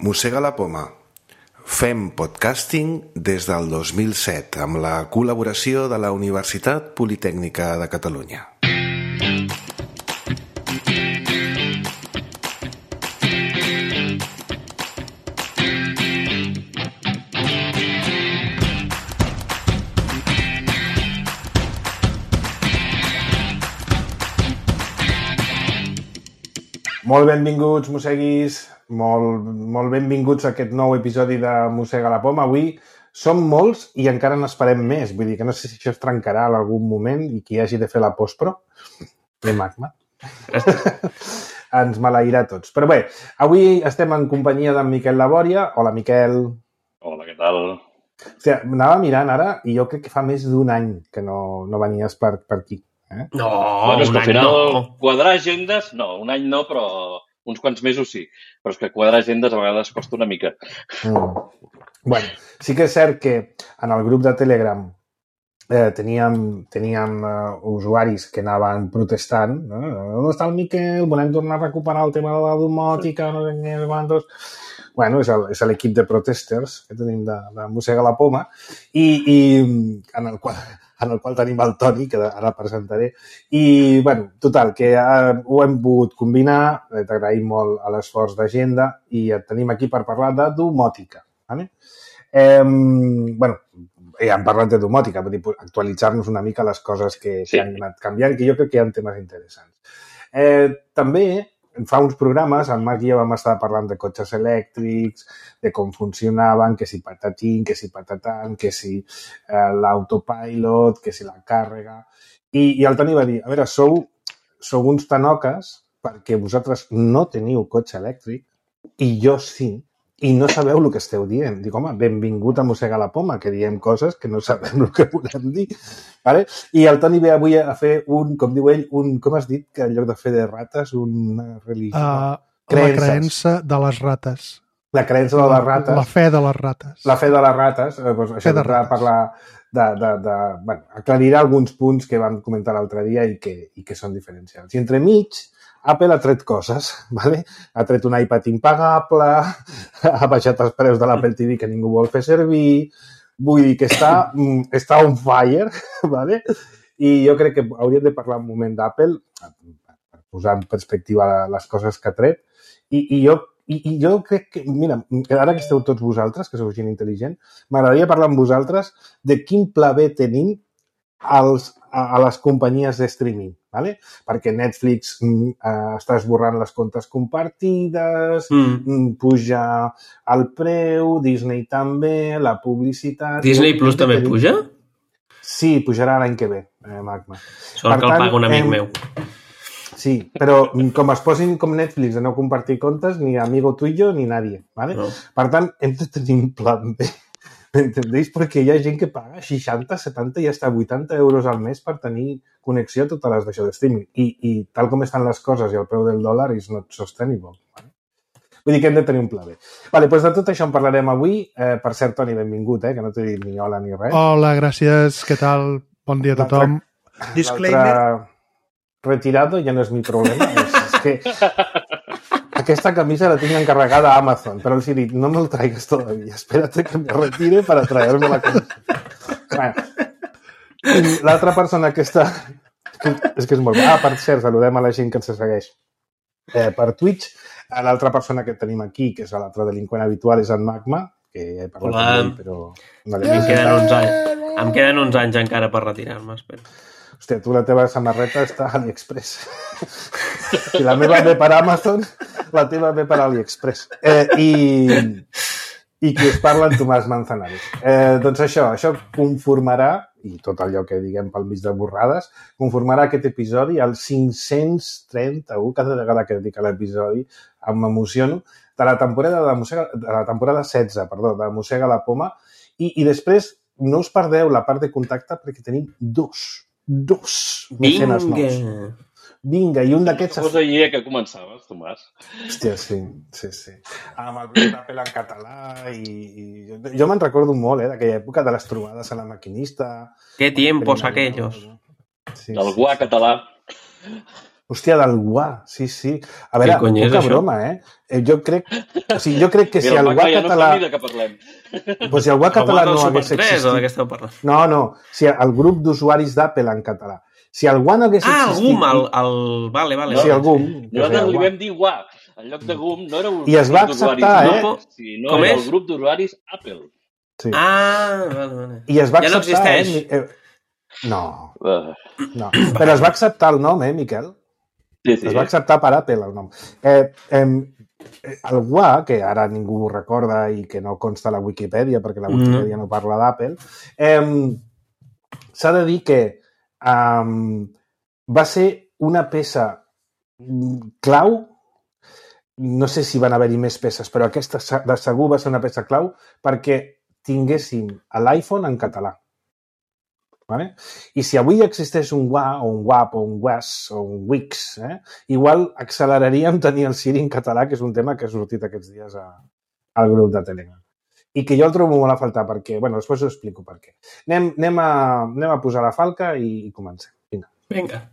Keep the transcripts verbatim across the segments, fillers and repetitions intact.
Mossega la poma. Fem podcasting des del dos mil set amb la col·laboració de la Universitat Politècnica de Catalunya. Molt benvinguts, mosseguis, molt, molt benvinguts a aquest nou episodi de Mossega la poma. Avui som molts i encara n'esperem més. Vull dir que no sé si això es trencarà en algun moment i qui hagi de fer la postpro. Bé, Magma. Ens maleirà tots. Però bé, avui estem en companyia d'en Miquel Labòria. Hola, Miquel. Hola, què tal? Hòstia, anava mirant ara i jo crec que fa més d'un any que no, no venies per, per aquí. Eh? No, bueno, és que al final no. Quadrar agendes, no, un any no, però uns quants mesos sí. Però és que quadrar agendes a vegades costa una mica. Mm. Bueno, sí que és cert que en el grup de Telegram eh, teníem, teníem uh, usuaris que anaven protestant. No? On està el Miquel? Volem tornar a recuperar el tema de la domòtica, no sé què, quantos... Bueno, és, el, és l'equip de protesters que tenim de, de Mossega la poma i, i en, el qual, en el qual tenim el Toni, que ara presentaré. I, bueno, total, que eh, ho hem pogut combinar, t'agraïm molt a l'esforç d'agenda i et tenim aquí per parlar de domòtica. Vale? Eh, bueno, ja hem parlat de domòtica, vull dir, actualitzar-nos una mica les coses que, sí. que han anat canviant, que jo crec que hi ha temes interessants. Eh, també... Fa uns programes, en Marc i jo vam estar parlant de cotxes elèctrics, de com funcionaven, que si patatín, que si patatan, que si eh, l'autopilot, que si la càrrega... I, I el Toni va dir, a veure, sou, sou uns tanoques perquè vosaltres no teniu cotxe elèctric i jo sí, i no sabeu el que esteu dient. Dic, home, benvingut a Mossega la poma, que diem coses que no sabem el que volem dir. Vale? I el Toni ve avui a fer un, com diu ell, un, com has dit, que en lloc de fer de rates, una religió... Uh, la creença de les rates. La creença de les rates. La, la fe de les rates. La fe de les rates. Eh, doncs, això de rates. Parlar de... de, de bueno, aclarirà alguns punts que vam comentar l'altre dia i que, i que són diferencials. I entremig, Apple ha tret coses, ¿vale? Ha tret un iPad impagable, ha baixat els preus de l'Apple T V que ningú vol fer servir, vull dir que està, està on fire, ¿vale? I jo crec que hauríem de parlar un moment d'Apple, per posar en perspectiva les coses que ha tret, i, i, jo, i, i jo crec que, mira, ara que esteu tots vosaltres, que sou gent intel·ligent, m'agradaria parlar amb vosaltres de quin pla B tenim als, a, a les companyies de streaming, ¿vale? Perquè Netflix mm, eh, està esborrant les comptes compartides, mm. puja el preu, Disney també, la publicitat... Disney Plus també tenim... puja? Sí, pujarà l'any que ve, eh, Magma. Sort per que tant, el paga un amic em... meu. Sí, però com es posin com Netflix de no compartir comptes, ni amigo tuyo ni nadie, ¿vale? No. Per tant, hem de tenir un plan B. M'entendeix? Perquè hi ha gent que paga seixanta, setanta i hasta vuitanta euros al mes per tenir connexió a totes les d'això de streaming. I, I tal com estan les coses i el preu del dòlar és not sustainable. Vale? Vull dir que hem de tenir un pla B. Vale, doncs de tot això en parlarem avui. Eh, per cert, Toni, benvingut, eh, que no t'he dit ni hola ni res. Hola, gràcies. Què tal? Bon dia a tothom. Disclaimer. Retirado ja no és mi problema. és, és que... Aquesta camisa la tinc encarregada a Amazon, però els he dit, no me'l traigues todavía, espérate que me retire para traerme la camisa. Bueno, l'altra persona que està... És que és molt... Ah, per cert, saludem a la gent que ens segueix eh, per Twitch. L'altra persona que tenim aquí, que és l'altre delinqüent habitual, és en Magma, que ja he parlat Hola. amb ell, però... No em, queden uns anys, em queden uns anys encara per retirar-me, espero. Hòstia, tu la teva samarreta està a AliExpress. Si la meva ve per Amazon, la teva ve per AliExpress. Eh, i, I qui us parla, en Tomàs Manzanares. Eh, doncs això, això conformarà, i tot allò que diguem pel mig de borrades, conformarà aquest episodi al cinc-cents trenta-u, cada vegada que dic l'episodi m'emociono, de la temporada de, Mossega, de la temporada setze, perdó, de Mossega la poma, i, i després no us perdeu la part de contacte perquè tenim dos dos mecenes nous. Vinga, i un d'aquests... Suposo ahir que començaves, Tomàs. Hòstia, sí, sí, sí. Amb el blog d'Apple en català i... i... Jo me'n recordo molt, eh, d'aquella època de les trobades a la maquinista. Qué tiempos aquellos. Sí, del guà sí, català. Hòstia, del W A, sí, sí. A veure, poca broma, eh? Jo crec, o sigui, jo crec que si el W A català... No sé ni de què parlem. Pues si el W A català no hagués existit... No, no, si el grup d'usuaris d'Apple en català. Si el W A no hagués existit... Ah, el G U M, el... Vale, vale. Sí, el G U M. Nosaltres li vam dir W A. En lloc de G U M no era un grup d'usuaris, sinó era el grup d'usuaris Apple. Ah, vale, vale. I es va acceptar... Ja no existeix. No, no. Però es va acceptar el nom, eh, Miquel? Sí, sí. Es va acceptar per Apple el nom. Eh, eh, el W A, que ara ningú ho recorda i que no consta a la Wikipedia, perquè la Wikipedia mm. no parla d'Apple, eh, s'ha de dir que eh, va ser una peça clau, no sé si van haver-hi més peces, però aquesta de segur va ser una peça clau perquè tinguéssim l'iPhone en català. Vale? I si avui existeix un W A o un W A P o un W A S o un Wix, eh, igual acceleraríem tenir el Siri en català, que és un tema que ha sortit aquests dies a, al grup de Telegram. I que jo el trobo molt a faltar perquè, bueno, després ho explico per què. Anem, anem, a, anem a posar la falca i, i comencem. Vinga. Vinga.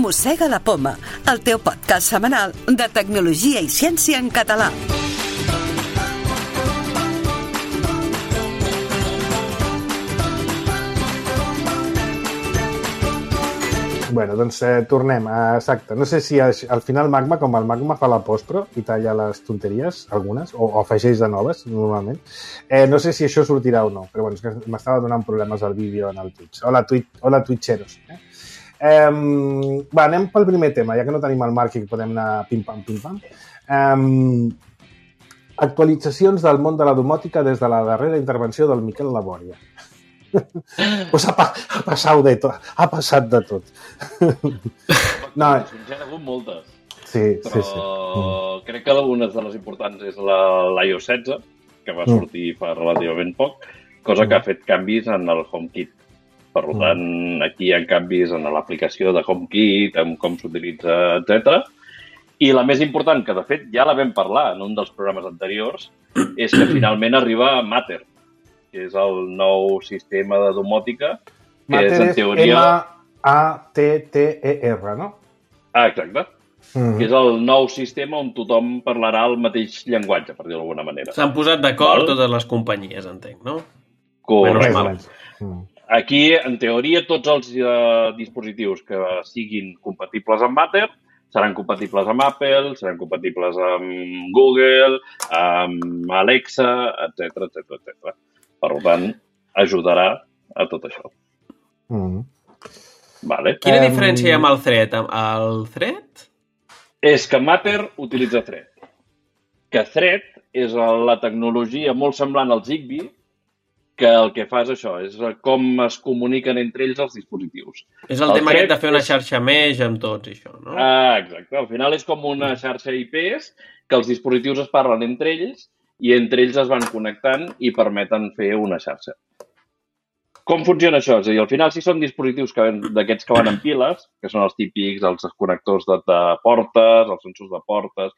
Mossega la Poma, el teu podcast setmanal de tecnologia i ciència en català. Bueno, doncs eh, tornem. Exacte. No sé si al final Magma, com el Magma fa la postpro i talla les tonteries, algunes, o, o afegeix de noves, normalment. Eh, no sé si això sortirà o no, però bueno, és que m'estava donant problemes al vídeo en el Twitch. Hola, Twitch, hola Twitcheros. Eh? Um, va, anem pel primer tema, ja que no tenim el Marc i podem anar pim-pam, pim-pam. Um, actualitzacions del món de la domòtica des de la darrera intervenció del Miquel Labòria. Pues ha, pa ha passat de tot. Ha passat de tot. No, ja ha hagut moltes. Sí, però sí, sí. Mm. Crec que algunes de les importants és l'i o setze, que va sortir fa relativament poc, cosa que ha fet canvis en el HomeKit. Per tant, aquí hi ha canvis en l'aplicació de HomeKit, en com s'utilitza, etcètera. I la més important, que de fet ja la vam parlar en un dels programes anteriors, és que finalment arriba Matter, que és el nou sistema de domòtica, que Matter és en teoria... M A T T E R, no? Ah, exacte. Mm. Que és el nou sistema on tothom parlarà el mateix llenguatge, per dir-ho d'alguna manera. S'han posat d'acord totes les companyies, entenc, no? Correcte. Bueno, mm. Aquí, en teoria, tots els uh, dispositius que siguin compatibles amb Matter seran compatibles amb Apple, seran compatibles amb Google, amb Alexa, etcètera, etcètera, etcètera. Per tant, ajudarà a tot això. Mm. Vale. Quina um... diferència hi ha amb el Thread? El Thread? És que Matter utilitza Thread. Que Thread és la tecnologia molt semblant al Zigbee, que el que fa és això, és com es comuniquen entre ells els dispositius. És el, el tema aquest de fer una xarxa mesh amb tots i això, no? Ah, exacte. Al final és com una xarxa I Ps que els dispositius es parlen entre ells i entre ells es van connectant i permeten fer una xarxa. Com funciona això? És a dir, al final, si són dispositius d'aquests que van en piles, que són els típics, els connectors de, de portes, els sensors de portes,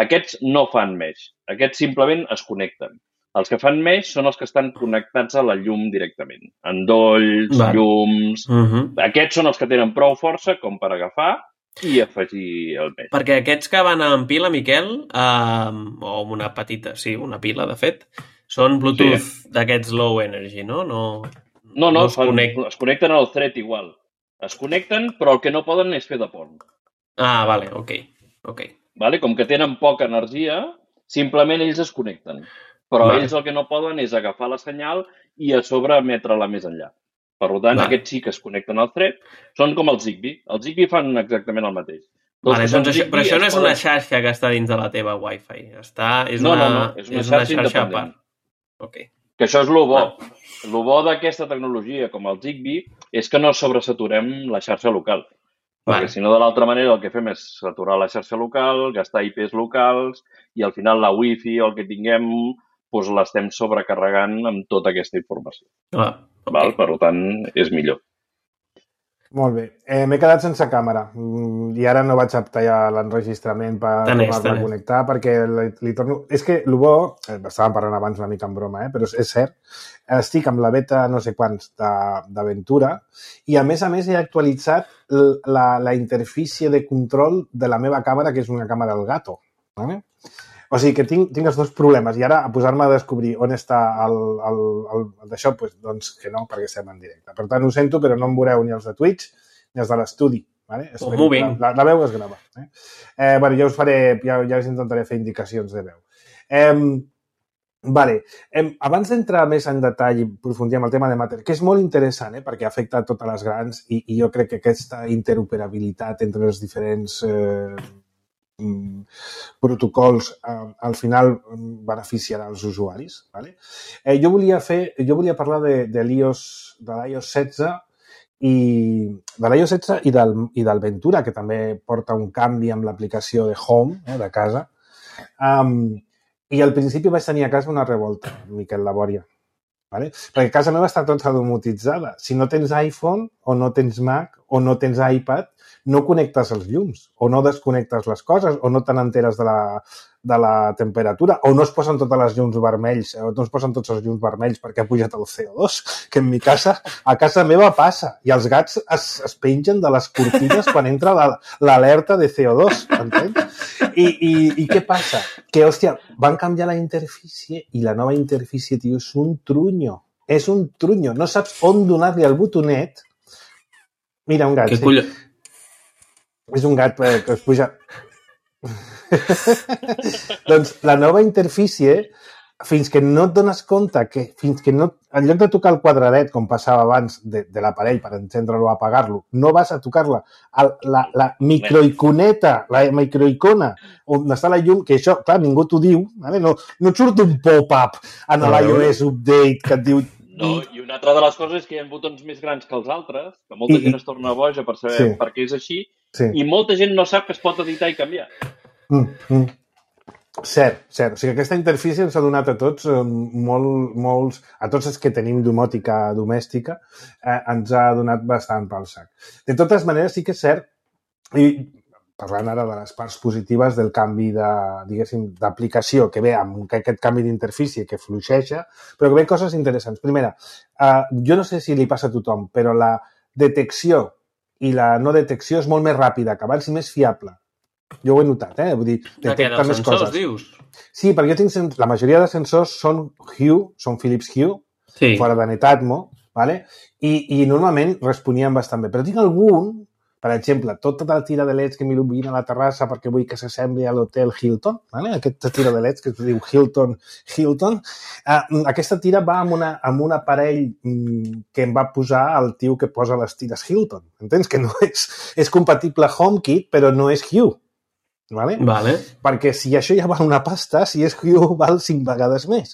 aquests no fan mesh. Aquests simplement es connecten. Els que fan mesh són els que estan connectats a la llum directament. Endolls, Va. llums... Uh -huh. Aquests són els que tenen prou força com per agafar i afegir el mesh. Perquè aquests que van en pila, Miquel, eh, o una petita, sí, una pila, de fet, són Bluetooth sí. d'aquests low energy, no? No, no, no, no es, connect... es connecten al Thread igual. Es connecten, però el que no poden és fer de pont. Ah, vale, ok. okay. Vale? Com que tenen poca energia, simplement ells es connecten. Però vale. ells el que no poden és agafar la senyal i a sobre emetre-la més enllà. Per tant, vale. aquests sí que es connecten al Thread. Són com el Zigbee. El Zigbee fan exactament el mateix. Vale, doncs això, però això no és poden... una xarxa que està dins de la teva Wi-Fi. Està, és, no, una, no, no, és una és xarxa, una xarxa a independent. part. Okay. Que això és el bo. Ah. El bo d'aquesta tecnologia, com el Zigbee, és que no sobresaturem la xarxa local. Perquè vale. si no, de l'altra manera, el que fem és saturar la xarxa local, gastar I Ps locals i al final la Wi-Fi o el que tinguem doncs l'estem sobrecarregant amb tota aquesta informació. Ah, okay. Val? Per tant, és millor. Molt bé. Eh, M'he quedat sense càmera i ara no vaig aptar ja l'enregistrament per tornar-la a connectar perquè li, li torno... És que el bo, eh, estàvem parlant abans una mica en broma, eh, però és cert, estic amb la beta no sé quants d'Aventura i a més a més he actualitzat la, la interfície de control de la meva càmera, que és una càmera Elgato. ¿Vale? O sigui que tinc, tinc els dos problemes i ara a posar-me a descobrir on està el, el, el, el d'això, pues, doncs que no, perquè estem en directe. Per tant, ho sento, però no em veureu ni els de Twitch ni els de l'estudi. ¿Vale? La, la, la veu es grava. Eh? Eh, bueno, ja us faré, ja, ja us intentaré fer indicacions de veu. Eh, vale. eh, abans d'entrar més en detall i aprofundir en el tema de Matter, que és molt interessant, eh, perquè afecta a totes les grans i, i jo crec que aquesta interoperabilitat entre els diferents... Eh, protocols eh, al final beneficiarà els usuaris. Vale? Eh, jo volia fer, jo volia parlar de, de l'iOS de l'iOS setze i de l'iOS setze i del, i del Ventura, que també porta un canvi amb l'aplicació de Home, eh, de casa. Um, I al principi vaig tenir a casa una revolta, Miquel Labòria. Vale? Perquè casa meva està tota domotitzada. Si no tens iPhone o no tens Mac o no tens iPad, no connectes els llums o no desconnectes les coses o no te n'enteres de, la, de la temperatura o no es posen totes les llums vermells o no es posen tots els llums vermells perquè ha pujat el C O dos, que en mi casa, a casa meva passa i els gats es, es pengen de les cortines quan entra l'alerta de C O dos, entens? I, i, I què passa? Que, hòstia, van canviar la interfície i la nova interfície, tio, és un trunyo. És un trunyo. No saps on donar-li el botonet. Mira, un gat. Què colló? Sí. És un gat que es puja... Doncs la nova interfície, fins que no et dones compte que, fins que no, en lloc de tocar el quadradet, com passava abans de, de l'aparell per encendre-lo o apagar-lo, no vas a tocar-la. La, la microiconeta, la microicona, on està la llum, que això, clar, ningú t'ho diu, vale? no, no et surt un pop-up en l'iOS Update que et diu... No, i una altra de les coses és que hi ha botons més grans que els altres, que molta I, gent es torna boja per saber sí. per què és així, sí. i molta gent no sap que es pot editar i canviar. Mm, mm. Cert, cert. O sigui, aquesta interfície ens ha donat a tots eh, molt, molts, a tots els que tenim domòtica domèstica, eh, ens ha donat bastant pel sac. De totes maneres, sí que és cert, i parlant ara de les parts positives del canvi de, diguéssim, d'aplicació que ve amb aquest canvi d'interfície que fluixeja, però que ve coses interessants. Primera, eh, jo no sé si li passa a tothom, però la detecció i la no detecció és molt més ràpida que abans i més fiable. Jo ho he notat, eh? Vull dir, detecta més coses. Sensors, dius? Sí, perquè jo tinc sens... la majoria de sensors són Hue, són Philips Hue, sí. fora de Netatmo, ¿vale? I, i normalment responien bastant bé. Però tinc algun, per exemple, tota la tira de leds que m'il·lumina a la terrassa perquè vull que s'assembli a l'hotel Hilton, ¿vale? Aquesta tira de leds que es diu Hilton, Hilton, uh, aquesta tira va amb, una, amb un aparell mm, que em va posar el tio que posa les tires Hilton. Entens? Que no és, és compatible HomeKit, però no és Hue. Vale? Vale. Perquè si això ja val una pasta, si és Hue val cinc vegades més.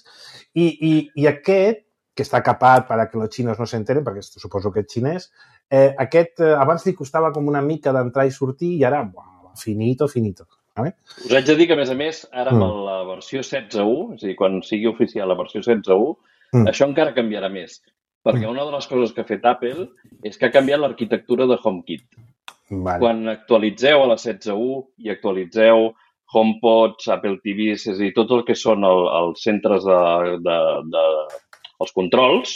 I, i, i aquest, que està capat per a que els xinos no s'enteren, perquè suposo que és xinès, eh, aquest eh, abans li costava com una mica d'entrar i sortir i ara, buah, finito, finito. Vale? Us haig de dir que, a més a més, ara amb mm. la versió setze u, és a dir, quan sigui oficial la versió setze u, mm. això encara canviarà més. Perquè mm. una de les coses que ha fet Apple és que ha canviat l'arquitectura de HomeKit. Vale. Quan actualitzeu a la setze u i actualitzeu HomePods, Apple T Vs, és a dir, tot el que són el, els centres de, de, de els controls,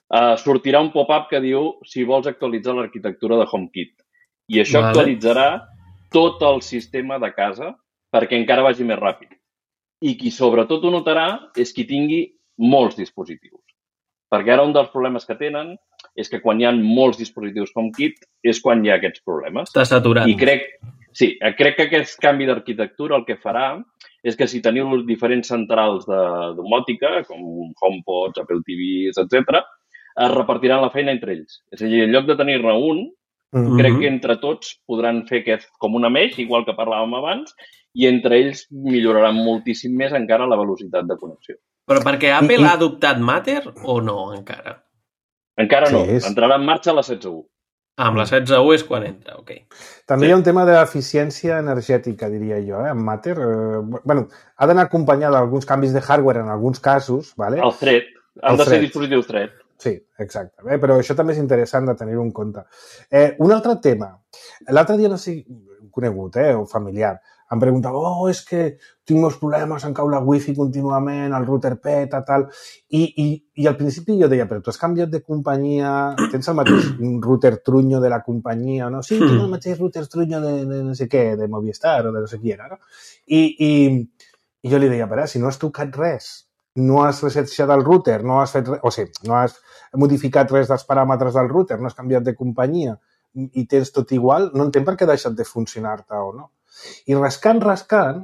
eh, sortirà un pop-up que diu si vols actualitzar l'arquitectura de HomeKit. I això vale. actualitzarà tot el sistema de casa perquè encara vagi més ràpid. I qui sobretot ho notarà és qui tingui molts dispositius. Perquè ara un dels problemes que tenen és que quan hi ha molts dispositius HomeKit és quan hi ha aquests problemes. Està saturat. I crec, sí, crec que aquest canvi d'arquitectura el que farà és que si teniu diferents centrals de domòtica, com HomePods, Apple T Vs, etcètera, es repartiran la feina entre ells. És a dir, en lloc de tenir-ne un, mm-hmm. crec que entre tots podran fer aquest com una mesh, igual que parlàvem abans, i entre ells milloraran moltíssim més encara la velocitat de connexió. Però perquè Apple I, i... ha adoptat Matter o no encara? Encara no. Sí, és... Entrarà en marxa la setze u. Ah, amb la setze u és quan entra, ok. També sí. Hi ha un tema d'eficiència energètica, diria jo, eh? En Matter. Eh, bueno, ha d'anar acompanyada d'alguns canvis de hardware en alguns casos, ¿vale? El Thread. Han el de thread. Ser dispositius Thread. Sí, exacte. Eh, però això també és interessant de tenir-ho en compte. Eh, un altre tema. L'altre dia, no sé, conegut, eh, o familiar, em preguntava, oh, és que tinc molts problemes, em cau la wifi contínuament, el router peta, tal. I, i, i al principi jo deia, però tu has canviat de companyia, tens el mateix router trunyo de la companyia, no? Sí, tinc el mateix router trunyo de, de no sé què, de Movistar o de no sé qui era, no? I, i, i jo li deia, però si no has tocat res, no has resetjat el router, no has fet res, o sigui, no has modificat res dels paràmetres del router, no has canviat de companyia i tens tot igual, no entenc per què ha deixat de funcionar-te o no. I rascant, rascant,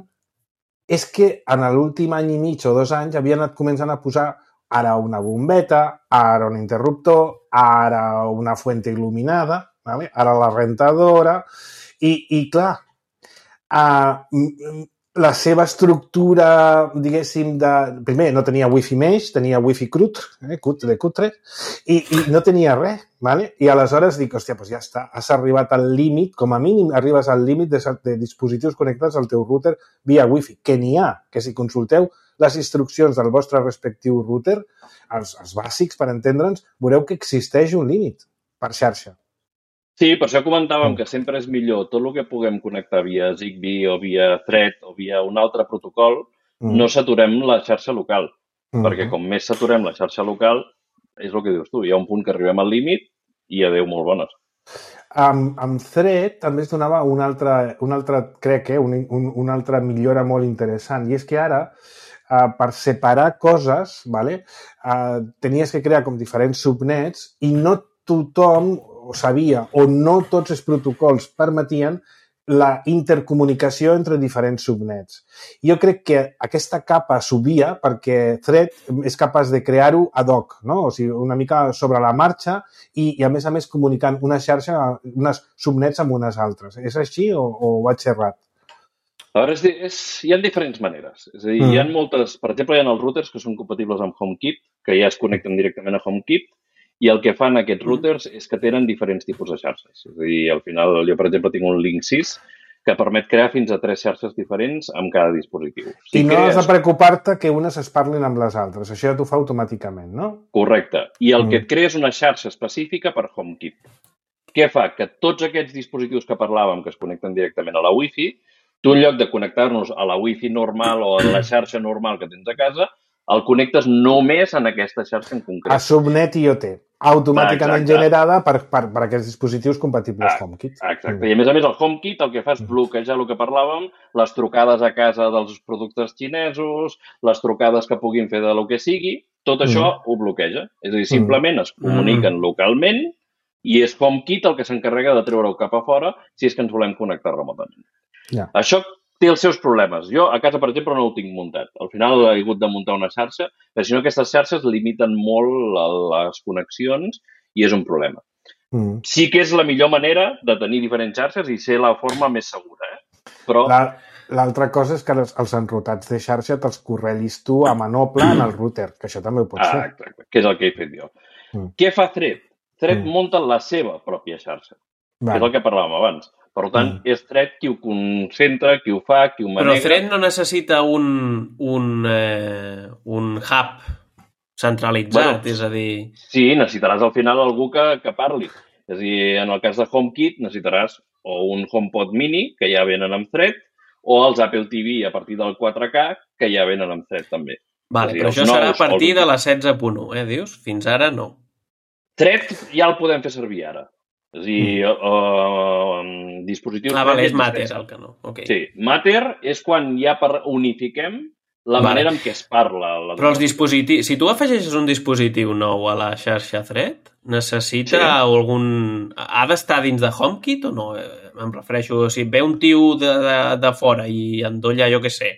és que en l'últim any i mig o dos anys havien anat començant a posar ara una bombeta, ara un interruptor, ara una fuente il·luminada, ¿vale? Ara la rentadora, i, i clar, uh, la seva estructura, diguéssim, de... Primer, no tenia wifi mesh, tenia wifi crut, eh, cut de cutre, i, i no tenia res, ¿vale? I aleshores dic, hòstia, doncs ja està, has arribat al límit, com a mínim arribes al límit de, de dispositius connectats al teu router via wifi, que n'hi ha, que si consulteu les instruccions del vostre respectiu router, els, els bàsics, per entendre'ns, veureu que existeix un límit per xarxa. Sí, per això comentàvem que sempre és millor tot el que puguem connectar via Zigbee o via Thread o via un altre protocol, mm. no saturem la xarxa local, mm. perquè com més saturem la xarxa local, és el que dius tu, hi ha un punt que arribem al límit i adeu molt bones. Amb, amb Thread també es donava una altra, una altra crec, eh, un, un, una altra millora molt interessant, i és que ara, uh, per separar coses, vale, uh, tenies que crear com diferents subnets i no tothom o sabia, o no tots els protocols permetien la intercomunicació entre diferents subnets. Jo crec que aquesta capa subia perquè Thread és capaç de crear-ho ad hoc, no? O sigui, una mica sobre la marxa i, i a més a més comunicant una xarxa, unes subnets amb unes altres. És així o, o vaig errat? A veure, és, és, hi ha diferents maneres. És a dir, mm. hi ha moltes... Per exemple, hi ha els routers que són compatibles amb HomeKit, que ja es connecten directament a HomeKit, i el que fan aquests routers és que tenen diferents tipus de xarxes. És a dir, al final, jo, per exemple, tinc un Link sis que permet crear fins a tres xarxes diferents amb cada dispositiu. Si I no crees... has de preocupar-te que unes es parlin amb les altres. Això ja t'ho fa automàticament, no? Correcte. I el mm. que et crea és una xarxa específica per HomeKit. Què fa? Que tots aquests dispositius que parlàvem, que es connecten directament a la Wi-Fi, tu, en lloc de connectar-nos a la Wi-Fi normal o a la xarxa normal que tens a casa, el connectes només en aquesta xarxa en concret. A subnet I O T, automàticament exacte. Generada per, per, per aquests dispositius compatibles ah, HomeKit. Exacte. Mm. I a més a més el HomeKit el que fa és bloquejar el que parlàvem, les trucades a casa dels productes xinesos, les trucades que puguin fer de lo que sigui, tot això mm. ho bloqueja. És a dir, simplement mm. es comuniquen mm. localment i és HomeKit el que s'encarrega de treure-ho cap a fora si és que ens volem connectar remotament. Yeah. Això té els seus problemes. Jo a casa, per exemple, no ho tinc muntat. Al final he hagut de muntar una xarxa, però si no aquestes xarxes limiten molt les connexions i és un problema. Mm. Sí que és la millor manera de tenir diferents xarxes i ser la forma més segura. Eh? Però... L'altra cosa és que els, els enrutats de xarxa te'ls correguis tu a manople en el router, que això també ho pots fer. Ah, exacte, que és el que he fet jo. Mm. Què fa Thread? Thread mm. munta la seva pròpia xarxa. Vale. És el que parlàvem abans. Per tant, mm. és Thread qui ho concentra, qui ho fa, qui ho manega... Però Thread no necessita un, un, eh, un hub centralitzat, bueno, és a dir... Sí, necessitaràs al final algú que, que parli. És a dir, en el cas de HomeKit necessitaràs o un HomePod mini, que ja venen amb Thread, o els Apple T V a partir del quatre K, que ja venen amb Thread també. Vale, dir, però això serà a partir de la setze punt u, eh, dius? Fins ara no. Thread ja el podem fer servir ara. És a dir, mm. uh, dispositius... Ah, vale, és Matter el que no. Okay. Sí, Matter és quan ja unifiquem la vale. manera en què es parla. La Però els dispositius... Si tu afegeixes un dispositiu nou a la xarxa Thread, necessita sí. algun... Ha d'estar dins de HomeKit o no? Em refereixo, si ve un tio de, de, de fora i endolla, jo què sé,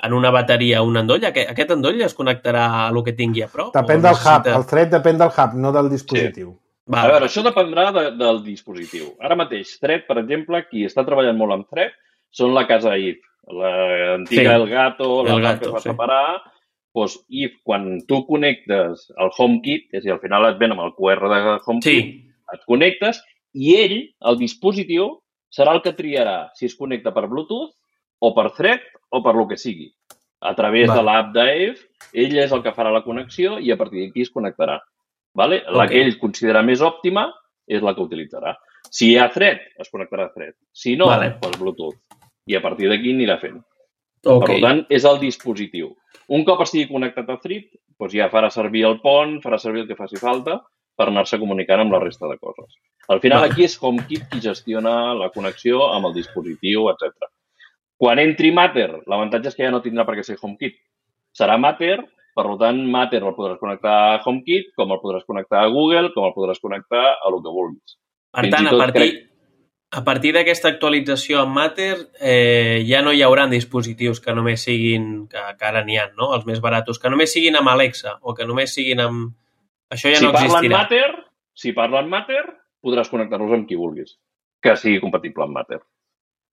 en una bateria un endoll, aquest endoll es connectarà a lo que tingui a prop? Depèn del necessita... hub. El Thread depèn del hub, no del dispositiu. Sí. Va, a veure, això dependrà de, del dispositiu. Ara mateix, Thread, per exemple, qui està treballant molt amb Thread són la casa I F, l'antiga sí. Elgato, la El Gato, que es va sí. separar. Doncs I F, quan tu connectes al HomeKit, és a dir, al final et ven amb el Q R de HomeKit, sí. et connectes i ell, el dispositiu, serà el que triarà si es connecta per Bluetooth o per Thread o per lo que sigui. A través Va. de l'app d'A I F, ell és el que farà la connexió i a partir d'aquí es connectarà. Vale? La Ok. que ell considera més òptima és la que utilitzarà. Si hi ha Thread, es connectarà a Thread. Si no, Vale. doncs Bluetooth. I a partir d'aquí anirà fent. Ok. Per tant, és el dispositiu. Un cop estigui connectat a Thread, doncs ja farà servir el pont, farà servir el que faci falta per anar-se comunicant amb la resta de coses. Al final, Vale. aquí és HomeKit qui gestiona la connexió amb el dispositiu, etcètera. Quan entri Matter, l'avantatge és que ja no tindrà per què ser HomeKit. Serà Matter, per tant, Matter el podràs connectar a HomeKit, com el podràs connectar a Google, com el podràs connectar a el que vulguis. Per Fins tant, i a tot partir, crec- a partir d'aquesta actualització amb Matter, eh, ja no hi haurà dispositius que només siguin, que, que ara n'hi ha, no? Els més baratos, que només siguin amb Alexa o que només siguin amb... Això ja si no parlen existirà. Matter, si parlen Matter, podràs connectar-los amb qui vulguis, que sigui compatible amb Matter.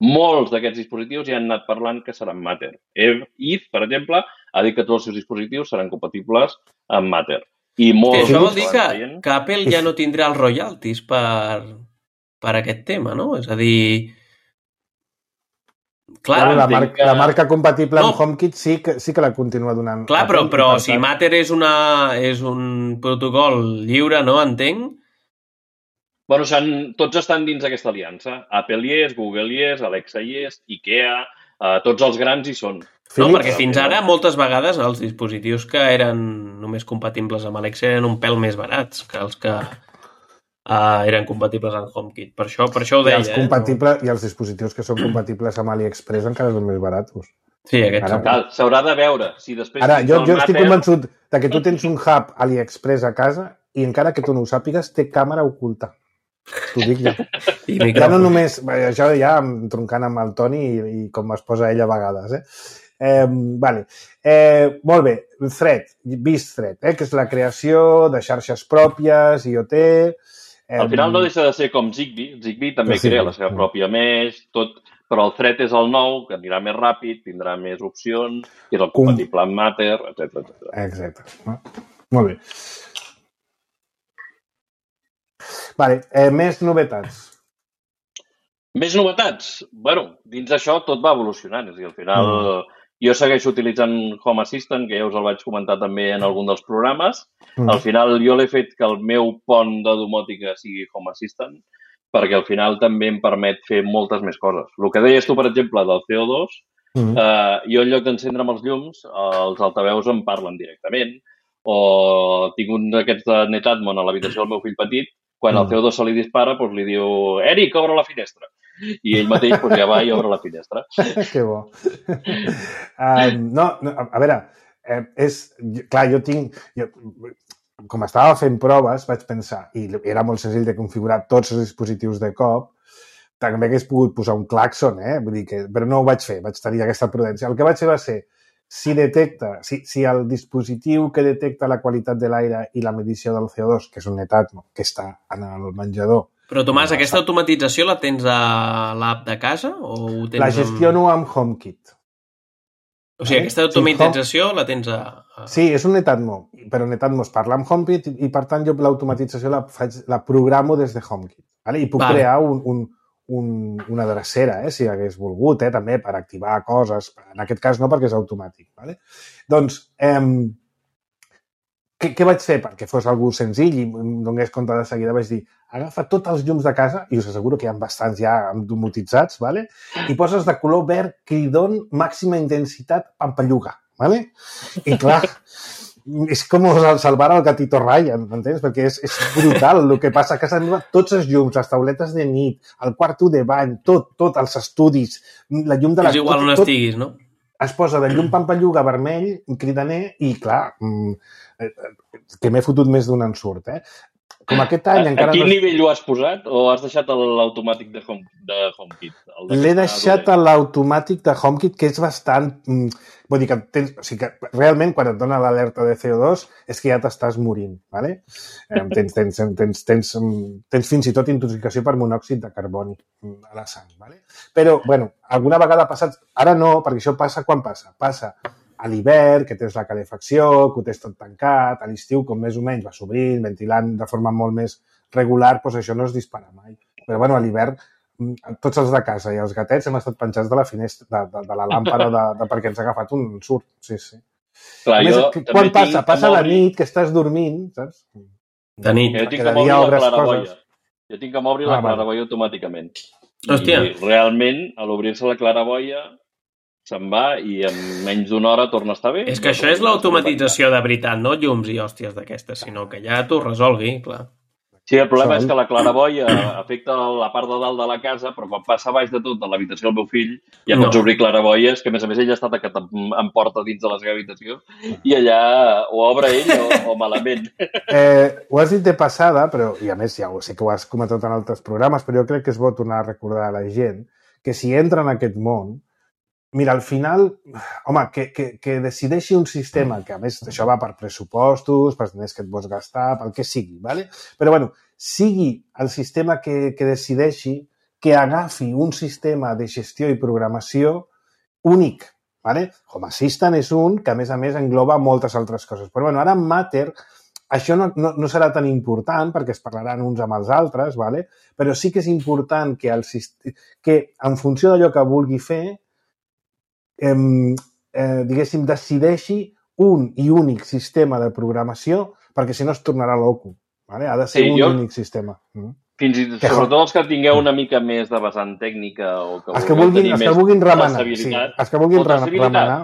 Molts d'aquests dispositius ja han anat parlant que seran Matter. Eve, Eve, per exemple, ha dit que tots els seus dispositius seran compatibles amb Matter. I Que molts això vol que dir van que, veient- que Apple ja no tindrà els royalties per, per aquest tema, no? És a dir... Clar, Bueno, la, entenc marca, que- la marca compatible amb No. HomeKit sí que, sí que la continua donant. clar però, Apple, i però per si tant- Matter és, una, és un protocol lliure, no? Entenc? Bueno, s'han, tots estan dins d'aquesta aliança. Apple hi és, Google hi és, Alexa hi és, IKEA, eh, tots els grans hi són. No, Philips, perquè fins ara, moltes vegades, els dispositius que eren només compatibles amb Alexa eren un pèl més barats que els que uh, eren compatibles amb HomeKit. Per això, per això ho i deia, els, eh? compatible, i els dispositius que són compatibles amb AliExpress encara són més baratos. Sí, aquests Ara- són. Cal, s'haurà de veure si després... Ara, dins jo, del jo estic Matter- convençut de que tu tens un hub AliExpress a casa i encara que tu no ho sàpigues, té càmera oculta. T'ho dic jo. I Ja no micròfon. només, bé, això ja em troncant amb el Toni i, i com es posa ell a vegades, eh? Eh, vale. eh, molt bé, Thread, vist Thread, eh, que és la creació de xarxes pròpies, IoT... Eh, Al final no deixa de ser com Zigbee. Zigbee també Sí, crea la seva sí. pròpia mesh, tot, però el Thread és el nou, que anirà més ràpid, tindrà més opcions, és el Com- compatible amb Matter, etcètera, etcètera. Exacte. No? Molt bé. Vale, eh, més novetats. Més novetats? Bueno, dins d'això tot va evolucionant. És a dir, al final mm. jo segueixo utilitzant Home Assistant, que ja us el vaig comentar també en algun dels programes. Mm. Al final jo l'he fet que el meu pont de domòtica sigui Home Assistant, perquè al final també em permet fer moltes més coses. El que deies tu, per exemple, del C O dos, Mm. eh, jo en lloc d'encendre amb els llums, els altaveus em parlen directament, o tinc un d'aquests de Netatmon a l'habitació del meu fill petit, quan el Mm. C O dos se li dispara, doncs li diu Eric, obre la finestra. I ell mateix doncs, ja va i obre la finestra. Que bo. um, no, no, a, a veure, eh, és, clar, jo tinc... Jo, com estava fent proves, vaig pensar, i era molt senzill de configurar tots els dispositius de cop, també hagués pogut posar un claxon, eh? Vull dir que, però no ho vaig fer, vaig tenir aquesta prudència. El que vaig fer va ser, si detecta, si, si el dispositiu que detecta la qualitat de l'aire i la medició del C O dos, que és un Netatmo, que està en el menjador, Però, Tomàs, aquesta automatització la tens a l'app de casa? O ho tens la gestiono amb HomeKit. Amb... O sigui, aquesta automatització la tens a... a... Sí, és un Netatmo, però Netatmo es parla amb HomeKit i, i per tant, jo l'automatització la, faig, la programo des de HomeKit. Vale? I puc Vale. crear un, un, un, una drecera, eh, si hagués volgut, eh, també, per activar coses. En aquest cas no, perquè és automàtic. Vale? Doncs, eh, què, què vaig fer? Perquè fos algú senzill i em donés compte de seguida, vaig dir, agafa tots els llums de casa, i us asseguro que hi ha bastants ja domotitzats, vale? I poses de color verd cridon, màxima intensitat, pampalluga. Vale? I clar, és com salvar el gatito Ryan, m'entens? Perquè és, és brutal el que passa a casa meva. Tots els llums, les tauletes de nit, el quarto de bany, tot, tot, els estudis, la llum de la... És igual tot, on tot, estiguis, no? es posa de llum pampalluga vermell, cridaner, i clar, que m'he fotut més d'un ensurt, eh? Com aquest any A, encara a quin no... nivell ho has posat o has deixat l'automàtic de, home, de HomeKit? El de L'he deixat a l'automàtic de HomeKit, que és bastant... Mm, vull dir que, tens, o sigui que realment quan et dona l'alerta de C O dos és que ja t'estàs morint, ¿vale? Eh, tens, tens, tens, tens, tens fins i tot intoxicació per monòxid de carboni a la sang, ¿vale? Però, bueno, alguna vegada ha passat... Ara no, perquè això passa quan passa? Passa a l'hivern, que tens la calefacció, que ho tens tot tancat, a l'estiu, com més o menys va s'obrint, ventilant de forma molt més regular, doncs això no es dispara mai. Però, bueno, a l'hivern, tots els de casa i els gatets hem estat penjats de la finestra, de, de, de la làmpara, de, de, perquè ens ha agafat un ensurt. Sí, sí. Clar, A més, jo quan també passa? tinc Passa a la Amori. nit, que estàs dormint, saps? De nit. Jo tinc que moure la claraboia. Jo tinc que moure la claraboia automàticament. Hòstia. I realment, a l'obrir-se la claraboia, se'n va i en menys d'una hora torna a estar bé. És que això és l'automatització de veritat, no llums i hòsties d'aquestes, sinó que ja t'ho resolgui, clar. Sí, el problema és que la claraboia afecta la part de dalt de la casa, però quan passa baix de tot de l'habitació del meu fill, ja pots obrir claraboies, que a més a més ell està tacat en porta dins de la seva habitació, i allà o obre ell o, o malament. Eh, ho has dit de passada, però, i a més ja ho sé que ho has comentat en altres programes, però jo crec que és bo tornar a recordar a la gent que si entra en aquest món, mira, al final, home, que, que, que decideixi un sistema, que a més això va per pressupostos, per diners que et vols gastar, pel que sigui, ¿vale? Però bueno, sigui el sistema que, que decideixi que agafi un sistema de gestió i programació únic, ¿vale? Home Assistant és un que a més a més engloba moltes altres coses. Però bueno, ara en Matter això no, no, no serà tan important perquè es parlaran uns amb els altres, ¿vale? Però sí que és important que, el, que en funció d'allò que vulgui fer Eh, eh, diguéssim, decideixi un i únic sistema de programació perquè si no es tornarà loco. ¿Vale? Ha de ser sí, un jo, únic sistema. Fins i tot, sobretot els que tingueu una mica més de vessant tècnica o que, els que vulguin, els que vulguin remenar. Sí, els que vulguin o remenar.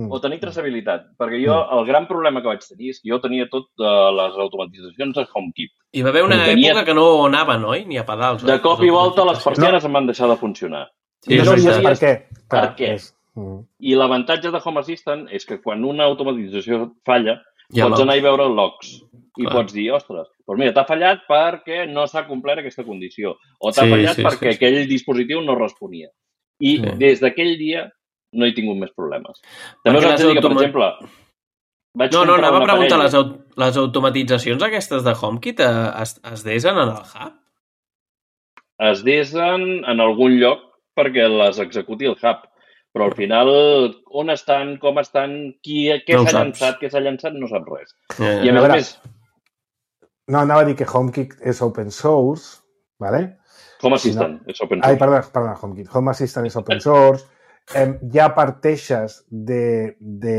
O tenir traçabilitat. Perquè jo, el gran problema que vaig tenir és que jo tenia tot uh, les automatitzacions a HomeKit. Hi va haver una tenia... època que no anava, no? Ni a pedals. De cop i volta les persianes no. em van deixar de funcionar. Sí, no sabies per què. Per què? És... Mm. I l'avantatge de Home Assistant és que quan una automatització falla, ja pots anar i veure els logs i Clar. Pots dir, ostres, doncs mira, t'ha fallat perquè no s'ha complert aquesta condició o t'ha sí, fallat sí, perquè sí, aquell sí. dispositiu no responia. I sí. des d'aquell dia no he tingut més problemes. També us haig de dir que, per exemple... Vaig no, no, anava a preguntar, les, aut les automatitzacions aquestes de HomeKit es, es desen en el hub? Es desen en algun lloc perquè les executi el hub. Però al final, on estan, com estan, qui, què no s'ha llançat, què s'ha llançat, no sap res. Yeah. I a més a més... No, anava a dir que HomeKit és open source, ¿vale? Home Assistant no... és open source. Ai, perdó, perdó, HomeKit. Home Assistant és open source. eh, ja parteixes de, de,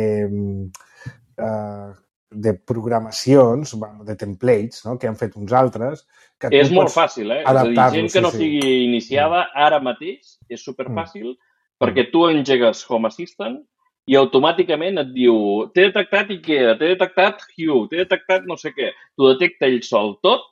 uh, de programacions, de templates, no?, que han fet uns altres. Que és molt fàcil, eh? És a dir, gent que no sí, sigui sí. iniciada, ara mateix, és superfàcil, mm. perquè tu engegues Home Assistant i automàticament et diu t'he detectat IKEA, t'he detectat Hue, t'he detectat no sé què. T'ho detecta ell sol tot,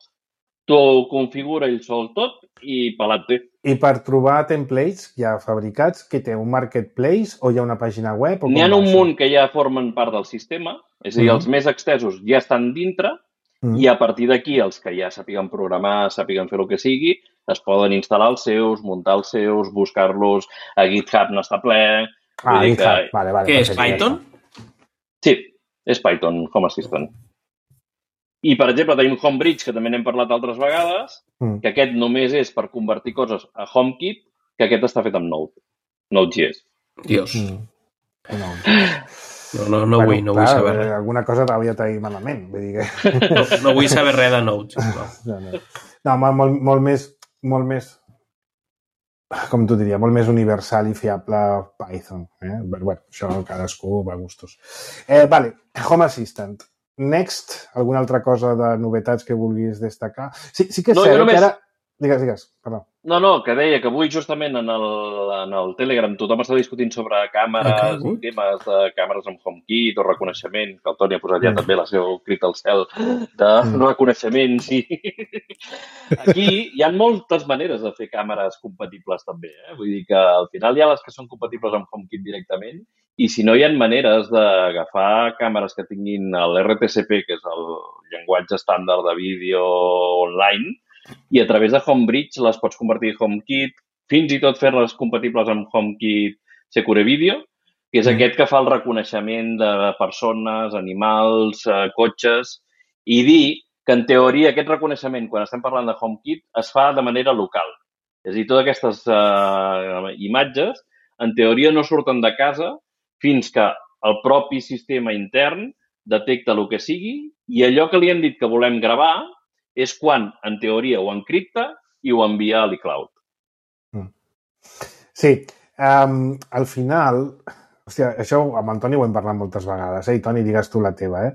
t'ho configura ell sol tot i pelat-te. I per trobar templates ja fabricats, que té un marketplace o hi ha una pàgina web? N'hi ha un munt que ja formen part del sistema, és a dir, mm. els més extesos ja estan dintre mm. i a partir d'aquí els que ja sàpiguen programar, sàpiguen fer el que sigui, es poden instal·lar els seus, muntar els seus, buscar-los a GitHub, no està ple... Ah, GitHub, que... vale, vale. Què és, Python? Sí, és Python, Home Assistant. I, per exemple, tenim Homebridge, que també n'hem parlat altres vegades, mm. que aquest només és per convertir coses a HomeKit, que aquest està fet amb Node, Node.js. Dios. Mm. No. No, no, no, bueno, vull, no clar, vull saber res. Alguna cosa t'havia traït malament, vull dir que... No, no vull saber res de Node. No, no, no. no molt, molt més... molt més, com tu diria, molt més universal i fiable Python. Eh? Però, bueno, això cadascú va a gustos. Eh, vale, Home Assistant. Next, alguna altra cosa de novetats que vulguis destacar? Sí, sí que és no, cert només... que ara... Digues, digues, perdó. No, no, que deia que avui justament en el, en el Telegram tothom està discutint sobre càmeres okay. i temes de càmeres amb HomeKit o reconeixement, que el Toni ha posat ja mm. també la seva crit al cel de mm. reconeixement, sí. Aquí hi ha moltes maneres de fer càmeres compatibles també, eh? Vull dir que al final hi ha les que són compatibles amb HomeKit directament i si no hi ha maneres d'agafar càmeres que tinguin l'R T C P, que és el llenguatge estàndard de vídeo online, i a través de Homebridge les pots convertir en HomeKit, fins i tot fer-les compatibles amb HomeKit Secure Video, que és mm. aquest que fa el reconeixement de persones, animals, eh, cotxes, i dir que en teoria aquest reconeixement, quan estem parlant de HomeKit, es fa de manera local. És a dir, totes aquestes eh, imatges, en teoria no surten de casa fins que el propi sistema intern detecta el que sigui i allò que li hem dit que volem gravar és quan, en teoria, ho encripta i ho envia a l'iCloud. Sí. Um, al final, hòstia, això amb en Toni ho hem parlat moltes vegades, eh? I Toni, digues tu la teva, eh?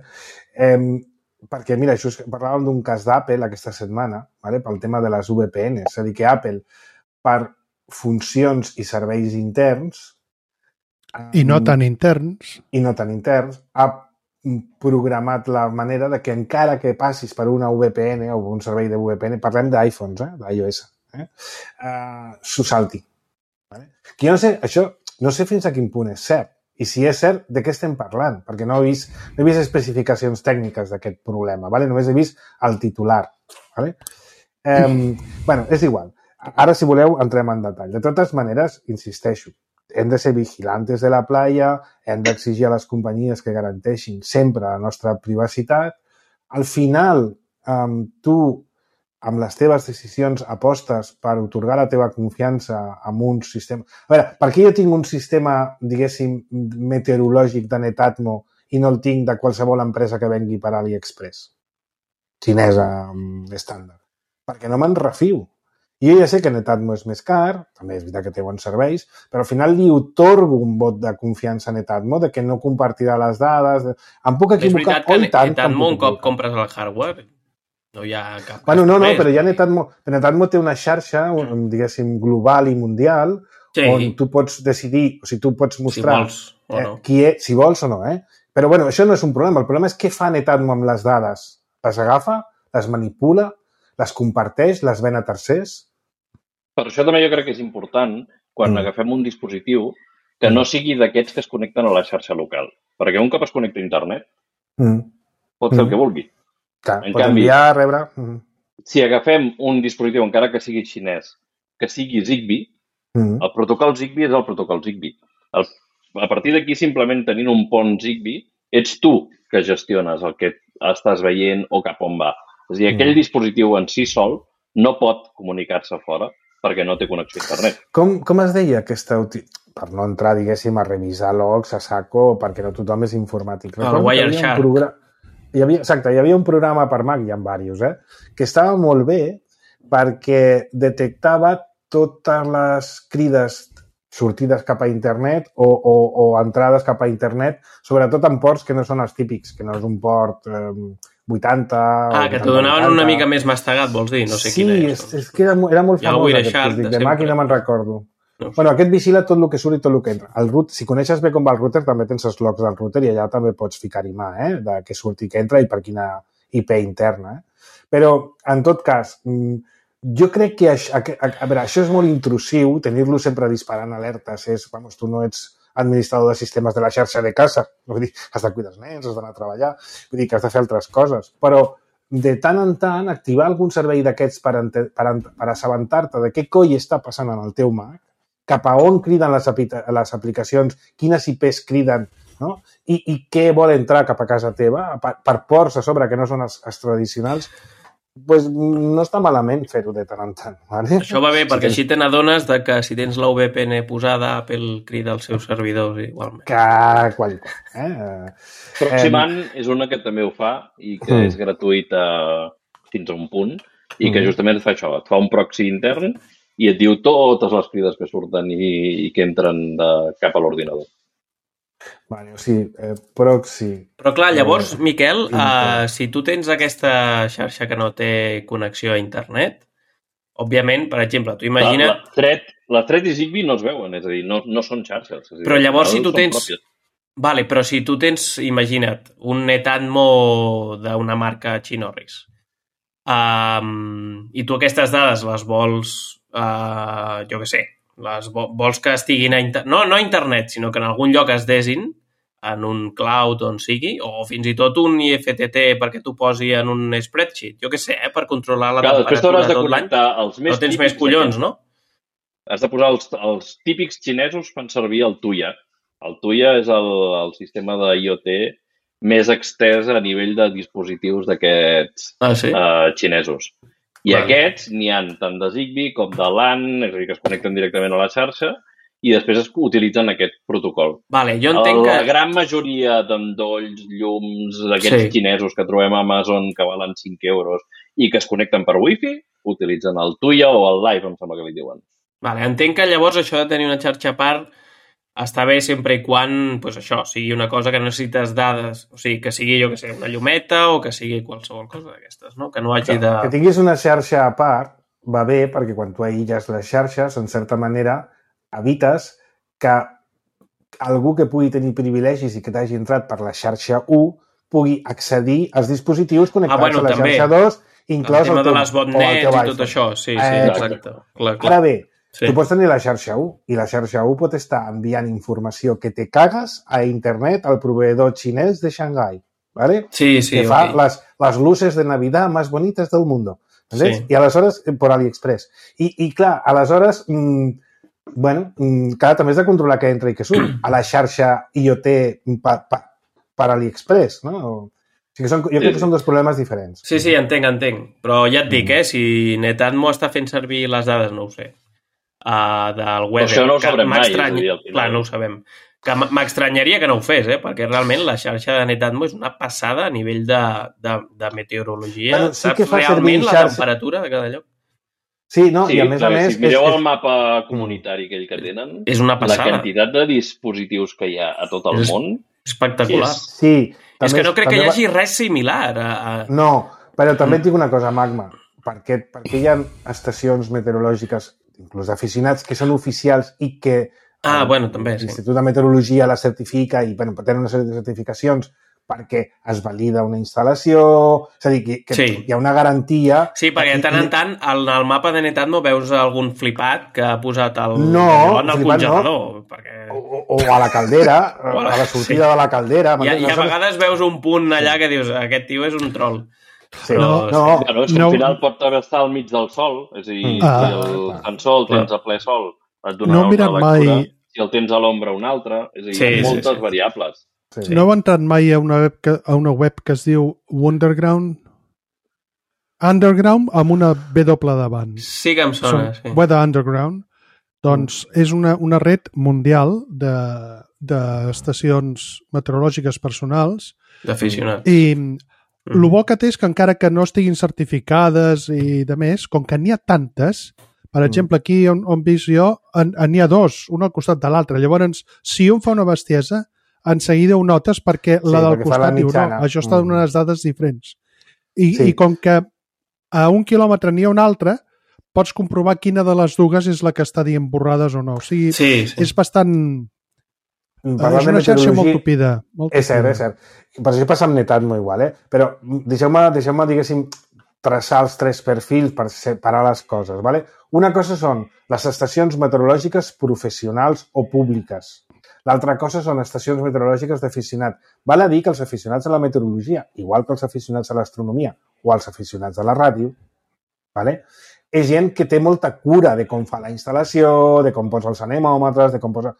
Um, perquè, mira, això és, parlàvem d'un cas d'Apple aquesta setmana, vale? Pel tema de les V P N. És a dir, que Apple, per funcions i serveis interns... I no tan interns. I no tan interns, ha programat la manera de que encara que passis per una V P N o un servei de V P N, parlem d'iPhones, eh? d'iOS, eh? uh, s'ho salti. Vale? Que jo no sé, això, no sé fins a quin punt és cert. I si és cert, de què estem parlant? Perquè no he vist, no he vist especificacions tècniques d'aquest problema, vale? Només he vist el titular. Vale? Um, bueno, és igual. Ara, si voleu, entrem en detall. De totes maneres, insisteixo, hem de ser vigilantes de la playa, hem d'exigir a les companyies que garanteixin sempre la nostra privacitat. Al final, um, tu, amb les teves decisions, apostes per otorgar la teva confiança amb un sistema... A veure, per què jo tinc un sistema, diguéssim, meteorològic de Netatmo i no el tinc de qualsevol empresa que vengui per AliExpress? Xinesa estàndard. Perquè no me'n refio. Jo ja sé que Netatmo és més car, també és veritat que té bons serveis, però al final li otorgo un vot de confiança a Netatmo de que no compartirà les dades. De... Em puc equivocar? És veritat que Netatmo un cop compres el hardware no hi ha cap... Bueno, no, no, però ja Netatmo, Netatmo té una xarxa, diguéssim, global i mundial, sí, on tu pots decidir, o sigui, tu pots mostrar si vols o no. Eh, qui és, si vols o no, eh? Però, bueno, això no és un problema. El problema és què fa Netatmo amb les dades. Les agafa, les manipula, les comparteix, les ven a tercers... Per això també jo crec que és important, quan mm. agafem un dispositiu, que no sigui d'aquests que es connecten a la xarxa local. Perquè un cop es connecta a internet, mm. pot fer mm. el que vulgui. Clar, en pot canvi, enviar, rebre... Mm. Si agafem un dispositiu, encara que sigui xinès, que sigui Zigbee, mm. el protocol Zigbee és el protocol Zigbee. El, a partir d'aquí, simplement tenint un pont Zigbee, ets tu que gestiones el que estàs veient o cap on va. És a dir, aquell mm. dispositiu en si sol no pot comunicar-se fora perquè no té connexió a internet. Com, com es deia aquesta... Per no entrar, diguéssim, a revisar logs a saco, perquè no tothom és informàtic. El Wireshark. Programa... Hi havia, exacte, hi havia un programa per Mac, hi ha diversos, eh? Que estava molt bé perquè detectava totes les crides sortides cap a internet o, o, o entrades cap a internet, sobretot en ports que no són els típics, que no és un port... Eh, vuitanta... Ah, que t'ho donaven vuitanta. Una mica més mastegat, vols dir? No sé sí, quina és. Sí, és que era, era molt famós aquest crític de Mac i no me'n recordo. No. Bueno, aquest vigila tot el que surt i tot el que entra. El root, si coneixes bé com va el router, també tens els logs del router i allà també pots ficar-hi mà, eh? De què surt i què entra i per quina I P interna. Eh? Però, en tot cas, jo crec que això, a, a, a veure, això és molt intrusiu, tenir-lo sempre disparant alertes. És, vamos, tu no ets administrador de sistemes de la xarxa de casa. Vull dir, has de cuidar els nens, has d'anar a treballar, vull dir que has de fer altres coses. Però de tant en tant, activar algun servei d'aquests per, per, per assabentar-te de què coi està passant en el teu Mac, cap a on criden les, les aplicacions, quines I Ps criden, no? I, i què vol entrar cap a casa teva, per, per ports a sobre que no són els, els tradicionals, pues no està malament fer-ho de tant en tant. Vale? Això va bé, perquè així te n'adones de que si tens la V P N posada, Apple crida els seus servidors igualment. Que qualitat. Eh? Proximant eh... és una que també ho fa i que mm. és gratuïta fins a un punt i que mm. justament et fa això, et fa un proxy intern i et diu totes les crides que surten i, i que entren de, cap a l'ordinador. Vale, o sigui, eh, proxy... Però clar, llavors, eh, Miquel, eh, si tu tens aquesta xarxa que no té connexió a internet, òbviament, per exemple, tu imagina't... La, la, thread, la Thread i Zigbee no es veuen, és a dir, no, no són xarxes. És a dir, però llavors, si tu tens... Pròpies. Vale, però si tu tens, imagina't, un Netatmo d'una marca Chinorris, um, i tu aquestes dades les vols, uh, jo què sé, les vols que estiguin a internet, no, no a internet, sinó que en algun lloc es desin, en un cloud on sigui, o fins i tot un I F T T perquè t'ho posi en un spreadsheet, jo què sé, eh, per controlar la Clar, temperatura de tot l'any. No tens més collons, no? Has de posar els, els típics xinesos fan servir el Tuya. El Tuya és el, el sistema de IoT més extès a nivell de dispositius d'aquests ah, sí? uh, xinesos. I vale. Aquests n'hi ha tant de Zigbee com de LAN, és a dir, que es connecten directament a la xarxa, i després es utilitzen aquest protocol. Vale, jo entenc la que... gran majoria d'endolls, llums, d'aquests sí. xinesos que trobem a Amazon que valen cinc euros i que es connecten per Wi-Fi, utilitzen el Tuya o el Live, em sembla que li diuen. Vale, entenc que llavors això de tenir una xarxa a part està bé sempre i quan, pues això, sigui una cosa que necessites dades, o sigui, que sigui, jo que sé, una llumeta o que sigui qualsevol cosa d'aquestes, no? Que no hagi de... Que tinguis una xarxa a part va bé perquè quan tu aïlles les xarxes, en certa manera, evites que algú que pugui tenir privilegis i que t'hagi entrat per la xarxa u pugui accedir als dispositius connectats ah, bueno, a la també. xarxa dos, inclòs el, el tema teu, de les botnets i tot això, sí, sí, eh, exacte. Clar, clar. Ara bé, sí. Tu pots tenir la xarxa u i la xarxa u pot estar enviant informació que te cagues a internet al proveedor xinès de Shanghai, ¿vale? Sí, sí, que fa okay. las, las luces de Navidad más bonitas del mundo. Sí. I aleshores, per AliExpress. I, i clar, aleshores, mmm, bueno, mmm, clar, també has de controlar què entra i què surt a la xarxa IoT per, per, per AliExpress, no? O sigui que són, jo crec que són dos problemes diferents. Sí, sí, entenc, entenc. Però ja et dic, eh, si Netatmo està fent servir les dades, no ho sé, uh, del weather. Això no ho sabrem mai, és a dir, al final. Clar, no ho sabem. Que m'estranyaria que no ho fes, eh? Perquè realment la xarxa de Netatmo és una passada a nivell de, de, de meteorologia. Bueno, sí Saps realment la xarxa... temperatura de cada lloc? Sí, no, sí, i a més a més... Si mireu és, el mapa comunitari aquell que tenen, és una passada. La quantitat de dispositius que hi ha a tot el és món... Espectacular. És, sí. És que no crec que hi hagi res similar. A, a... No, però també et dic una cosa, Magma. Perquè, perquè hi ha estacions meteorològiques, inclús d'aficionats, que són oficials i que Ah, bueno, també, sí. L'Institut de Meteorologia la certifica i bueno, tenen una sèrie de certificacions perquè es valida una instal·lació, és a dir, que, que sí. Hi ha una garantia... Sí, perquè de tant en tant al, al mapa de Netatmo veus algun flipat que ha posat el, no, en el congelador. No. Perquè... O, o a la caldera, o a la sortida sí. de la caldera. I, i a vegades veus un punt allà que dius, aquest tio és un troll. Sí. Però, no, no, bueno, és que no, al final pot estar al mig del sol, és a dir, ah, si el fan sol tens a ple sol, et dona no una lectura, mai... si el tens a l'ombra una altra, és a dir, sí, moltes sí, sí. variables. Sí. No heu entrat mai a una web que, a una web que es diu Wonderground? Underground amb una W davant. Sí que em sona, sí. Weather Underground. Doncs és una, una red mundial de, d'estacions meteorològiques personals. D'aficionats. I mm. el bo que té és que encara que no estiguin certificades i de més, com que n'hi ha tantes, per exemple, aquí on, on visc jo, n'hi ha dos, un al costat de l'altre. Llavors, si un fa una bestiesa, en seguida ho notes perquè sí, la del perquè costat diu, no, això està donant unes dades diferents. I, sí. I com que a un quilòmetre n'hi ha una altra, pots comprovar quina de les dues és la que està dient borrades o no. O sigui, sí, sí. és bastant... Parlant és una xarxa molt tupida. Molt és cert, és cert. Per això passa amb Netatmo igual, eh? Però deixeu-me, deixeu-me diguéssim, traçar els tres perfils per separar les coses, ¿vale? Una cosa són les estacions meteorològiques professionals o públiques. L'altra cosa són estacions meteorològiques d'aficionat. Val a dir que els aficionats a la meteorologia, igual que els aficionats a l'astronomia o els aficionats a la ràdio, ¿vale? És gent que té molta cura de com fa la instal·lació, de com posa els anemòmetres, de com posa...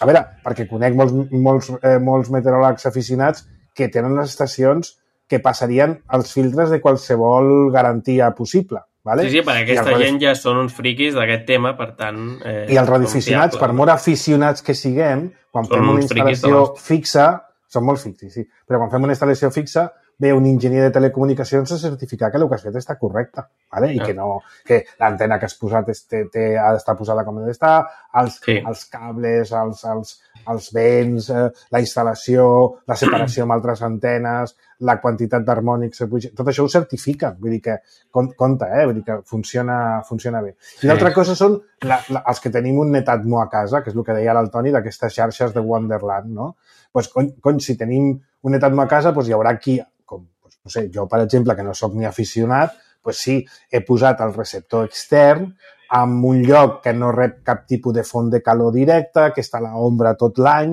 A veure, perquè conec molts, molts, eh, molts meteoròlegs aficionats que tenen les estacions que passarien els filtres de qualsevol garantia possible. Vale? Sí, sí, perquè aquesta radio... gent ja són uns friquis d'aquest tema, per tant... Eh, I els radioaficionats, per molt aficionats que siguem, quan són fem una instal·lació fixa, són molt fixis, sí, però quan fem una instal·lació fixa, ve un enginyer de telecomunicacions a certificar que el que has fet està correcte, vale? I ah. que, no, que l'antena que has posat té, té, ha d'estar posada com ha d'estar, els, sí. els cables, els, els, els vents, eh, la instal·lació, la separació amb altres antenes, la quantitat d'harmònics, tot això ho certifiquen, vull dir que compte, eh? Vull dir que funciona, funciona bé. I l'altra sí. cosa són la, la, els que tenim un Netatmo a casa, que és el que deia l'Antoni, d'aquestes xarxes de Wonderland, no? Pues, cony, cony, si tenim un Netatmo a casa, pues, hi haurà qui, com, pues, no sé, jo, per exemple, que no sóc ni aficionat, pues sí, he posat el receptor extern en un lloc que no rep cap tipus de font de calor directa, que està a l'ombra tot l'any.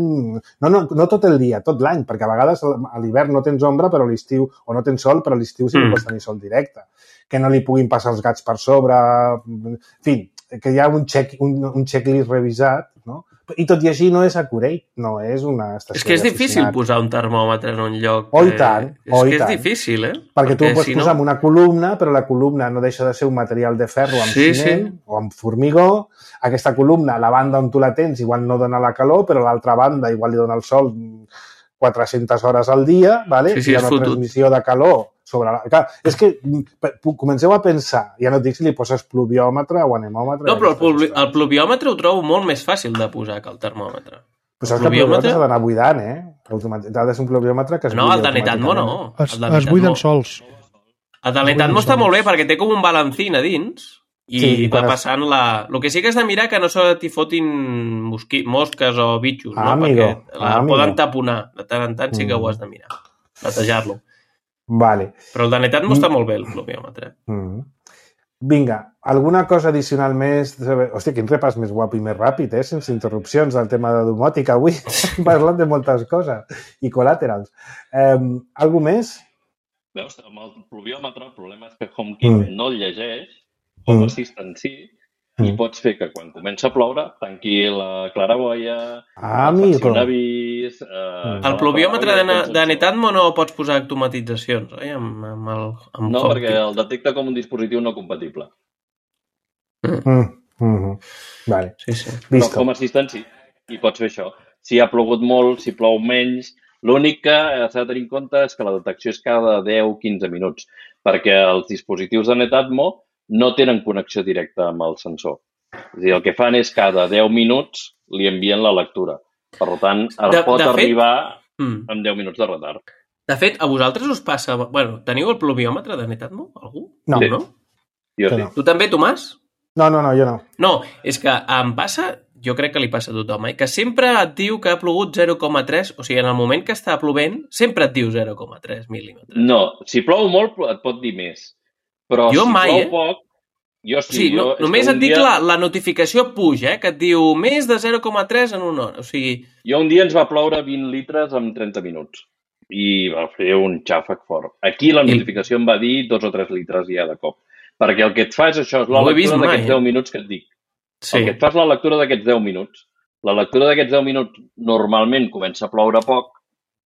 No, no, no tot el dia, tot l'any, perquè a vegades a l'hivern no tens ombra, però a l'estiu, o no tens sol, però a l'estiu sí que mm. pots tenir sol directe. Que no li puguin passar els gats per sobre... En fi, que hi ha un, check, un, un checklist revisat, no? I tot i així no és accurate, no és una estació. És que és difícil posar un termòmetre en un lloc. Oh, i tant. És oh, que és tant. difícil, eh? Perquè, Perquè tu ho pots si posar no... en una columna, però la columna no deixa de ser un material de ferro amb sí, ciment sí. o amb formigó. Aquesta columna, la banda on tu la tens, igual no dona la calor, però l'altra banda igual li dona el sol quatre-centes hores al dia, ¿vale? Sí, sí, hi ha una fotut. transmissió de calor sobre la... Clar, és que comenceu a pensar, ja no et dic si li poses pluviòmetre o anemòmetre... No, però el, pluvi... el pluviòmetre ho trobo molt més fàcil de posar que el termòmetre. Però saps que el pluviòmetre s'ha d'anar buidant, eh? Ha de ser un pluviòmetre que es no, buida el de Netatmo no. Es, es buiden sols. El de Netatmo està molt bé perquè té com un balancín a dins i sí, va passant la... El que sí que has de mirar que no se t'hi fotin mosqui... mosques o bitxos, ah, no? Amigo. Perquè la ah, poden taponar. De tant en tant sí que mm. ho has de mirar. Netejar-lo. Vale. Però el de Netatmo mm. està molt bé, el pluviòmetre. Mm. Vinga, alguna cosa addicional més? Hòstia, quin repàs més guapo i més ràpid, eh? Sense interrupcions del tema de domòtica avui. Parlant de moltes coses. I col·laterals. Eh, algú més? Veus, amb el pluviòmetre el problema és que HomeKit mm. no el llegeix, Home mm. Assistant sí, mm. i pots fer que quan comença a ploure tanqui la claraboia, ah, faci un avís... Eh, el pluviòmetre de, de Netatmo no pots posar automatitzacions, eh? Amb, amb el, amb no, HomeKit. perquè el detecta com un dispositiu no compatible. Mm. Mm. Mm-hmm. Vale. Sí, sí. Però com a assistent sí, i pots fer això. Si ha plogut molt, si plou menys... L'únic que s'ha de tenir en compte és que la detecció és cada deu a quinze minuts, perquè els dispositius de Netatmo no tenen connexió directa amb el sensor. És a dir, el que fan és cada deu minuts li envien la lectura. Per tant, el de, pot de arribar fet... amb deu minuts de retard. De fet, a vosaltres us passa... Bueno, teniu el pluviòmetre de Netatmo? Algú? No. Sí. no? Jo sí. No. Tu també, Tomàs? No, no, no, jo no. No, és que em passa... Jo crec que li passa a tothom, eh? Que sempre et diu que ha plogut zero coma tres, o sigui, en el moment que està plovent, sempre et diu zero coma tres mil·límetres. No, si plou molt et pot dir més. Però jo si mai, plou eh? poc, jo sí. Sí, jo, no, només et dic dia... la, la notificació puja, eh? Que et diu més de zero coma tres en una hora, o sigui... Jo un dia ens va ploure vint litres en trenta minuts i va fer un xàfec fort. Aquí la notificació I... em va dir dos o tres litres ja de cop. Perquè el que et fa és això, és la no lectura d'aquests eh? deu minuts que et dic. Sí. El que et fa és la lectura d'aquests deu minuts. La lectura d'aquests deu minuts normalment comença a ploure poc,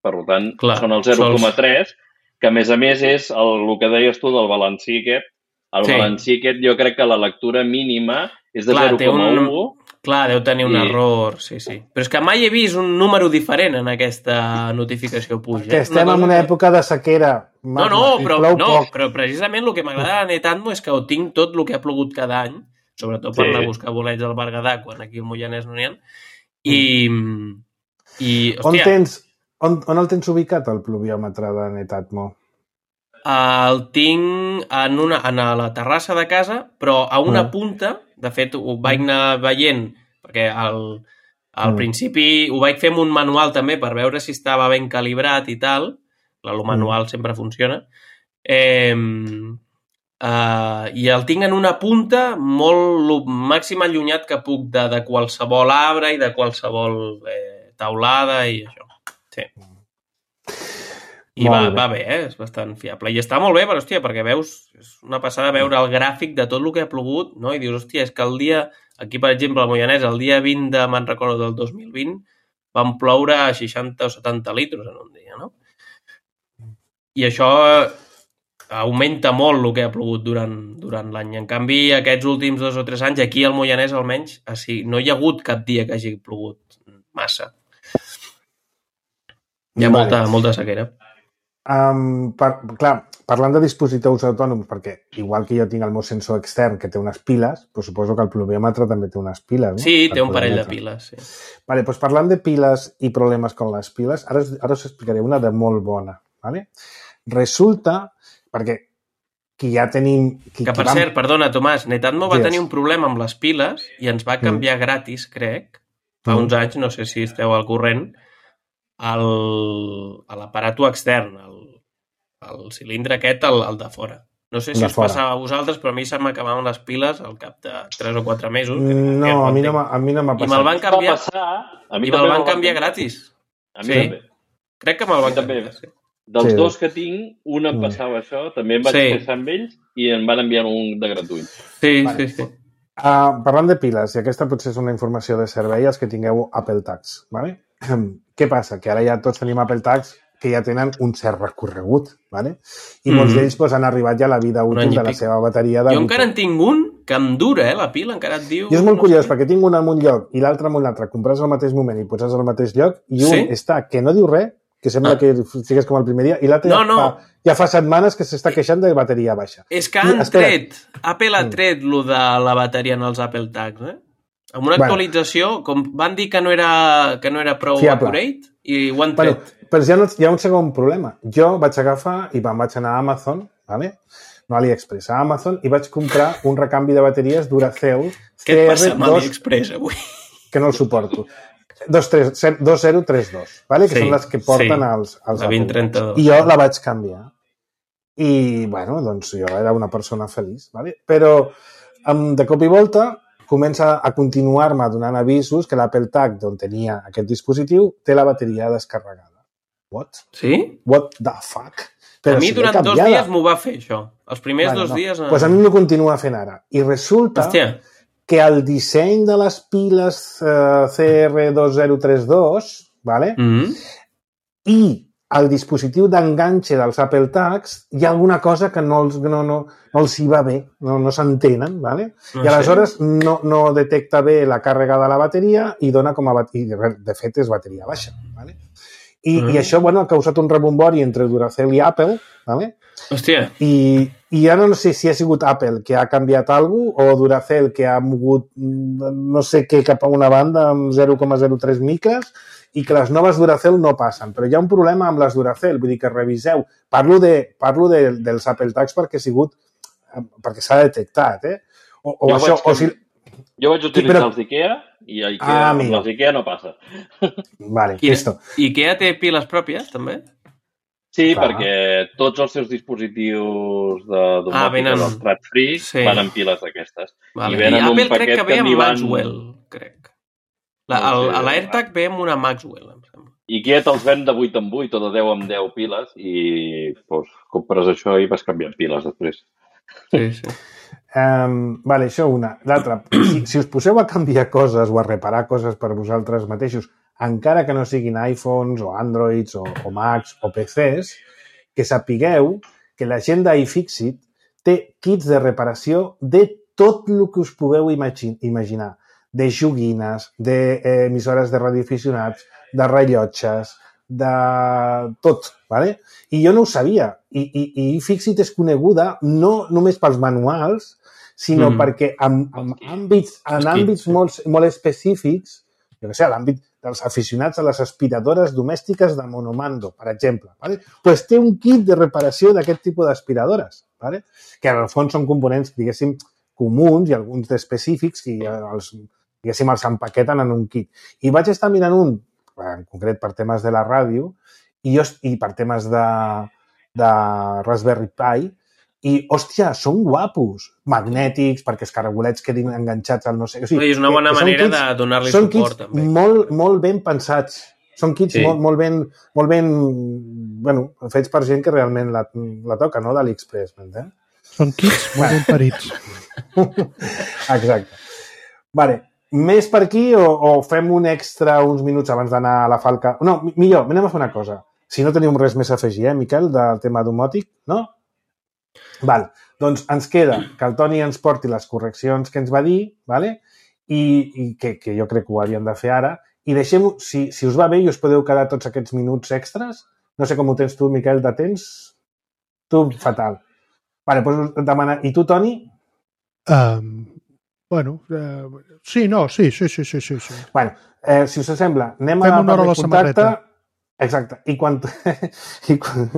per tant, Clar, són el zero coma tres, sols... que a més a més és el, el que deies tu del balancí aquest. El sí. balancí aquest jo crec que la lectura mínima és de zero coma u. Un... Clar, deu tenir un i... error, sí, sí. Però és que mai he vist un número diferent en aquesta notificació puja. Que estem en una època de sequera. No, no, però, no però precisament el que m'agrada a Netatmo és que ho tinc tot el que ha plogut cada any, sobretot per sí. anar a buscar bolets al Berguedà, quan aquí al Moianès no n'hi ha. I, i hòstia... On, tens, on, on el tens ubicat, el pluviòmetre de Netatmo? El tinc en, una, en la terrassa de casa, però a una mm. punta, de fet ho vaig anar veient, perquè al, al mm. principi ho vaig fer amb un manual també per veure si estava ben calibrat i tal, el manual mm. sempre funciona, eh, Uh, i el tinc en una punta molt màxim allunyat que puc de, de qualsevol arbre i de qualsevol eh, taulada i això. Sí. I va, va bé, eh? És bastant fiable. I està molt bé, però, hòstia, perquè veus, és una passada veure el gràfic de tot el que ha plogut, no? I dius, hòstia, és que el dia, aquí, per exemple, al Moianès, el dia vint de, me'n recordo, del dos mil vint, van ploure seixanta o setanta litres en un dia, no? I això... augmenta molt el que ha plogut durant, durant l'any. En canvi, aquests últims dos o tres anys, aquí al Moianès almenys, així, no hi ha hagut cap dia que hagi plogut massa. Hi ha vale. molta, molta sequera. Um, per, clar, parlant de dispositius autònoms, perquè igual que jo tinc el meu sensor extern que té unes piles, doncs suposo que el pluviòmetre també té unes piles, no? Sí, té un parell de piles, sí. Vale, doncs parlant de piles i problemes con les piles, ara, ara us explicaré una de molt bona, vale? Resulta perquè qui ja tenim... Qui, que, per vam... cert, perdona, Tomàs, Netatmo va yes. tenir un problema amb les piles i ens va canviar mm. gratis, crec, fa mm. uns anys, no sé si esteu al corrent, el, a l'aparato extern, el, el cilindre aquest, el, el de fora. No sé si us fora. passava a vosaltres, però a mi se m'acabaven les piles al cap de tres o quatre mesos. No, a mi no, a mi no m'ha passat. I me'l van canviar, I me'l van canviar gratis. A mi sí. també. Crec que me'l van canviar. Sí. Dels sí. dos que tinc, un em passava mm. això, també em vaig sí. passar amb ells i em van enviar un de gratuït. Sí, vale. sí, sí. Uh, parlant de piles, i aquesta potser és una informació de servei, els que tingueu Apple Tags, ¿vale? Què passa? Que ara ja tots tenim Apple Tags que ja tenen un cert recorregut, ¿vale? I mm. molts d'ells pues, han arribat ja a la vida útil de la seva bateria. De jo encara en tinc un que em dura, eh, la pila, encara et diu... I és molt no curiós, sé. perquè tinc un en un lloc i l'altre en un altre, compres al mateix moment i poses al mateix lloc, i un sí? està que no diu res, que sembla ah. que sigues com el primer dia, i l'altre no, ja, no. Fa, ja fa setmanes que s'està queixant de bateria baixa. És que han I, tret, Apple ha tret mm. lo de la bateria en els Apple Tags, eh? Amb una actualització, com van dir que no era, que no era prou fiable. Accurate, i ho han tret. Bueno, però hi ha, hi ha un segon problema. Jo vaig agafar i me'n vaig anar a Amazon, ¿vale? No a AliExpress, a Amazon, i vaig comprar un recanvi de bateries Duracell Què et passa amb AliExpress avui? Que no el suporto. dos zero tres dos, ¿vale? Que sí, són les que porten sí, els, els la vint trenta-dos. I jo la vaig canviar. I, bueno, doncs jo era una persona feliç, ¿vale? Però de cop i volta comença a continuar-me donant avisos que l'Apple Tag, d'on tenia aquest dispositiu, té la bateria descarregada. What? Sí? What the fuck? Però a mi si durant dos dies m'ho va fer, això. Els primers bueno, dos no. dies... Doncs pues a mi m'ho continua fent ara. I resulta Hòstia. que el disseny de les piles uh, C R dos zero tres dos, ¿vale? Mm-hmm. I el dispositiu d'enganxe dels Apple Tags, hi ha alguna cosa que no els, no, no, no els hi va bé, no, no s'entenen, ¿vale? No I aleshores sé. no, no detecta bé la càrrega de la bateria i dona com a bateria, de fet és bateria baixa, ¿vale? I, mm. i això, bueno, ha causat un rebombori entre Duracell i Apple, ¿vale? Hòstia. I, i ja no sé si ha sigut Apple que ha canviat alguna cosa o Duracell que ha mogut no sé què cap a una banda amb zero coma zero tres micres i que les noves Duracell no passen. Però hi ha un problema amb les Duracell, vull dir que reviseu. Parlo, de, parlo de, dels Apple Tags perquè ha sigut, perquè s'ha detectat, eh? O, o jo, això, vaig, o si... jo vaig utilitzar però... els IKEA i a IKEA, ah, amb les IKEA no passa. Vale, I, esto. IKEA té piles pròpies, també? Sí, Clar. perquè tots els seus dispositius de domòtica ah, venen... dels Thread Free sí. van amb piles d'aquestes. Vale. I venen I un Apple crec que ve amb van... Maxwell, crec. La, no sé, el, l'AirTag ve amb una Maxwell, em sembla. IKEA te'ls ven de vuit en vuit o de deu en deu piles i pues, compres això i vas canviant piles després. Sí, sí. Um, vale, això una. L'altra, si, si us poseu a canviar coses o a reparar coses per vosaltres mateixos, encara que no siguin iPhones o Androids o, o Macs o P Cs, que sapigueu que la gent d'iFixit té kits de reparació de tot el que us pugueu imagi- imaginar. De joguines, d'emissores de, eh, de radioaficionats, de rellotges, de tot, ¿vale? I jo no ho sabia. I, i, i iFixit és coneguda no només pels manuals, sinó mm. perquè en, en àmbits, en àmbits molt, molt específics, jo què sé, l'àmbit dels aficionats a les aspiradores domèstiques de monomando, per exemple, ¿vale? Pues té un kit de reparació d'aquest tipus d'aspiradores, ¿vale? Que en el fons són components, diguéssim, comuns i alguns d'específics i els, diguéssim, els empaqueten en un kit. I vaig estar mirant un, en concret per temes de la ràdio, i, jo, i per temes de, de Raspberry Pi, i, hòstia, són guapos, magnètics, perquè els caragolets quedin enganxats al no sé... O sigui, és una bona manera kits, de donar-li suport, també. Són kits molt, molt ben pensats. Són kits sí. molt, molt, ben, molt ben, bueno, fets per gent que realment la, la toca, no?, d'AliExpress, m'entens? Són kits molt ben parits. Exacte. Vale. Més per aquí o, o fem un extra uns minuts abans d'anar a la falca? No, millor, anem a fer una cosa. Si no tenim res més a afegir, eh, Miquel, del tema domòtic, no? Val. Doncs ens queda que el Toni ens porti les correccions que ens va dir, vale? I, i que, que jo crec que ho havíem de fer ara. I deixem, si, si us va bé i us podeu quedar tots aquests minuts extras, no sé com ho tens tu, Miquel, de temps? Tu, fatal. Vale, doncs demana... I tu, Toni? Um, bueno, uh, sí, no, sí, sí, sí, sí, sí. sí. Bueno, eh, si us sembla, anem Fem a una hora a la samarreta. Exacte. I quan, i, quan,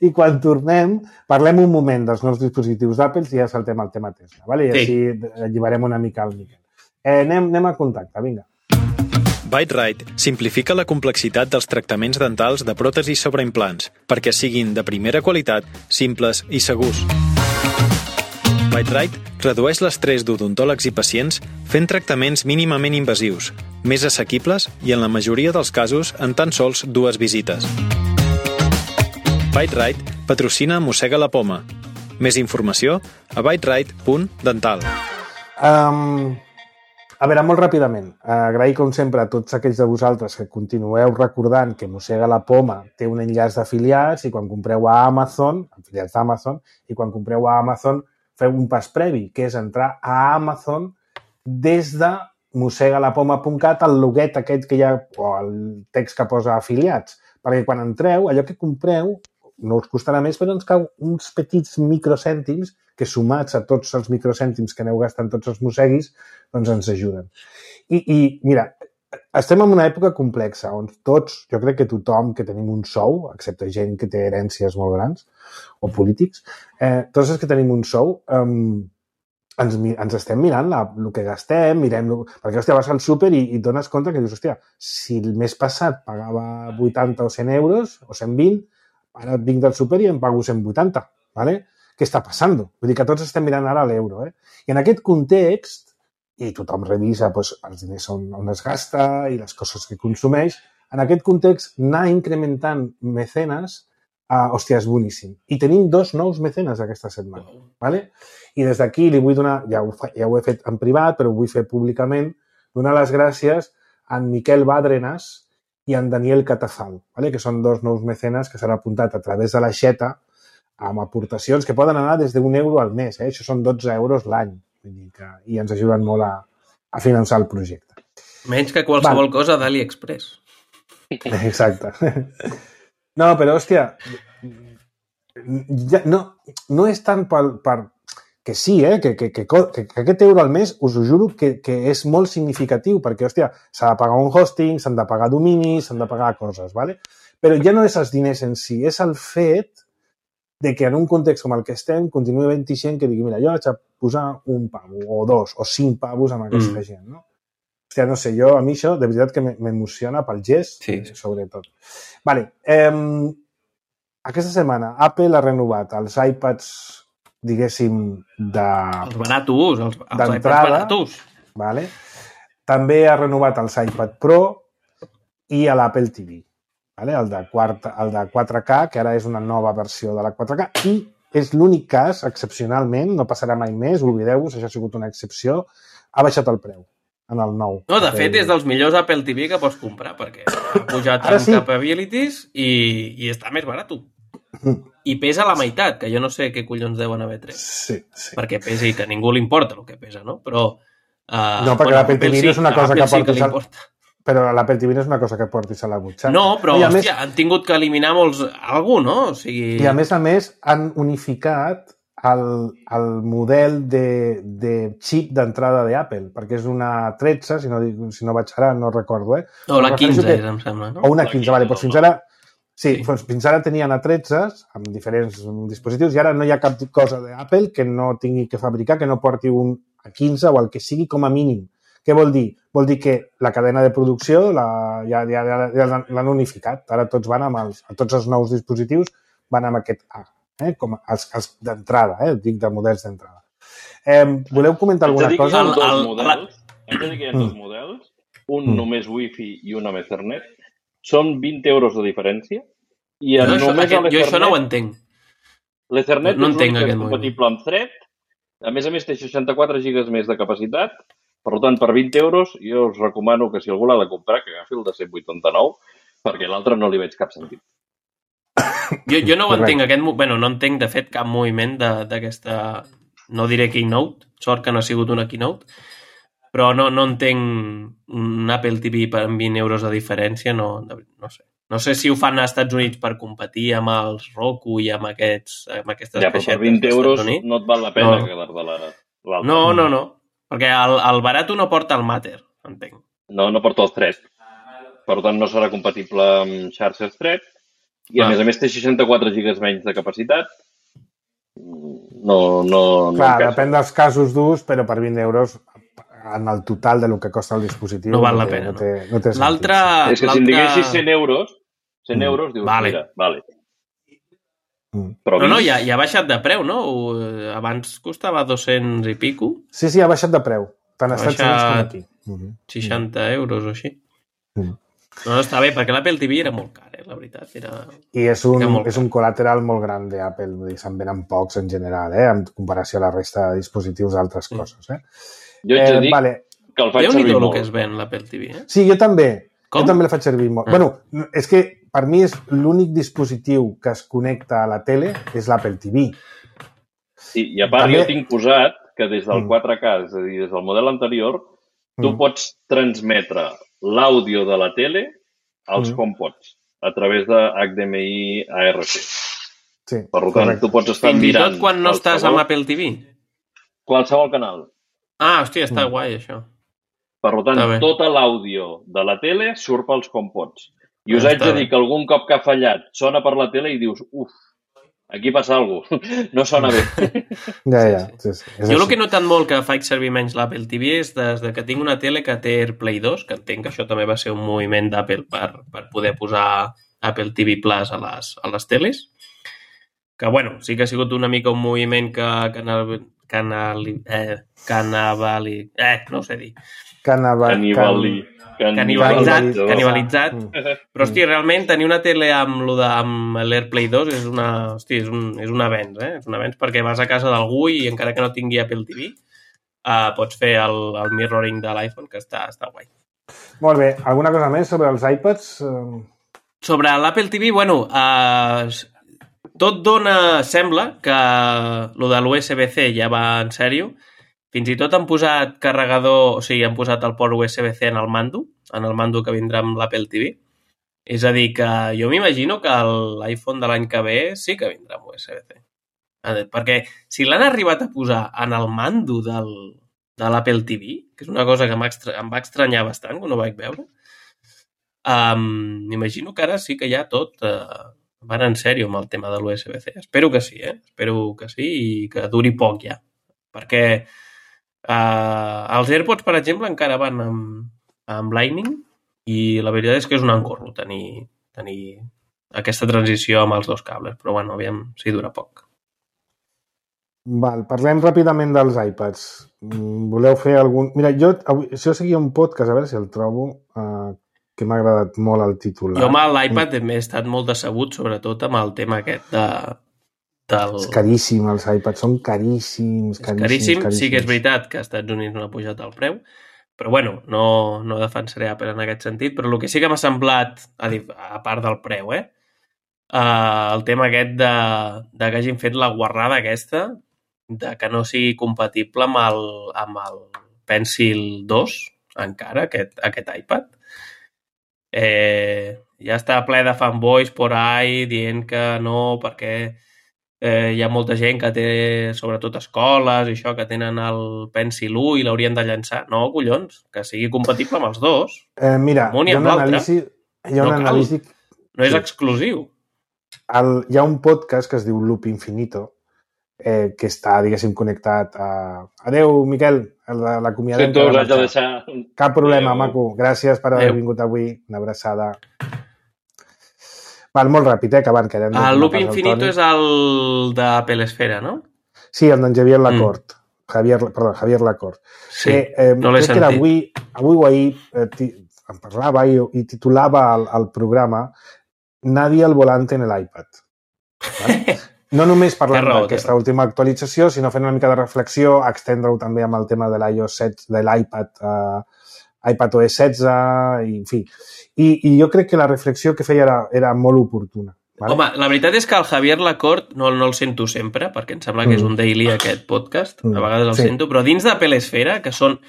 I quan tornem, parlem un moment dels nous dispositius d'Apple i ja saltem al tema Tesla, vale? I així sí. alliberem una mica el Miquel. Eh, anem, anem a contacte, vinga. Bite-Rite simplifica la complexitat dels tractaments dentals de pròtesis sobre implants perquè siguin de primera qualitat, simples i segurs. Bite-Rite redueix l'estrès d'odontòlegs i pacients fent tractaments mínimament invasius, més assequibles i en la majoria dels casos en tan sols dues visites. Bite-Rite patrocina Mossega la Poma. Més informació a bite-rite punt dental. Um... A veure, molt ràpidament, agrair com sempre a tots aquells de vosaltres que continueu recordant que Mossega la Poma té un enllaç d'afiliats i quan compreu a Amazon, afiliats d'Amazon, i quan compreu a Amazon feu un pas previ, que és entrar a Amazon des de mossega la poma punt cat, el loguet aquest que hi ha, o el text que posa afiliats, perquè quan entreu, allò que compreu no us costarà més, però ens cau uns petits microcèntims que sumats a tots els microcèntims que aneu gastant tots els mosseguis, doncs ens ajuden. I, i mira, estem en una època complexa on tots, jo crec que tothom que tenim un sou, excepte gent que té herències molt grans o polítics, eh, tots els que tenim un sou, eh, ens, ens estem mirant la, el que gastem, mirem... Perquè, hòstia, vas al súper i, i et dones compte que dius, hòstia, si el mes passat pagava vuitanta o cent euros, o cent vint, ara vinc del súper i em pago cent vuitanta, ¿vale? Què està passant? Vull dir que tots estem mirant ara l'euro, eh? I en aquest context, i tothom revisa doncs, els diners on, on es gasta i les coses que consumeix, en aquest context, anar incrementant mecenes, uh, hòstia, és boníssim. I tenim dos nous mecenes aquesta setmana, ¿vale? I des d'aquí li vull donar, ja ho, ja ho he fet en privat, però ho vull fer públicament, donar les gràcies a en Miquel Bàdrenas i a en Daniel Catafal, ¿vale? Que són dos nous mecenes que s'han apuntat a través de l'aixeta amb aportacions que poden anar des d'un euro al mes. Eh? Això són dotze euros l'any. Vull dir que, i ens ajuden molt a, a finançar el projecte. Menys que qualsevol Val. cosa d'AliExpress. Exacte. No, però, hòstia, ja, no, no és tant per, per que sí, eh, que, que, que, que aquest euro al mes, us ho juro, que, que és molt significatiu, perquè, hòstia, s'ha de pagar un hosting, s'han de pagar dominis, s'han de pagar coses, ¿vale? Però ja no és els diners en si, és el fet de que en un context com el que estem continuï havent-hi gent que digui, mira, jo vaig a posar un pavo, o dos, o cinc pavos amb aquesta mm. gent, no? Hòstia, no sé, jo, a mi això, de veritat que m'emociona pel gest, sí. sobretot. Vale, eh, aquesta setmana Apple ha renovat els iPads, diguéssim, de... Els baratos, els, els iPads baratos. Vale? També ha renovat els iPad Pro i l'Apple T V. Vale? El, de quarta, el de quatre K, que ara és una nova versió de la quatre K, i és l'únic cas, excepcionalment, no passarà mai més, oblideu-vos, això ha sigut una excepció, ha baixat el preu en el nou. No, de fet, és dels millors Apple T V que pots comprar, perquè ha pujat en sí. capabilities i, i està més barat. I pesa la meitat, que jo no sé què collons deuen haver tret. Sí, sí. Perquè pesa i que a ningú li importa el que pesa, no? Però... Uh, no, perquè bueno, l'Apple T V no és una cosa que portis... Sí al... Però l'Apple T V no és una cosa que portis a la butxaca. No, però, I hòstia, més... han tingut que eliminar molts... algú, no? O sigui... I a més a més han unificat el, el model de, de xip d'entrada d'Apple, perquè és una tretze, si no, si no vaig ara, no recordo, eh? O la quinze, que... em sembla, no? O una quinze, vale, doncs fins ara... Sí, sí. Doncs fins ara tenien a tretze amb diferents dispositius i ara no hi ha cap cosa d'Apple que no tingui que fabricar, que no porti un a quinze o el que sigui com a mínim. Què vol dir? Vol dir que la cadena de producció la, ja, ja, ja l'han unificat. Ara tots van amb els, tots els nous dispositius van amb aquest A, eh? Com els, els d'entrada, eh? Dic de models d'entrada. Eh, voleu comentar alguna cosa? Haig de dir que hi ha dos models, haig de dir que hi ha dos models, un mm. només Wi-Fi i un amb Ethernet. Són vint euros de diferència i no, això, només aquest, jo això no ho entenc. L'Ethernet no, no és l'únic que és compatible moviment. amb Thread. A més a més té seixanta-quatre gigas més de capacitat. Per tant, per vint euros jo us recomano que si algú l'ha de comprar que agafi el de cent vuitanta-nou perquè l'altre no li veig cap sentit. Jo, jo no ho entenc. Aquest, bueno, no entenc de fet cap moviment d'aquesta, no diré keynote, sort que no ha sigut una keynote, però no, no entenc un Apple T V per vint euros de diferència, no, no sé. No sé si ho fan als Estats Units per competir amb els Roku i amb, aquests, amb aquestes ja, però per vint euros no et val la pena no. quedar-te l'altre. No, no, no. Perquè el, el barat no porta el Matter, entenc. No, no porta el Thread. Per tant, no serà compatible amb xarxes Thread. I a ah. més a més té seixanta-quatre gigas menys de capacitat. No, no, Clar, no depèn dels casos d'ús, però per vint euros en el total de lo que costa el dispositiu no val no la té, pena. No té, no té l'altre... És que si em diguessis cent euros, cent euros, dius, vale. mira, vale. Mm. Però no, no, ja, ja ha baixat de preu, no? Abans costava dos-cents i pico. Sí, sí, ha baixat de preu. Tant als Estats Units com aquí. Mm-hmm. seixanta euros o així. Mm. No, no, està bé, perquè l'Apple T V era molt car, eh, la veritat. Era... I és un, és un col·lateral molt gran d'Apple, se'n venen pocs en general, eh, en comparació a la resta de dispositius d'altres mm. coses. Eh? Jo ets eh, a dir vale. que el faig servir molt. Déu-n'hi-do el que es ven l'Apple T V, eh? Sí, jo també. Com? Jo també el faig servir molt. Ah. Bueno, és que per mi és l'únic dispositiu que es connecta a la tele és l'Apple T V. Sí, i a part també... jo tinc posat que des del quatre K, és a dir, des del model anterior, tu mm. pots transmetre l'àudio de la tele als mm. HomePods a través de H D M I A R C. Sí, Per tant, correcte. tu pots estar Fins i mirant... tot quan no estàs amb Apple T V? Qualsevol canal. Ah, hòstia, està Mm. guai, això. Per tant, Està bé. tota l'àudio de la tele surt pels HomePods. I us Ah, haig està de dir bé. que algun cop que ha fallat sona per la tele i dius, uf, aquí passa alguna cosa, no sona bé. Ja, ja. Sí, sí. És Jo el així. que he notat molt que faig servir menys l'Apple T V és des de que tinc una tele que té AirPlay dos, que entenc que això també va ser un moviment d'Apple per, per poder posar Apple T V Plus a les, a les teles. Que, bueno, sí que ha sigut una mica un moviment que, canal, canal, eh, canavali, eh, no ho sé dir, Canava... Canibali. canibalitzat, Canibalitzat. canibalitzat. Mm. Però, hosti, realment tenir una tele amb, lo de, amb l'AirPlay dos és una, hosti, és un, és un avenç, eh? És un avenç perquè vas a casa d'algú i encara que no tingui Apple T V uh, pots fer el, el mirroring de l'iPhone, que està, està guai. Molt bé. Alguna cosa més sobre els iPads? Eh, Sobre l'Apple T V, bueno, uh, tot dona, sembla que lo de l'U S B C ja va en sèrio. Fins i tot han posat carregador, o sigui, han posat el port U S B C en el mando, en el mando que vindrà amb l'Apple T V. És a dir, que jo m'imagino que l'iPhone de l'any que ve sí que vindrà amb U S B C. Perquè si l'han arribat a posar en el mando del, de l'Apple T V, que és una cosa que em va estranyar bastant quan ho vaig veure, um, m'imagino que ara sí que ja tot uh, van en sèrio amb el tema de l'U S B C. Espero que sí, eh? Espero que sí i que duri poc ja. Perquè uh, els AirPods, per exemple, encara van amb, amb Lightning i la veritat és que és un encorro tenir, tenir aquesta transició amb els dos cables. Però, bueno, aviam si dura poc. Val, parlem ràpidament dels iPads. Mm, Voleu fer algun... Mira, jo, avui, jo seguia un podcast, a veure si el trobo, eh, que m'ha agradat molt el titular. Jo amb l'iPad he estat molt decebut, sobretot amb el tema aquest de... Del... És caríssim, els iPads són caríssims, caríssims, caríssim. caríssims. Sí que és veritat que als Estats Units no ha pujat el preu, però bueno, no, no defensaré Apple en aquest sentit, però el que sí que m'ha semblat, a, a part del preu, eh, uh, el tema aquest de, de que hagin fet la guarrada aquesta, de que no sigui compatible amb el, amb el Pencil dos, encara, aquest, aquest iPad. Eh, ja està ple de fanboys por ahí dient que no, perquè eh, hi ha molta gent que té, sobretot escoles i això, que tenen el Pencil u i l'haurien de llançar. No, collons, que sigui compatible amb els dos. Eh, mira, amb un hi i ha amb una l'altre. anàlisi... Hi ha No una cal. anàlisi... No és Sí. exclusiu. El, hi ha un podcast que es diu Loop Infinito, eh, que està, diguéssim, connectat a... Adeu, Miquel, l'acomiadem. Sento, us haig de deixar... Cap problema, Adéu. maco. Gràcies per haver Adéu. vingut avui. Una abraçada. Val, molt ràpid, eh, que van, que hem de El donar Loop pas al Infinito Toni. és el d'Apple Esfera, no? Sí, el d'en Javier Lacorte. Mm. Javier, perdó, Javier Lacorte. Sí, que, eh, no l'he crec que era sentit. avui, avui o ahir eh, ti, em parlava i, i titulava el, el programa Nadie al volante en l'iPad. Vale? No només parlant Té raó, té d'aquesta raó. última actualització, sinó fent una mica de reflexió, extendre-ho també amb el tema de l'iOS setze, de l'iPad, uh, iPadOS setze, i, en fi. I, I jo crec que la reflexió que feia era, era molt oportuna. Vale? Home, la veritat és que el Javier Lacorte no, no el sento sempre, perquè em sembla que és un daily aquest podcast, Mm. a vegades el Sí. sento, però dins d'Apple Esfera, que són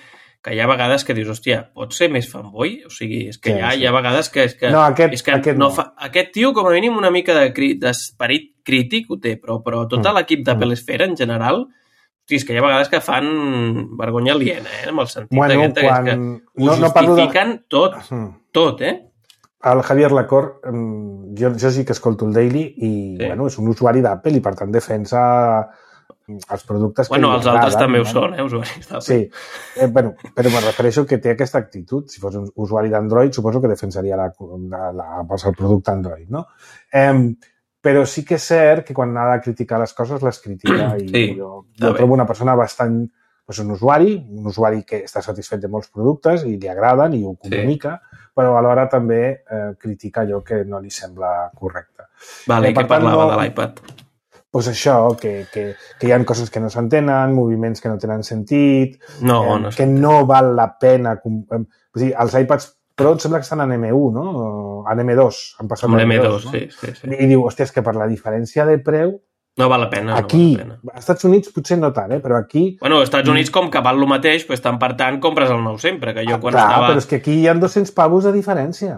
que hi ha vegades que dius, hòstia, pot ser més fanboy? O sigui, és que Sí, hi, ha, sí. hi ha vegades que... És que No, aquest- és que aquest no no. fa, aquest tio, com a mínim, una mica de cri- d'esperit crític ho té, però, però tot Mm. l'equip d'Apple Esfera, en general, hosti, és que hi ha vegades que fan vergonya aliena, eh? En el sentit Bueno, aquest, que és quan... que ho No, no parlo de... justifiquen tot, Mm. tot, eh? El Javier Lacorte, mm, jo, jo sí que escolto el Daily i, Sí. bueno, és un usuari d'Apple i, per tant, defensa els productes que Bueno, li els altres agraden, també ho no? són, eh, usuaris d'Apple. Sí, eh, bueno, però me refereixo que té aquesta actitud. Si fos un usuari d'Android, suposo que defensaria la, la, la, el producte Android, no? Eh, però sí que és cert que quan ha de criticar les coses, les critica. I Sí, jo, està jo bé. trobo una persona bastant... Doncs un usuari, un usuari que està satisfet de molts productes i li agraden i ho comunica, sí. però alhora també eh, critica allò que no li sembla correcte. Vale, Eh, i per què tant, parlava no- de l'iPad? Doncs això, que, que, que hi ha coses que no s'entenen, moviments que no tenen sentit, No, eh, no que sé. no val la pena... com- eh, O sigui, els iPads Pro em sembla que estan en M u, no? En M dos, han passat Amb a l'M M dos, dos, no? sí, sí, sí. I diu, hòstia, és que per la diferència de preu, No val la pena, aquí, no val la pena. als Estats Units potser no tant, eh? Però aquí... Bueno, als Estats Units, com que val el mateix, doncs, tant per tant, compres el nou sempre, que jo Ah, quan clar, estava... però és que aquí hi ha dos-cents pavos de diferència.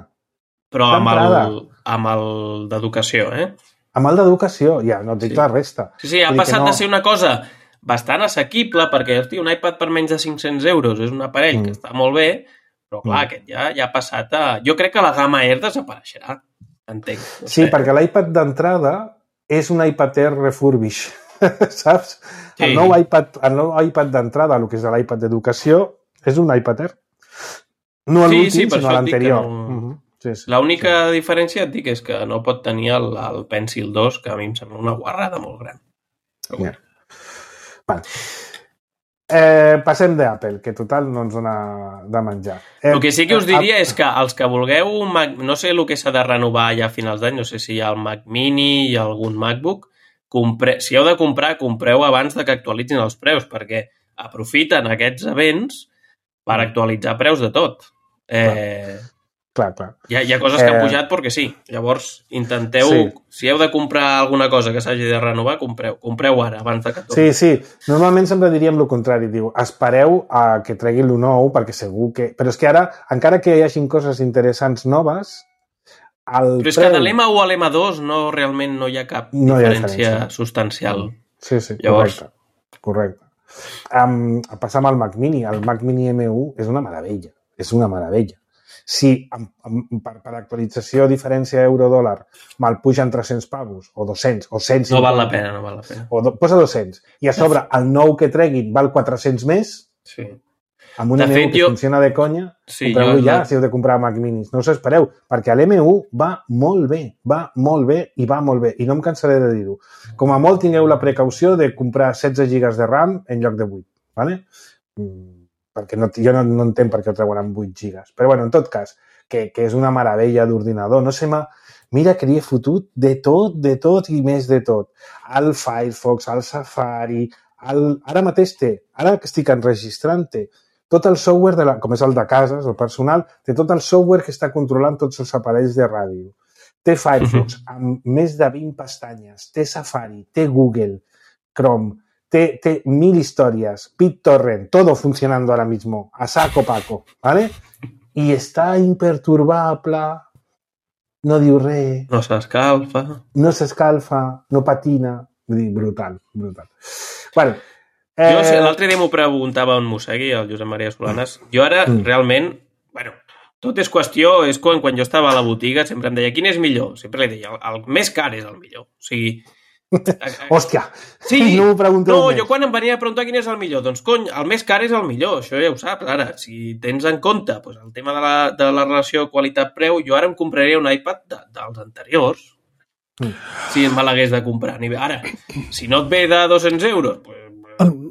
Però amb el, d'entrada. amb el d'educació, eh? amb el d'educació, ja, no et dic Sí. la resta. Sí, sí, ha Vull dir que passat no- de ser una cosa bastant assequible, perquè, hosti, un iPad per menys de cinc-cents euros és un aparell Mm. que està molt bé, però clar, Mm. aquest ja, ja ha passat a... Jo crec que la gamma Air desapareixerà, entenc. No Sí, sé. perquè l'iPad d'entrada és un iPad Air refurbish, saps? Sí. El nou iPad, el nou iPad d'entrada, el que és l'iPad d'educació, és un iPad Air. No Sí, l'últim, sí, per sinó això et dic que l'anterior. no- Mhm. Sí, sí. L'única diferència, et dic, és que no pot tenir el, el Pencil dos, que a mi em sembla una guarrada molt gran. Però, Ja. Vale. Eh, passem d'Apple, que total no ens dona de menjar. Eh, el que sí que us eh, diria és que els que vulgueu un Mac, no sé el que s'ha de renovar ja a finals d'any, no sé si hi ha el Mac Mini i algun MacBook, compre... si heu de comprar, compreu abans de que actualitzin els preus, perquè aprofiten aquests events per actualitzar preus de tot. Eh, Clar, clar. hi, ha, hi ha coses que han Eh, pujat perquè sí. Llavors, intenteu... Sí. Si heu de comprar alguna cosa que s'hagi de renovar, compreu. Compreu ara, abans de que Sí, torni. sí. Normalment sempre diríem el contrari. Diu, espereu a que treguin lo nou, perquè segur que... Però és que ara, encara que hi hagin coses interessants noves, el Però és que de l'M u a l'M dos no, realment no hi ha cap No hi ha diferència, diferència. substancial. Sí, sí, Llavors- correcte. Correcte. Um, passam al Mac Mini. El Mac Mini M u és una meravella. És una meravella. Si amb, amb, per, per actualització diferència euro-dòlar me'l pugen tres-cents pavos, o dos-cents, o cent No cinquanta, val la pena, no val la pena. o do, posa dos-cents, i a sobre el nou que treguin val quatre-cents més, Sí. amb un De M u fet, que jo- funciona de conya, Sí, compreu-lo jo- ja si heu de comprar Mac Minis. No us espereu, perquè l'M u va molt bé, va molt bé i va molt bé, i no em cansaré de dir-ho. Com a molt tingueu la precaució de comprar setze gigas de RAM en lloc de vuit, ¿vale? Mm, perquè no, jo no, no entenc per què ho treuen amb vuit gigas. Però bueno, en tot cas, que, que és una meravella d'ordinador. No sé, ma... mira que li he fotut de tot, de tot i més de tot. El Firefox, el Safari, el... ara mateix té, ara que estic enregistrant-te, tot el software, de la, com és el de cases, el personal, té tot el software que està controlant tots els aparells de ràdio. Té Firefox amb més de vint pestanyes, té Safari, té Google, Chrome, té, té mil històries, BitTorrent, todo funcionando ahora mismo, a saco paco, ¿vale? I està imperturbable, no diu res, No s'escalfa. no s'escalfa, no patina, vull dir, brutal, brutal. Bueno, Eh... Jo, si eh, l'altre dia m'ho preguntava on m'ho segui, el Josep Maria Solanes. Jo ara, Mm. realment, bueno, tot és qüestió, és quan, quan jo estava a la botiga, sempre em deia, quin és millor? Sempre li deia, el, el més car és el millor. O sigui... hòstia, Sí, no m'ho pregunteu no, més. jo quan em venia a preguntar quin és el millor, doncs cony, el més car és el millor, això ja ho saps, ara, si tens en compte pues, el tema de la, de la relació qualitat-preu, jo ara em compraria un iPad de, dels anteriors, Mm. si me l'hagués de comprar. Ara, si no et ve de dos-cents euros, pues,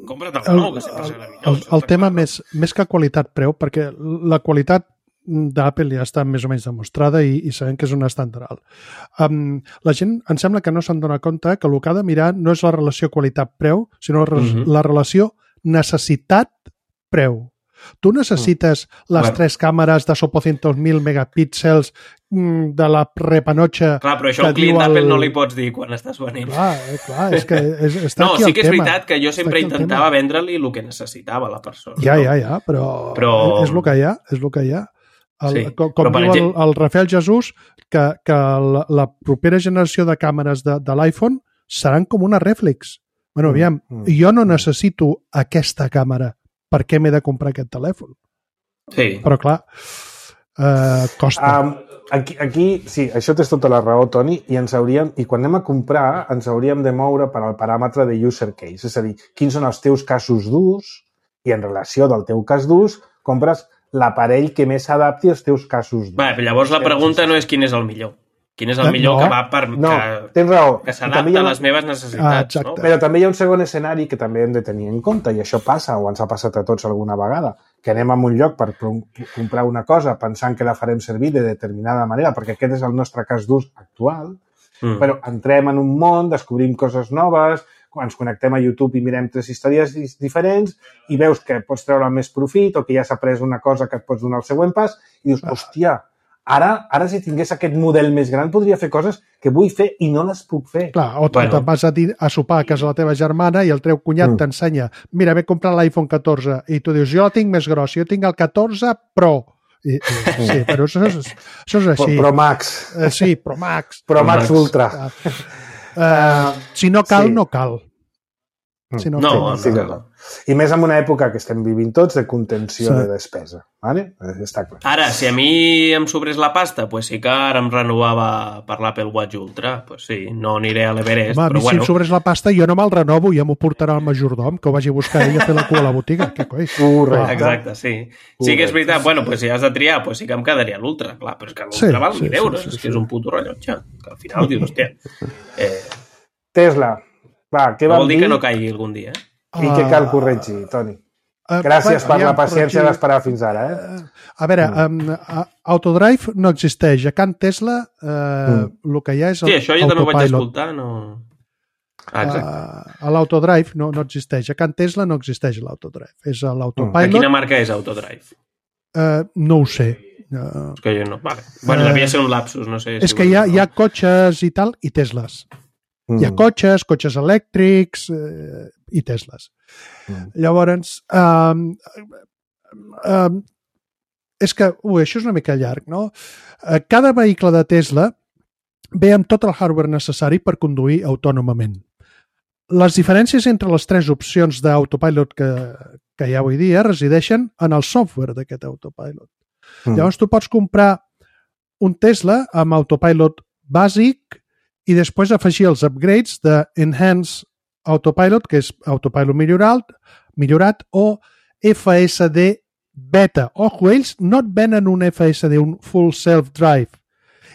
compra't el, El, nou, que sempre serà millor. el, això el està tema clar. més, més que qualitat-preu, perquè la qualitat d'Apple ja està més o menys demostrada i, i sabem que és un estàndard alt. Um, la gent em sembla que no se'n dona compte que el que ha de mirar no és la relació qualitat-preu, sinó la, Mhm. la relació necessitat-preu. Tu necessites les Bueno. tres càmeres de sopocientos mil megapíxels mm, de la repanocha... Clar, però això que a un client diu el- d'Apple no li pots dir quan estàs venent. Clar, eh, clar, és que és, està No, aquí sí el que és tema. veritat que jo Està sempre aquí el intentava tema. vendre-li el que necessitava la persona. Ja, no? ja, ja, però, Però- és el que hi ha, és el que hi ha. El, Sí, com com però, per diu el, exemple- el Rafael Jesús, que, que la, la propera generació de càmeres de, de l'iPhone seran com una reflex. Bueno, aviam, mm, jo no necessito aquesta càmera. Per què m'he de comprar aquest telèfon? Sí. Però, clar, eh, costa. Um, aquí, aquí, sí, això tens tota la raó, Toni, i ens hauríem, i quan anem a comprar ens hauríem de moure per al paràmetre de user case, és a dir, quins són els teus casos d'ús i en relació del teu cas d'ús compres l'aparell que més s'adapti als teus casos d'ús. Va, però llavors la pregunta no és quin és el millor. Quin és el Eh, millor no. que va per... No, que, tens raó. que I també s'adapta hi ha a una- les meves Ah, necessitats, exacte. no? Però també hi ha un segon escenari que també hem de tenir en compte, i això passa, o ens ha passat a tots alguna vegada, que anem a un lloc per pro- comprar una cosa pensant que la farem servir de determinada manera, perquè aquest és el nostre cas d'ús actual, Mm. però entrem en un món, descobrim coses noves, ens connectem a YouTube i mirem tres històries dis- diferents i veus que pots treure més profit o que ja s'ha pres una cosa que et pots donar el següent pas i dius, hòstia, ara, ara si tingués aquest model més gran podria fer coses que vull fer i no les puc fer. Clar, o Bueno. te'n vas a, dir, a sopar a casa de la teva germana i el teu cunyat Mm. t'ensenya, mira, ve a comprar l'iPhone catorze, i tu dius, jo la tinc més grossa, jo tinc el catorze Pro. I, i, sí, però això és, això és Pro, així. Pro Max, Eh, sí, Pro Max. Pro Max Max. Ultra. Ah, Uh, si no cal, sí. no cal. Si no, No, cal. Sí, no, no. no. I més en una època que estem vivint tots de contenció Sí. de despesa. Vale? Està clar. Ara, si a mi em sobrés la pasta, pues sí que ara em renovava per l'Apple Watch Ultra. Pues sí, no aniré a l'Everest, Home, a mi però si bueno. em sobrés la pasta jo no me'l renovo, ja m'ho portarà el majordom, que ho vagi a buscar ell a fer la cua a la botiga. Què coi? Correcte. Exacte, sí. Sí que és veritat. Bueno, pues si has de triar, pues sí que em quedaria l'Ultra, clar, però és que l'Ultra Sí, val sí, mil euros, sí, sí, és que sí. és un puto rellotge, que al final dius, hòstia, eh, Tesla. Va, què no vam vol dir dir que no caigui algun dia, eh? i què cal corregir, Toni? Uh, Gràcies per aviam, la paciència però aquí- d'esperar fins ara, eh? A veure, um, uh, Autodrive no existeix. A Can Tesla uh, mm. el que hi ha és el Sí, això jo també ho vaig autopilot. escoltar, no... Ah, exacte. Uh, a l'Autodrive no, no existeix. A Can Tesla no existeix l'Autodrive. És De l'autopilot. quina marca és Autodrive? Uh, no ho sé. Uh, És que jo no... Vale. Bueno, Eh, devia ser un lapsus, no sé. és que hi ha, hi ha cotxes i tal, i Tesles. Mm. Hi ha cotxes, cotxes elèctrics eh, i Tesles. Mm. Llavors, um, um, és que, ui, això és una mica llarg, no? Eh, Cada vehicle de Tesla ve amb tot el hardware necessari per conduir autònomament. Les diferències entre les tres opcions d'autopilot que, que hi ha avui dia resideixen en el software d'aquest autopilot. Mm. Llavors tu pots comprar un Tesla amb autopilot bàsic i després afegir els upgrades de Enhanced Autopilot, que és autopilot millorat, millorat o F S D Beta. Ojo, ells no et venen un F S D, un Full Self-Drive.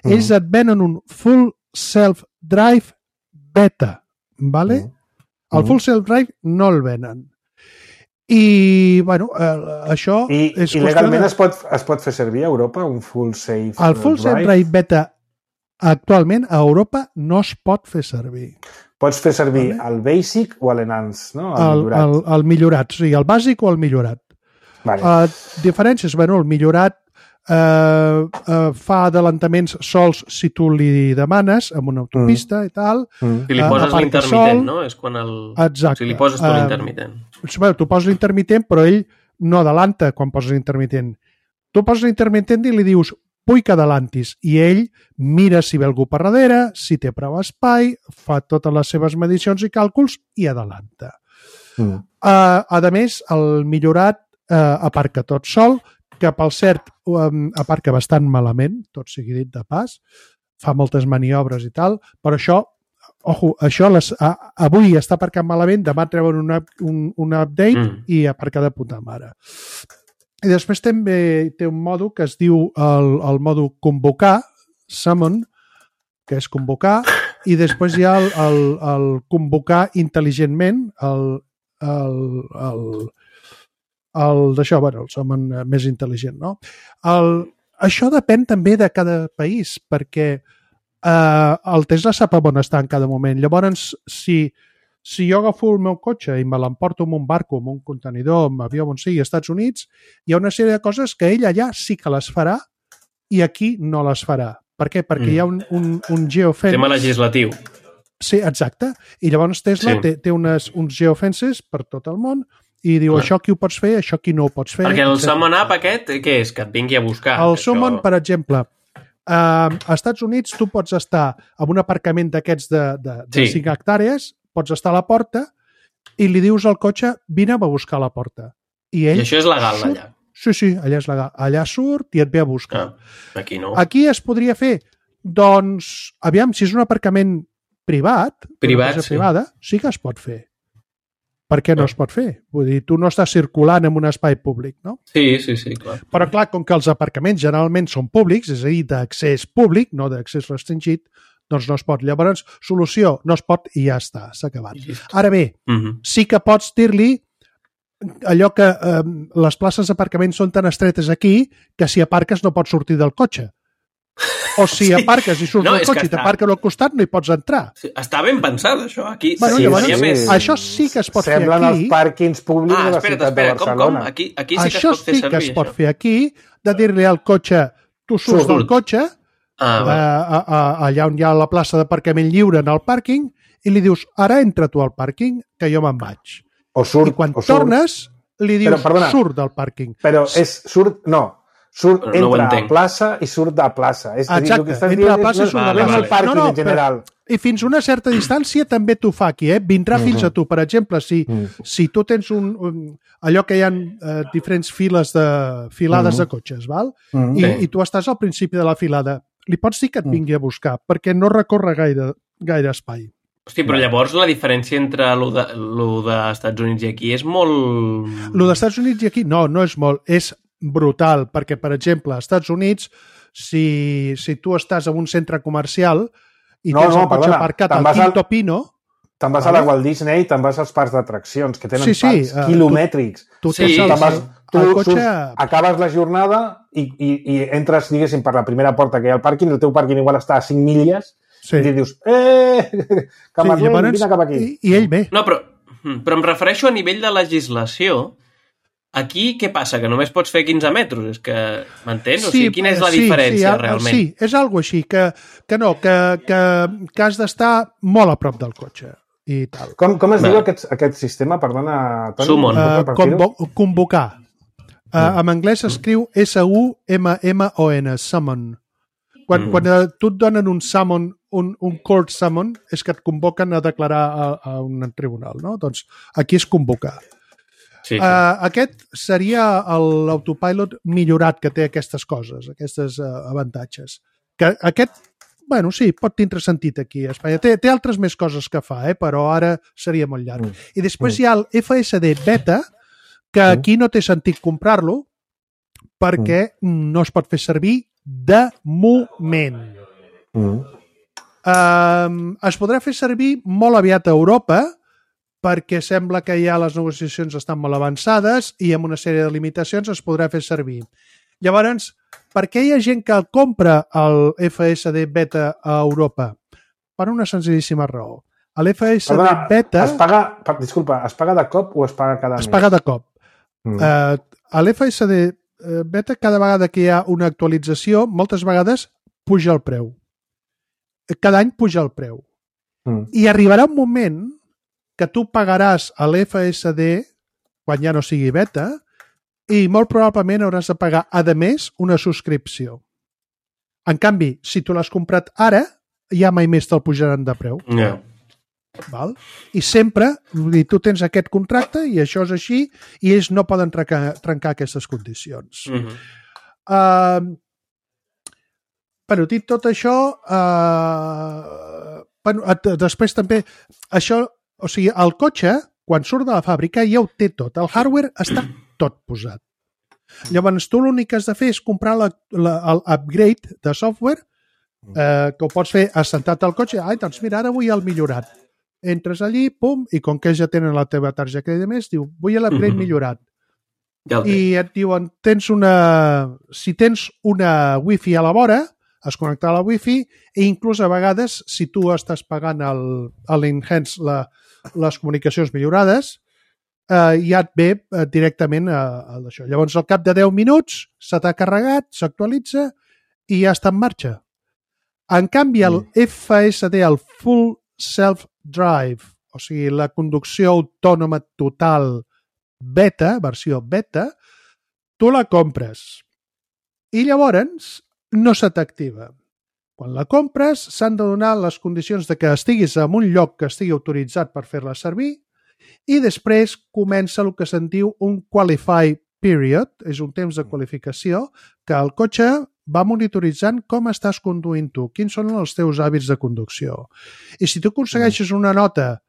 Ells et venen un Full Self-Drive Beta. ¿Vale? El Full Self-Drive no el venen. I, bueno, eh, això I, és i legalment de... es pot, es pot fer servir a Europa un full safe El Full drive? Self-Drive Beta actualment a Europa no es pot fer servir. Pots fer servir Vale. el basic o l'enhanced, no? El, El, millorat. el, el millorat, sí, el bàsic o el millorat. Vale. Uh, diferències, bueno, el millorat uh, uh, fa adelantaments sols si tu li demanes amb una autopista mm. i tal. Mm. Si li eh, poses aparca l'intermitent, sol. no? És quan el... Exacte. Si li poses tu Eh, l'intermitent. Bueno, tu poses l'intermitent, però ell no adelanta quan poses l'intermitent. Tu poses l'intermitent i li dius vull que adelantis, i ell mira si ve algú per darrere, si té prou espai, fa totes les seves medicions i càlculs i adelanta. Mm. Uh, a més, el millorat uh, aparca tot sol, que per cert um, aparca bastant malament, tot sigui dit de pas, fa moltes maniobres i tal, però això, ojo, això les, uh, avui està aparcant malament, demà treuen una, un, un update Mm. i aparca de puta mare. I després també té un mòdul que es diu el, el mòdul convocar, summon, que és convocar, i després hi ha el, el, el convocar intel·ligentment, el, el, el, el d'això, bueno, el summon més intel·ligent, no? El, això depèn també de cada país, perquè eh, el Tesla sap on està en cada moment. Llavors, si Si jo agafo el meu cotxe i me l'emporto amb un barco, amb un contenidor, amb avió, on sigui, als Estats Units, hi ha una sèrie de coses que ell allà sí que les farà i aquí no les farà. Per què? Perquè mm. hi ha un, un, un geofence... Tema legislatiu. Sí, exacte. I llavors Tesla Sí. té, té unes, uns geofences per tot el món i diu, Clar. això aquí ho pots fer, això aquí no ho pots fer. Perquè el etcètera. Summon App aquest, què és? Que et vingui a buscar. El que Summon, això- per exemple, eh, als Estats Units tu pots estar en un aparcament d'aquests de, de, de Sí. cinc hectàrees, pots estar a la porta i li dius al cotxe, vine'm a buscar a la porta. I ell I això és legal, surt- allà. Sí, sí, allà és legal. Allà surt i et ve a buscar. Ah, aquí no. Aquí es podria fer, doncs, aviam, si és un aparcament privat, Privat, una cosa sí. privada, sí que es pot fer. Per què no Ah. es pot fer? Vull dir, tu no estàs circulant en un espai públic, no? Sí, sí, sí, clar. Però, clar, com que els aparcaments generalment són públics, és a dir, d'accés públic, no d'accés restringit, doncs no es pot. Llavors, solució, no es pot i ja està, s'ha acabat. I llisto. Ara bé, Mhm. sí que pots dir-li allò que eh, les places d'aparcament són tan estretes aquí que si aparques no pots sortir del cotxe. O si Sí. aparques i surts No, del és que cotxe i està- t'aparquen al costat, no hi pots entrar. Sí, està ben pensat, això. Aquí Bueno, sí, llavors, faria sí. més... Això sí que es pot Semblen fer aquí. els pàrquings públics Ah, de la espera't, ciutat espera, de com, com? Barcelona. Aquí, aquí sí que Això es pot fer sí servir, que es pot això. fer aquí, de dir-li al cotxe, tu surts Surt. del cotxe, Ah, eh, va. a, a, allà on hi ha la plaça d'aparcament lliure en el pàrquing, i li dius, ara entra tu al pàrquing, que jo me'n vaig. O surt, I quan o surt, tornes, li dius, Però, perdona. surt del pàrquing. Però és, surt, no, Surt, Però no ho entra a entenc. plaça i surt de plaça. És a dir, el que Exacte, estàs entra a dient plaça i és, surt no, de no és plaça. el pàrquing No, no, en general. I fins una certa distància també t'ho fa aquí, eh? Vindrà fins a tu. Per exemple, si, si tu tens un, un allò que hi ha eh, diferents files de filades de cotxes, val? I, Sí. i tu estàs al principi de la filada, li pots dir que et vingui a buscar, perquè no recorre gaire, gaire espai. Hosti, però llavors la diferència entre lo de, lo dels Estats Units i aquí és molt... Lo dels Estats Units i aquí, no, no és molt, és brutal, perquè, per exemple, als Estats Units, si, si tu estàs en un centre comercial i No, tens no, el cotxe perdona, aparcat te'n al vas al- Quinto Pino, Te'n vas Vale. a la Walt Disney, te'n vas als parcs d'atraccions, que tenen Sí, sí, parcs eh, quilomètrics. tu Sí, tens el, Te'n vas, el, tu el cotxe... surts, acabes la jornada i, i, i entres, diguéssim, per la primera porta que hi ha al pàrquing, el teu pàrquing igual està a cinc milles, Sí. i dius, eh, Camarlen, Sí, llavors, vine cap aquí. I, I ell ve. No, però, però em refereixo a nivell de legislació. Aquí què passa? Que només pots fer quinze metres? És que, m'entens? O sigui, quina és la sí, diferència, sí, realment? Sí, és algo així, que, que no, que, que, que has d'estar molt a prop del cotxe i tal. Com, com es Va. diu aquest, aquest sistema? Perdona, Toni. Summon. pots Uh, repetir-ho? convo convocar. Uh, en anglès s'escriu S U M M O N, summon. Quan, Mm. quan uh, tu et donen un summon, un, un court summon, és que et convoquen a declarar a, a un tribunal, no? Doncs aquí és convocar. Sí, sí. Uh, aquest seria l'autopilot millorat que té aquestes coses, aquestes uh, avantatges. Que aquest, bueno, sí, pot tindre sentit aquí a Espanya. Té, té altres més coses que fa, eh? Però ara seria molt llarg. Mm. I després hi ha el F S D Beta, que aquí no té sentit comprar-lo perquè no es pot fer servir de moment. Mm. Um, es podrà fer servir molt aviat a Europa perquè sembla que ja les negociacions estan molt avançades i amb una sèrie de limitacions es podrà fer servir. Llavors, per què hi ha gent que el compra el F S D Beta a Europa? Per una senzillíssima raó. L'F S D Perdona, Beta es paga, per, disculpa, es paga de cop o es paga cada es mes? paga de cop. Mm. Uh, a l'F S D Beta, cada vegada que hi ha una actualització, moltes vegades puja el preu. Cada any puja el preu. Mm. I arribarà un moment que tu pagaràs a l'F S D quan ja no sigui beta i molt probablement hauràs de pagar, a més, una subscripció. En canvi, si tu l'has comprat ara, ja mai més te'l pujaran de preu. Yeah. Val? I sempre, vull dir, tu tens aquest contracte i això és així i ells no poden trencar, trencar aquestes condicions. Mm -hmm. Uh, bueno, dit tot això, uh, bueno, després també, això, o sigui, el cotxe, quan surt de la fàbrica, ja ho té tot. El hardware està tot posat. Llavors, tu l'únic que has de fer és comprar l'upgrade de software eh, que ho pots fer assentat al cotxe. Ai, doncs mira, ara vull el millorat. Entres allí, pum, i com que ja tenen la teva targeta de més, diu, vull l'upgrade Mhm. millorat. Ja el té. I et diuen, tens una... si tens una wifi a la vora, has connectat a la wifi i inclús a vegades, si tu estàs pagant l'enhance, la, les comunicacions millorades, eh, ja et ve eh, directament a, a això. Llavors, al cap de deu minuts se t'ha carregat, s'actualitza i ja està en marxa. En canvi, el F S D, el Full Self-Drive, o sigui, la conducció autònoma total beta, versió beta, tu la compres i llavors no se t'activa. Quan la compres s'han de donar les condicions de que estiguis en un lloc que estigui autoritzat per fer-la servir i després comença el que se'n diu un Qualify Period, és un temps de qualificació que el cotxe va monitoritzant com estàs conduint tu, quins són els teus hàbits de conducció. I si tu aconsegueixes una nota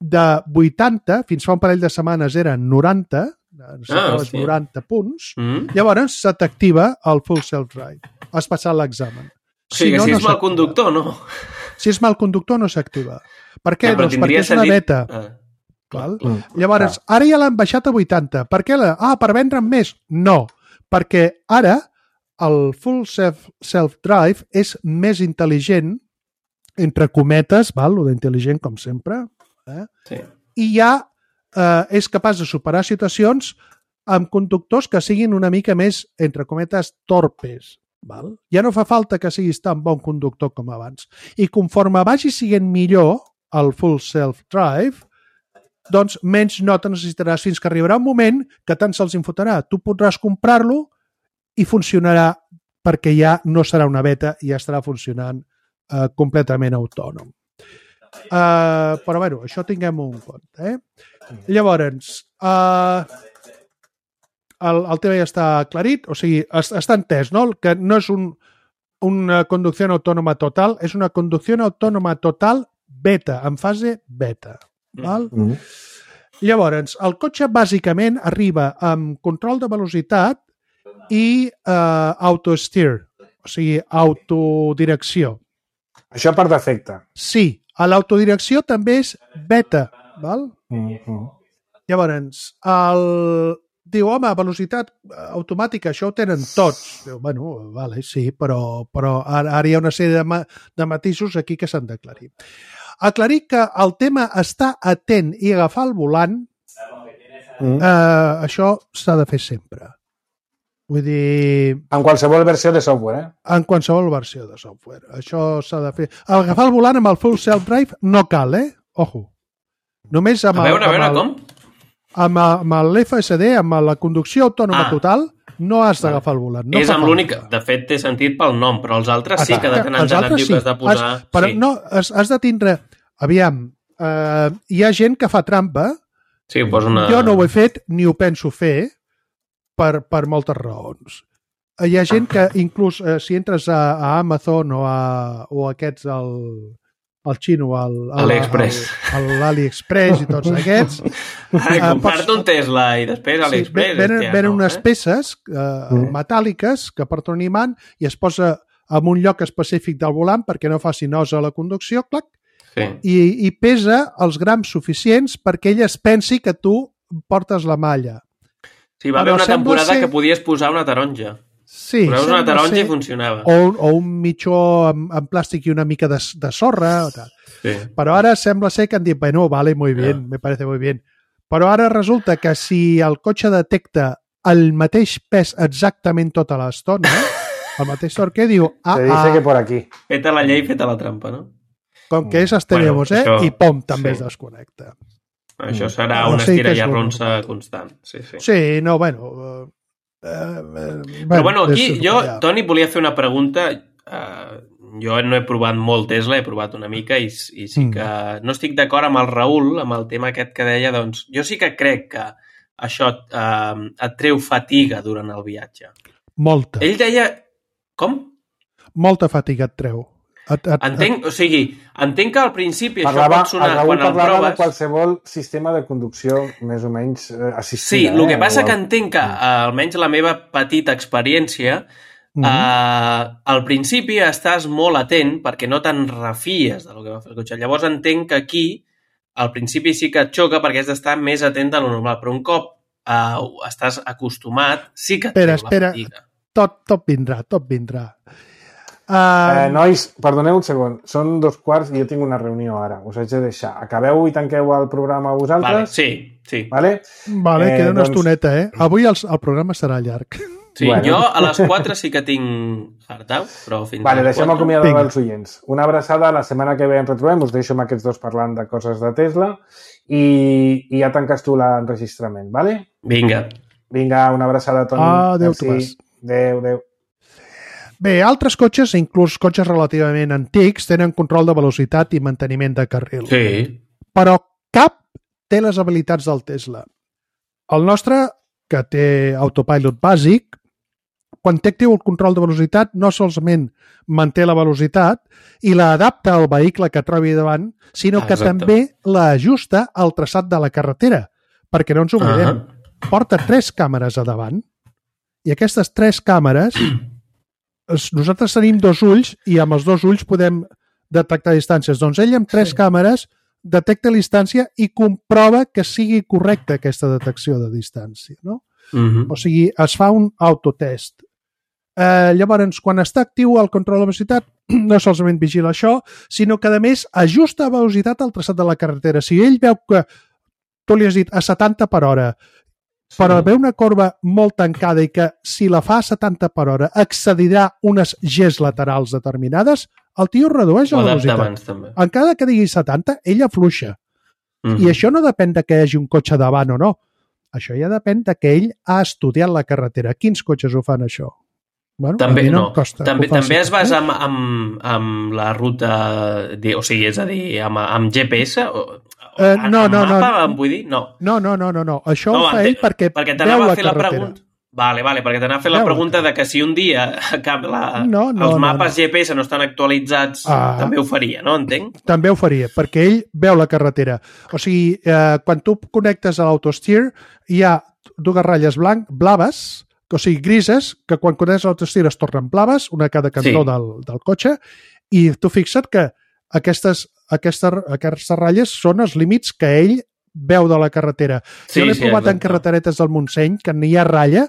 de vuitanta, fins fa un parell de setmanes eren noranta, Ah, els sí. noranta punts, Mm? llavors se t'activa el Full Self-Drive. Has passat l'examen. O sigui, que si no és mal s'activa. conductor, no? Si és mal conductor, no s'activa. Per què? Ja, però Doncs perquè tindria és una sentit- beta. Ah. Val? Mm. Llavors, ara ja l'han baixat a vuitanta. Per què? La... Ah, per vendre'n més? No, perquè ara el Full Self- Self-Drive és més intel·ligent, entre cometes, val? Lo d'intel·ligent, com sempre, eh? Sí. i ja eh, és capaç de superar situacions amb conductors que siguin una mica més, entre cometes, torpes. Val? Ja no fa falta que siguis tan bon conductor com abans. I conforme vagi siguent millor el Full Self-Drive, doncs menys nota necessitaràs fins que arribarà un moment que tant se'ls infotarà. Tu podràs comprar-lo i funcionarà perquè ja no serà una beta i ja estarà funcionant eh, completament autònom. Uh, però bueno, això tinguem un compte. Eh? Llavors, uh, el, el tema ja està aclarit, o sigui, està entès, no? Que no és un, una conducció autònoma total, és una conducció autònoma total beta, en fase beta. Val? Mm. Llavors, el cotxe bàsicament arriba amb control de velocitat i uh, auto-steer, o sigui, autodirecció. Això per defecte. Sí, a l'autodirecció també és beta, val? Mm-hmm. Llavors, el... diu, home, velocitat automàtica, això ho tenen tots. Diu, bueno, vale, sí, però, però ara, ara hi ha una sèrie de, ma de matisos aquí que s'han d'aclarir. Aclarir que el tema està atent i agafar el volant, mm. eh, això s'ha de fer sempre. Vull dir... En qualsevol versió de software, eh? En qualsevol versió de software. Això s'ha de fer. Agafar el volant amb el full self-drive no cal, eh? Ojo. Només amb a veure, el, a veure, el, com? Amb, amb l'F S D, amb la conducció autònoma ah. total, no has d'agafar el volant. No és amb l'únic... De fet, té sentit pel nom, però els altres sí que de tant en tant et diu que has de posar... Has, però sí. no, has, has de tindre... Aviam, eh, hi ha gent que fa trampa. Sí, posa una... Jo no ho he fet ni ho penso fer per, per moltes raons. Hi ha gent que inclús eh, si entres a, a Amazon o a, o a aquests... El, el xino, l'AliExpress l'AliExpress i tots aquests. Comprar-te un Tesla i després l'AliExpress. Sí, venen, venen no, unes eh? peces eh, mm. metàl·liques que porten un imant i es posa en un lloc específic del volant perquè no faci nosa a la conducció, clac, sí. i, i pesa els grams suficients perquè ell es pensi que tu portes la malla. Sí, va haver una temporada ser... que podies posar una taronja. Sí, posaves una taronja ser... i funcionava. O, o un mitjó amb, amb plàstic i una mica de, de sorra. O tal. Sí. Però ara sembla ser que han dit, bueno, vale, muy bien, yeah. me parece muy bien. Però ara resulta que si el cotxe detecta el mateix pes exactament tota l'estona, el mateix torque, diu... Ah, Se dice ah, que por aquí. Feta la llei, feta la trampa, no? Com que és estaremos, bueno, eh? Això... I pom, també sí. es desconnecta. Això serà una estira i arronsa constant. Sí, sí. Sí, no, bueno... Uh... Uh, uh, Però bueno, aquí jo, Toni, volia fer una pregunta. Uh, jo no he provat molt Tesla, he provat una mica i, i sí que no estic d'acord amb el Raül, amb el tema aquest que deia, doncs jo sí que crec que això uh, et treu fatiga durant el viatge. Molta. Ell deia... Com? Molta fatiga et treu. Et, et, entenc, et... o sigui, entenc que al principi parlava, això pot sonar quan el proves... de qualsevol sistema de conducció més o menys eh, assistida. Sí, el que eh? passa o... que entenc que, eh, almenys la meva petita experiència, mm-hmm. eh, al principi estàs molt atent perquè no te'n refies del que va fer el cotxe. Llavors entenc que aquí, al principi sí que et xoca perquè has d'estar més atent de lo normal, però un cop eh, estàs acostumat, sí que et espera, treu espera. la fatiga. Tot, tot vindrà, tot vindrà. Uh... Eh, nois, perdoneu un segon, són dos quarts i jo tinc una reunió ara, us haig de deixar. Acabeu i tanqueu el programa vosaltres? Vale, sí, sí. Vale, vale eh, queda una doncs... estoneta, eh? Avui el, el programa serà llarg. Sí, bueno. Jo a les quatre sí que tinc hard out, però fins vale, a les deixem acomiadar els oients. Una abraçada, la setmana que ve ens retrobem, us deixo amb aquests dos parlant de coses de Tesla i, i ja tanques tu l'enregistrament, vale? Vinga. Vinga, una abraçada, Toni. Ah, adéu, Tomàs. Adéu, adéu. Bé, altres cotxes, inclús cotxes relativament antics, tenen control de velocitat i manteniment de carril. Sí. Però cap té les habilitats del Tesla. El nostre, que té autopilot bàsic, quan té actiu el control de velocitat, no solament manté la velocitat i l'adapta al vehicle que trobi davant, sinó que Exacte. també l'ajusta al traçat de la carretera. Perquè no ens oblidem, uh-huh. porta tres càmeres a davant i aquestes tres càmeres... nosaltres tenim dos ulls i amb els dos ulls podem detectar distàncies. Doncs ell amb tres sí. càmeres detecta la distància i comprova que sigui correcta aquesta detecció de distància. No? Uh-huh. O sigui, es fa un autotest. Eh, llavors, quan està actiu el control de velocitat, no solament vigila això, sinó que, a més, ajusta a velocitat al traçat de la carretera. Si ell veu que tu li has dit a setanta per hora, però veu una corba molt tancada i que si la fa a setanta per hora excedirà unes Gs laterals determinades, el tio redueix la velocitat. Encara que digui setanta, ell afluixa. Mm-hmm. I això no depèn de que hi hagi un cotxe davant o no. Això ja depèn de que ell ha estudiat la carretera. Quins cotxes ho fan això? Bueno, també, no, no. costa, també, faci, també es basa eh? amb, amb, amb la ruta, de, o sigui, és a dir, amb, amb G P S? O, Uh, no, amb no, mapa, no. Em vull dir? No. No, no, no, no, no. Això no, ho fa ell perquè, perquè veu la a fer la carretera. pregunta. Vale, vale, perquè t'anava a fer la Veu pregunta la de que si un dia cap la, no, no, els mapes no, no. G P S no estan actualitzats, ah, també ho faria, no? Entenc? També ho faria, perquè ell veu la carretera. O sigui, eh, quan tu connectes a l'AutoSteer, hi ha dues ratlles blanc, blaves, o sigui, grises, que quan connectes a l'AutoSteer es tornen blaves, una a cada cantó sí. del, del cotxe, i tu fixa't que aquestes, aquestes, aquestes ratlles són els límits que ell veu de la carretera. Sí, jo l'he sí, provat exacte. En carreteretes del Montseny, que no hi ha ratlla,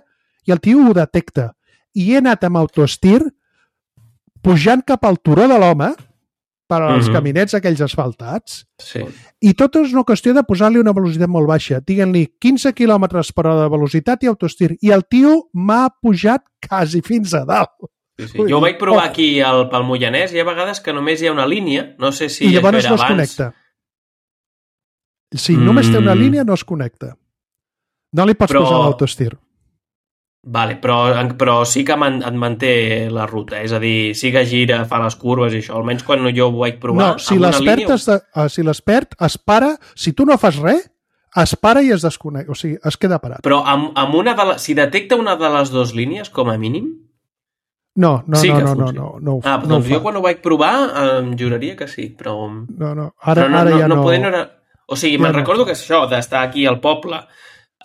i el tio ho detecta. I he anat amb AutoSteer pujant cap al turó de l'home per als mm-hmm. caminets aquells asfaltats, sí. i tot és una qüestió de posar-li una velocitat molt baixa. Diguem-li quinze quilòmetres per hora de velocitat i AutoSteer. I el tio m'ha pujat quasi fins a dalt. Sí, sí. Jo ho vaig provar aquí al, pel Moianès i hi ha vegades que només hi ha una línia, no sé si I llavors això era no es abans. Connecta. Si mm. només té una línia, no es connecta. No li pots però... posar l'AutoSteer. Vale, però, però sí que man, et manté la ruta, és a dir, sí que gira, fa les curves i això, almenys quan jo ho vaig provar. No, si l'espert línia... de, si l'espert es para, si tu no fas res, es para i es desconnecta, o sigui, es queda parat. Però amb, amb una de la, si detecta una de les dues línies, com a mínim, No, no, sí no, no, no, no, no, ah, no doncs jo quan ho vaig provar em juraria que sí, però... No, no, ara, però no, ara no, ja no... no poder, no era... O sigui, ja me'n no. recordo que és això, d'estar aquí al poble,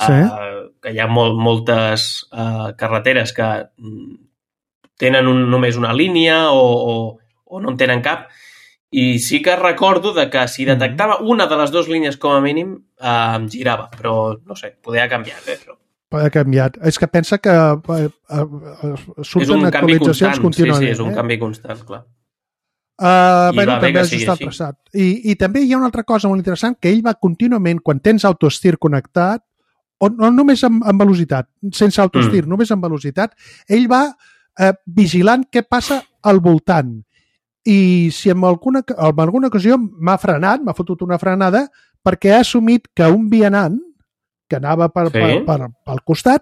sí? uh, que hi ha molt, moltes uh, carreteres que tenen un, només una línia o, o, o no en tenen cap, i sí que recordo de que si detectava una de les dues línies com a mínim, uh, em girava, però no sé, poder ha canviat, eh, però... Ha canviat. És que pensa que eh, eh, surten actualitzacions contínuament. Sí, sí, és un eh? canvi constant, clar. Uh, bueno, també has estat passat. I, I també hi ha una altra cosa molt interessant, que ell va contínuament, quan tens AutoSteer connectat, o no només amb, amb velocitat, sense AutoSteer, mm. només amb velocitat, ell va eh, vigilant què passa al voltant. I si en alguna, en alguna ocasió m'ha frenat, m'ha fotut una frenada, perquè ha assumit que un vianant que anava per, sí. per, per, pel costat,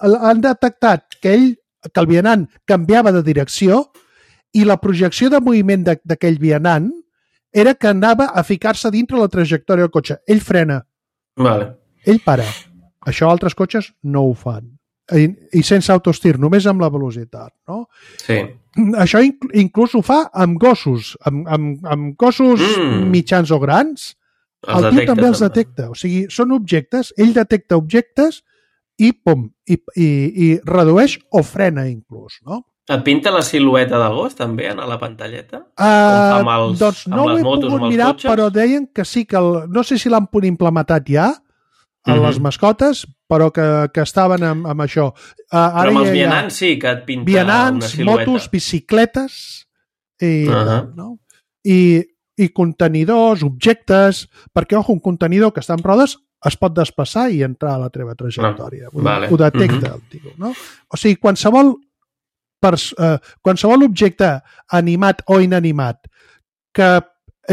han detectat que ell, que el vianant canviava de direcció i la projecció de moviment d'aquell vianant era que anava a ficar-se dintre la trajectòria del cotxe. Ell frena. Vale. Ell para. Això altres cotxes no ho fan. I, i sense AutoSteer, només amb la velocitat. No? Sí. Això inc inclús ho fa amb gossos, amb, amb, amb gossos mm. mitjans o grans. Els el tio detecta, també els també. detecta. O sigui, són objectes, ell detecta objectes i pum, i, i, i redueix o frena inclús, no? Et pinta la silueta del gos també a la pantalleta? Uh, amb els, doncs no amb les ho he motos, pogut mirar, cotxes? Però deien que sí, que el, no sé si l'han implementat ja a uh-huh. les mascotes, però que, que estaven amb, amb això. Uh, ara però amb els ja, vianants sí que et pinta vianants, una silueta. motos, bicicletes i, uh-huh. no? I i contenidors, objectes, perquè, ojo, un contenidor que està en rodes es pot desplaçar i entrar a la teva trajectòria. Ah, vale. Ho detecta, uh-huh. el tio, no? O sigui, qualsevol, pers eh, qualsevol objecte animat o inanimat que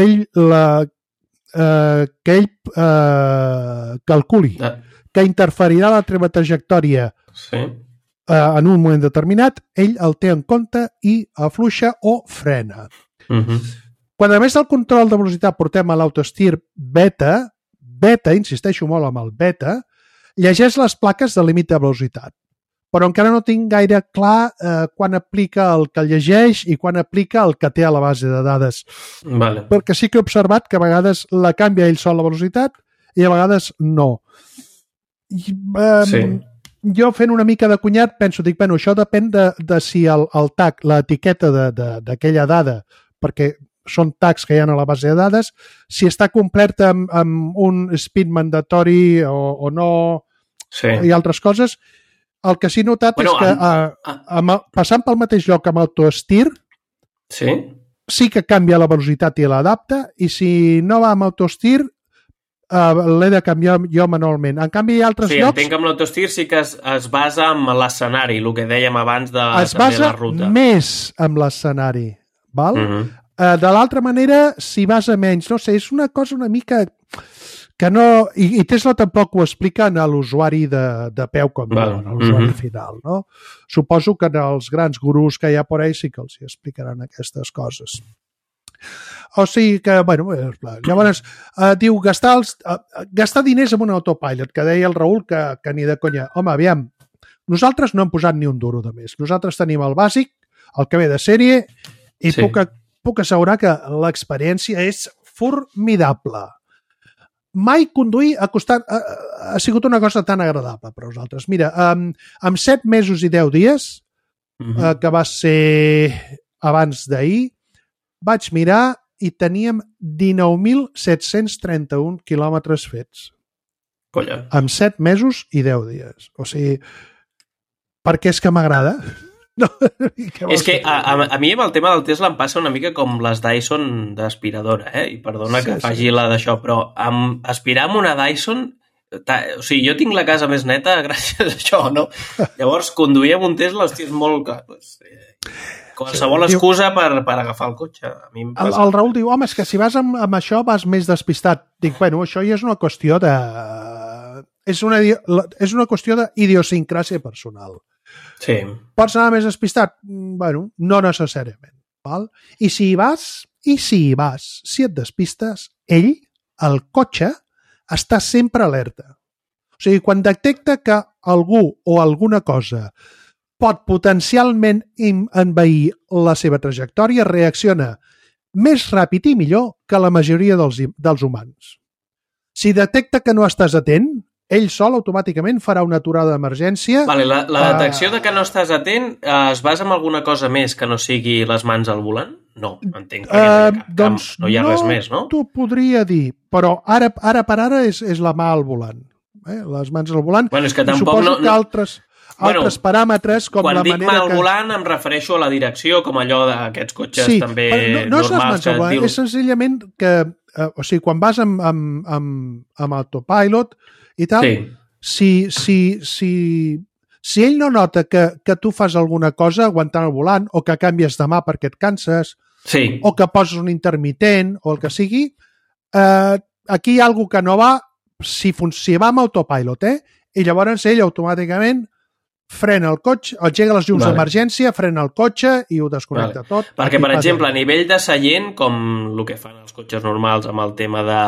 ell, la, eh, que ell eh, calculi ah. que interferirà la teva trajectòria sí. eh, en un moment determinat, ell el té en compte i afluixa o frena. Uh-huh. Quan a més del control de velocitat portem a l'AutoSteer beta, beta, insisteixo molt amb el beta, llegeix les plaques de límit de velocitat. Però encara no tinc gaire clar eh, quan aplica el que llegeix i quan aplica el que té a la base de dades. Vale. Perquè sí que he observat que a vegades la canvia ell sol la velocitat i a vegades no. I, eh, sí. Jo fent una mica de cunyat penso, dic, bueno, això depèn de, de si el, el tag, l'etiqueta d'aquella dada, perquè són tags que hi ha a la base de dades, si està completa amb, amb un speed mandatori o, o no, sí. i altres coses. El que sí he notat bueno, és que amb, a, amb, passant pel mateix lloc amb AutoSteer, sí. sí que canvia la velocitat i l'adapta, i si no va amb AutoSteer, uh, l'he de canviar jo manualment. En canvi, hi ha altres sí, llocs... Sí, entenc que amb l'AutoSteer sí que es, es basa en l'escenari, el que dèiem abans de es també la ruta. Es basa més amb l'escenari, val? Uh-huh. Uh, de l'altra manera, si vas a menys, no sé, és una cosa una mica que no... I, i Tesla tampoc ho expliquen a l'usuari de, de peu com Val. no, a l'usuari Mhm. final, no? Suposo que els grans gurus que hi ha por ahí sí que els hi explicaran aquestes coses. O sigui que, bueno, llavors eh, diu gastar, els, eh, gastar diners en un autopilot, que deia el Raül que, que ni de conya. Home, aviam, nosaltres no hem posat ni un duro de més. Nosaltres tenim el bàsic, el que ve de sèrie, i Sí. puc, puc assegurar que l'experiència és formidable. Mai conduir ha, costat, ha, ha sigut una cosa tan agradable per a nosaltres. Mira, amb, amb set mesos i deu dies, Mhm. eh, que va ser abans d'ahir, vaig mirar i teníem dinou mil set-cents trenta-un quilòmetres fets. Colla. Amb set mesos i deu dies. O sigui, perquè és que m'agrada. No, què vols És que dir? a, a, a mi amb el tema del Tesla em passa una mica com les Dyson d'aspiradora, eh? I perdona Sí, que sí. faci la d'això, però amb, aspirar amb una Dyson... Ta, o sigui, jo tinc la casa més neta gràcies a això, no? Llavors, conduir amb un Tesla, hòstia, és molt... Pues, eh, qualsevol Sí, excusa per, per agafar el cotxe. A mi em El, passa. el Raül diu, home, és que si vas amb, amb això vas més despistat. Dic, bueno, això ja és una qüestió de... És una, és una qüestió d'idiosincràsia personal. Sí. Pots anar més despistat? Mm, Bueno, no necessàriament. Val? I si hi vas, i si hi vas, si et despistes, ell, el cotxe, està sempre alerta. O sigui, quan detecta que algú o alguna cosa pot potencialment im- envair la seva trajectòria, reacciona més ràpid i millor que la majoria dels, im- dels humans. Si detecta que no estàs atent, ell sol automàticament farà una aturada d'emergència. Vale, la, la Ah. detecció de que no estàs atent eh, es basa en alguna cosa més que no sigui les mans al volant? No, entenc, perquè no hi ha, Eh, cap, doncs no hi ha res més, no? T'ho podria dir, però ara, ara per ara és, és la mà al volant. Eh? Les mans al volant. Bueno, és que I tampoc suposo no- que no- altres, Bueno, altres paràmetres, com Quan la dic manera mà al que... volant em refereixo a la direcció, com allò d'aquests cotxes Sí, també però no, no és les normals mans que al et volant, diu... és senzillament que, eh, o sigui, quan vas amb, amb, amb, amb autopilot i tal, Sí, si, si, si, si ell no nota que, que tu fas alguna cosa aguantant el volant o que canvies de mà perquè et canses sí. o que poses un intermitent o el que sigui, eh, aquí hi ha alguna que no va si, fun si va amb autopilot, eh? I llavors ell automàticament frena el cotxe, engega les llums Vale. d'emergència, frena el cotxe i ho desconnecta Vale. tot. Perquè, Aquí per passa. exemple, a nivell de seient, com el que fan els cotxes normals amb el tema de,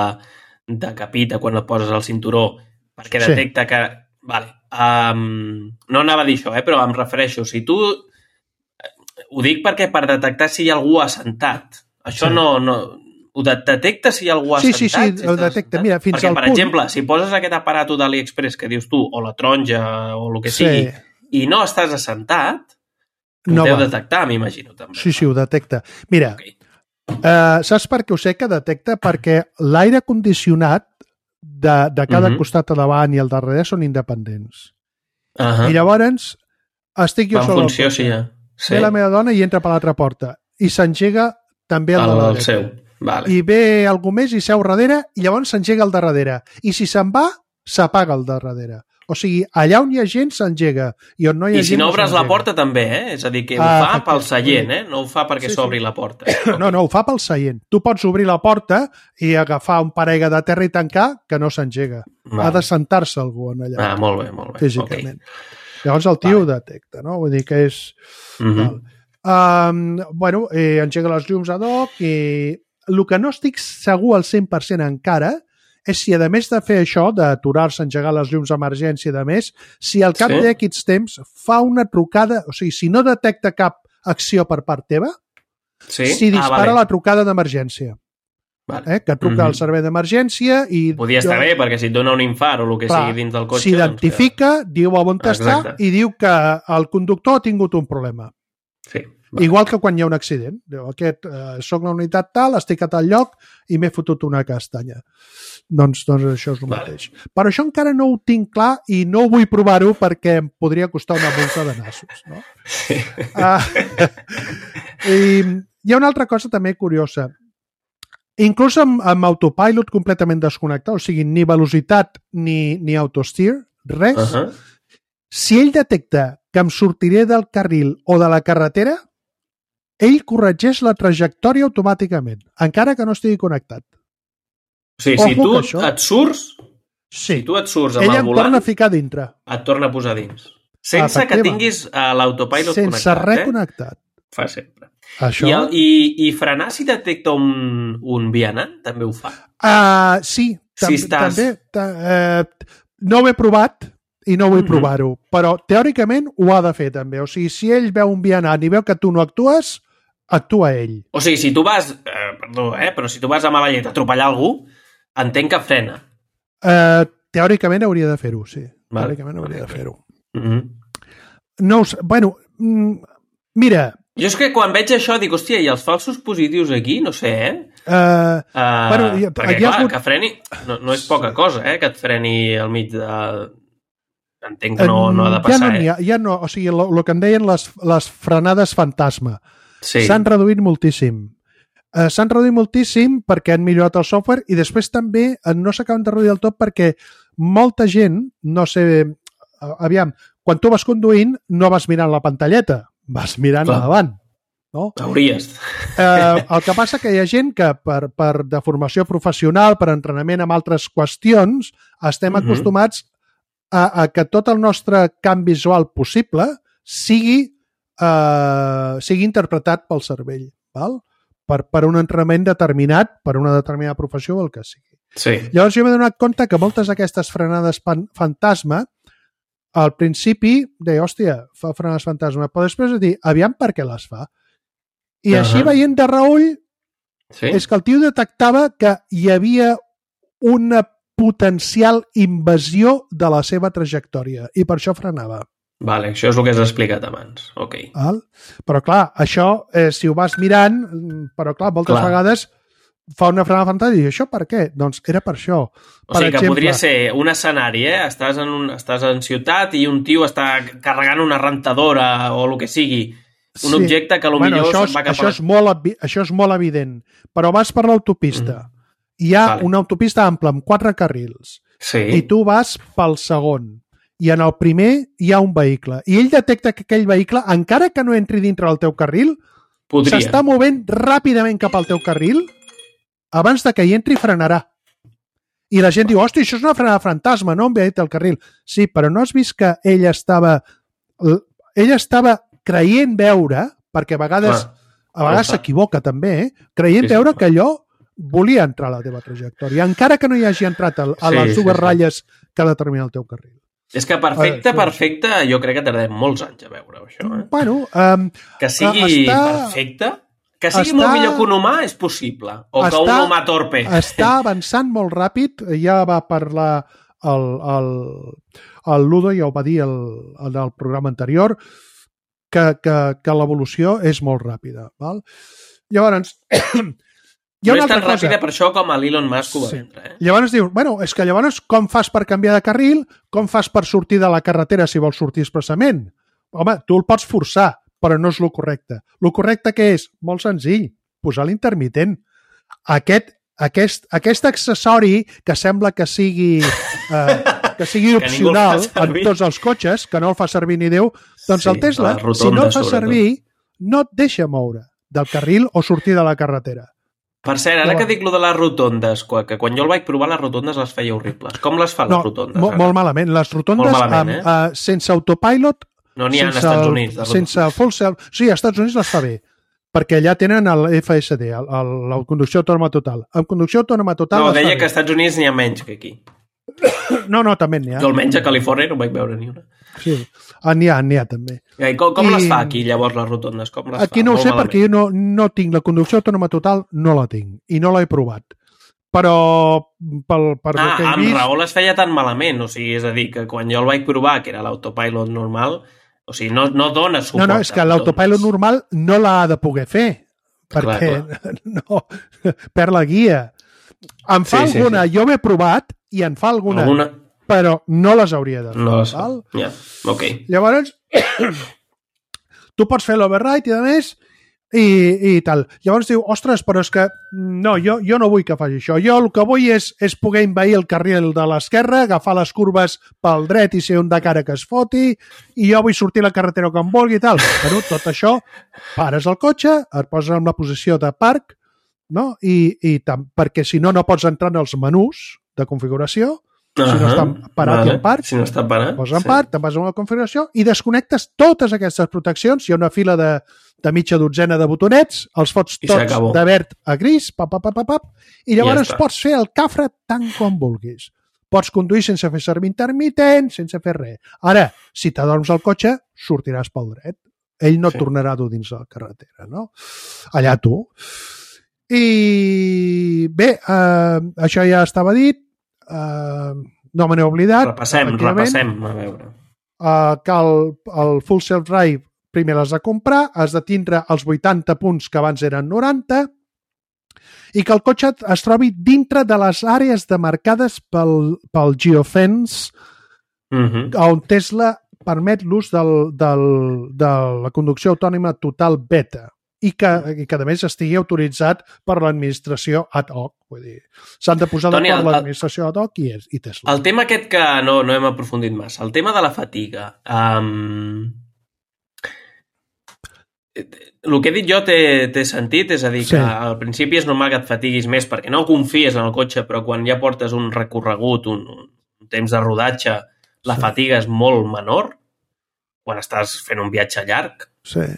de capita quan et poses el cinturó, perquè Sí. detecta que... Vale. Um, no anava a dir això, eh? Però em refereixo, si tu... Ho dic perquè per detectar si hi ha algú assentat. Això Sí. no... no ho de- detecta si hi ha algú Sí, assentat? sí, sí, si ho estàs detecta. assentat? Mira, fins perquè, al per punt- exemple, si poses aquest aparato d'AliExpress que dius tu, o la taronja, o el que Sí. sigui, i no estàs assentat, No ho deu va. detectar, m'imagino, també. Sí, sí, ho detecta. Mira, Ok. eh, saps per què ho sé que detecta? Perquè l'aire condicionat de, de cada Mhm. costat a davant i al darrere són independents. Uh -huh. I llavors estic jo Va en sol al funció, cotxe. sí, ja. Sí. Ve la meva dona i entra per l'altra porta. I s'engega també el, el, de la el dreta. seu. Vale. I ve algú més i seu darrere i llavors s'engega el de darrere. I si se'n va, s'apaga el de darrere. O sigui, allà on hi ha gent s'engega i on no hi ha I si gent no obres la s'engega. porta també, eh? És a dir, que ho Ah, fa pel efectivament. seient, eh? No ho fa perquè Sí, sí. s'obri la porta. No, no, ho fa pel seient. Tu pots obrir la porta i agafar un parella de terra i tancar que no s'engega. Vale. Ha de sentar-se algú en allà, Ah, molt bé, molt bé. físicament. Llavors el tio Vale. ho detecta, no? Vull dir que és... Okay. Uh -huh. Um, bueno, eh, engega les llums ad hoc i el que no estic segur al cent per cent encara és si, a més de fer això, d'aturar-se, engegar les llums d'emergència i de més, si al cap Sí. d'aquests temps fa una trucada, o sigui, si no detecta cap acció per part teva, Sí? si dispara ah, vale. la trucada d'emergència. Vale. Eh? Que truca Mhm. al servei d'emergència i... Podia estar bé, perquè si et dona un infart o el que Clar, sigui dins del cotxe... s'identifica, diu on està Exacte. i diu que el conductor ha tingut un problema. Doncs que... Sí. Igual que quan hi ha un accident. Diu, aquest, eh, soc la unitat tal, estic a tal lloc i m'he fotut una castanya. Doncs, doncs això és el Vale. mateix. Però això encara no ho tinc clar i no vull provar-ho perquè em podria costar una multa de nassos. No? Sí. Uh, i hi ha una altra cosa també curiosa. Inclús amb, amb autopilot completament desconnectat, o sigui, ni velocitat ni, ni autosteer, res, Uh -huh. si ell detecta que em sortiré del carril o de la carretera, ell corregeix la trajectòria automàticament, encara que no estigui connectat. O sigui, si tu això... et surts, sí. si tu et surts amb ella el volant... Ella em torna a ficar dintre. Et torna a posar dins. Sense que tinguis uh, l'autopilot connectat. Sense res eh? connectat. Fa sempre. Això... I, el, i, I frenar si detecta un, un vianant també ho fa? Uh, sí. Tam Si estàs... També. Uh, no ho he provat i no vull mm -hmm. provar-ho, però teòricament ho ha de fer també. O sigui, si ell veu un vianant i veu que tu no actues, actua ell. O sigui, si tu vas... Eh, perdó, eh? Però si tu vas a mala llet a atropellar algú, entenc que frena. Uh, teòricament hauria de fer-ho, sí. Vale. Teòricament hauria de fer-ho. Mm -hmm. No ho sé. Bueno, mira... Jo és que quan veig això dic, hòstia, i els falsos positius aquí? No sé, eh? Uh, uh, bueno, hi, perquè, hi ha clar, hagut... que freni... No, no és poca cosa, eh? Que et freni al mig de... Entenc que no, no ha de passar, ja no eh? Ha, ja no, o sigui, el que en deien les, les frenades fantasma. Sí. S'han reduït moltíssim. Uh, S'han reduït moltíssim perquè han millorat el software i després també no s'acaben de reduir del tot perquè molta gent, no sé... Uh, aviam, quan tu vas conduint no vas mirant la pantalleta, vas mirant a davant. No? Hauries. Eh, el que passa que hi ha gent que per, per de formació professional, per entrenament amb altres qüestions, estem uh-huh. acostumats a, a que tot el nostre camp visual possible sigui, eh, sigui interpretat pel cervell, val? Per, per un entrenament determinat, per una determinada professió o el que sigui. Sí. Llavors jo m'he donat compte que moltes d'aquestes frenades pan, fantasma al principi deia, hòstia, fa frenades fantasma, però després de dir, aviam per què les fa. I uh-huh. així veient de reull, sí? és que el tio detectava que hi havia una potencial invasió de la seva trajectòria i per això frenava. Vale, això és el que has explicat abans. Ok. Val? Però clar, això, eh, si ho vas mirant, però clar, moltes clar. vegades fa una frenada fantàstica i això per què? Doncs era per això. O per sigui que exemple, podria ser un escenari, eh? Estàs en, un, estàs en ciutat i un tio està carregant una rentadora o el que sigui. Un sí. objecte que potser bueno, això se'n va cap això a... És molt, això és molt evident. Però vas per l'autopista. Mm. Hi ha vale. una autopista ampla amb quatre carrils. Sí. I tu vas pel segon. I en el primer hi ha un vehicle. I ell detecta que aquell vehicle, encara que no entri dintre del teu carril, s'està movent ràpidament cap al teu carril abans de que hi entri frenarà. I la gent diu, hosti, això és una frenada fantasma, no em ve el carril. Sí, però no has vist que ell estava... Ell estava creient veure, perquè a vegades Clar, a vegades s'equivoca també, eh? creient sí, veure sí, que allò volia entrar a la teva trajectòria, encara que no hi hagi entrat a, a les sí, dues sí, ratlles sí. que determina el teu carril. És que perfecte, perfecte, jo crec que tardem molts anys a veure això. Eh? Bueno, um, que sigui està, perfecte, que sigui està, molt millor que un humà és possible, o està, que un humà torpe. Està avançant molt ràpid, ja va parlar el, el, el Ludo, ja ho va dir el, el, el programa anterior, que, que, que l'evolució és molt ràpida. Val? Llavors, hi ha no una és tan altra ràpida cosa. Per això com a l'Elon Musk ho va sí. vendre. Eh? Llavors dius, bueno, és que llavors com fas per canviar de carril? Com fas per sortir de la carretera si vols sortir expressament? Home, tu el pots forçar, però no és el correcte. El correcte que és? Molt senzill, posar l'intermitent. Aquest, aquest, aquest accessori que sembla que sigui... Eh, que sigui que opcional en tots els cotxes, que no el fa servir ni Déu, doncs sí, el Tesla, rotonda, si no el fa servir, no et deixa moure del carril o sortir de la carretera. Per cert, ara no. que dic lo de les rotondes, que quan jo el vaig provar les rotondes les feia horribles. Com les fa les no, rotondes? Mo molt malament. Les rotondes malament, eh? amb, uh, sense autopilot, no n'hi ha als Estats Units. Sense full self... Sí, als Estats Units les fa bé, perquè allà tenen el F S D, el, el, la conducció autònoma total. Amb conducció autònoma total... No, deia que als Estats Units n'hi ha menys que aquí. No, no, també n'hi ha. Jo almenys a Califòrnia no vaig veure ni una. Sí, n'hi ha, n'hi ha també. I com com I... les fa aquí, llavors, les rotondes? Com les aquí fa? no ho sé, malament. perquè jo no, no tinc la conducció autònoma total, no la tinc, i no l'he provat. Però, pel, per ah, que he amb vist... raó les feia tan malament, o sigui, és a dir, que quan jo el vaig provar, que era l'autopilot normal, o sigui, no, no dona suport. No, no, és que l'autopilot normal no l'ha de poder fer, perquè clar, clar. no perd la guia. En fa sí, alguna, sí, sí. jo m'he provat, i en fa alguna, alguna, però no les hauria de fer. No les fa, ja, ok. Llavors, tu pots fer l'override i a més, i, i tal. Llavors diu, ostres, però és que no, jo, jo no vull que faci això. Jo el que vull és, és poder envair el carril de l'esquerra, agafar les curves pel dret i ser un de cara que es foti, i jo vull sortir a la carretera com vulgui i tal. Bueno, tot això, pares el cotxe, et poses en la posició de parc, no? I, i tam, perquè si no, no pots entrar en els menús de configuració. Uh -huh. Si no està parat vale. i en part, si no està parat, poses en sí. part, te'n vas a una configuració i desconnectes totes aquestes proteccions. Hi ha una fila de, de mitja dotzena de botonets, els fots I tots de verd a gris, pap, pap, pap, pap, i llavors ja pots fer el cafre tant com vulguis. Pots conduir sense fer servir intermitent, sense fer res. Ara, si t'adorms al cotxe, sortiràs pel dret. Ell no sí. tornarà a dur dins la carretera, no? Allà tu. I bé, eh, això ja estava dit. Uh, no me n'he oblidat. Repassem, repassem, a veure. Uh, que el, el Full Self-Drive primer l'has de comprar, has de tindre els vuitanta punts que abans eren noranta i que el cotxe es trobi dintre de les àrees demarcades pel, pel Geofence uh-huh. on Tesla permet l'ús del, del, de la conducció autònoma total beta. I que, i que a més estigui autoritzat per l'administració ad hoc. Vull dir, s'han de posar Toni, d'acord l'administració ad hoc i, i Tesla. El tema aquest que no, no hem aprofundit massa, el tema de la fatiga. Um... El que he dit jo té, té sentit, és a dir, que sí. al principi és normal que et fatiguis més perquè no confies en el cotxe, però quan ja portes un recorregut, un, un temps de rodatge, la sí. fatiga és molt menor quan estàs fent un viatge llarg. Sí.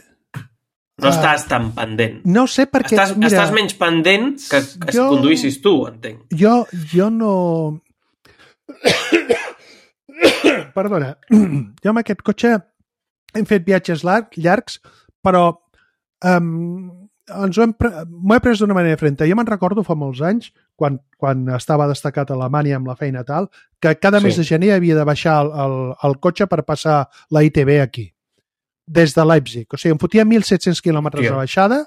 No estàs tan pendent. No sé perquè... Estàs, mira, estàs menys pendent que, que jo, conduïssis tu, entenc. Jo, jo no... Perdona. Jo amb aquest cotxe hem fet viatges llarg, llargs, però um, ens ho hem pre... m'ho he pres d'una manera diferent. Jo me'n recordo fa molts anys, quan, quan estava destacat a Alemanya amb la feina tal, que cada sí. mes de gener havia de baixar el, el, el cotxe per passar la I T B aquí. Des de Leipzig. O sigui, em fotia mil set-cents quilòmetres de baixada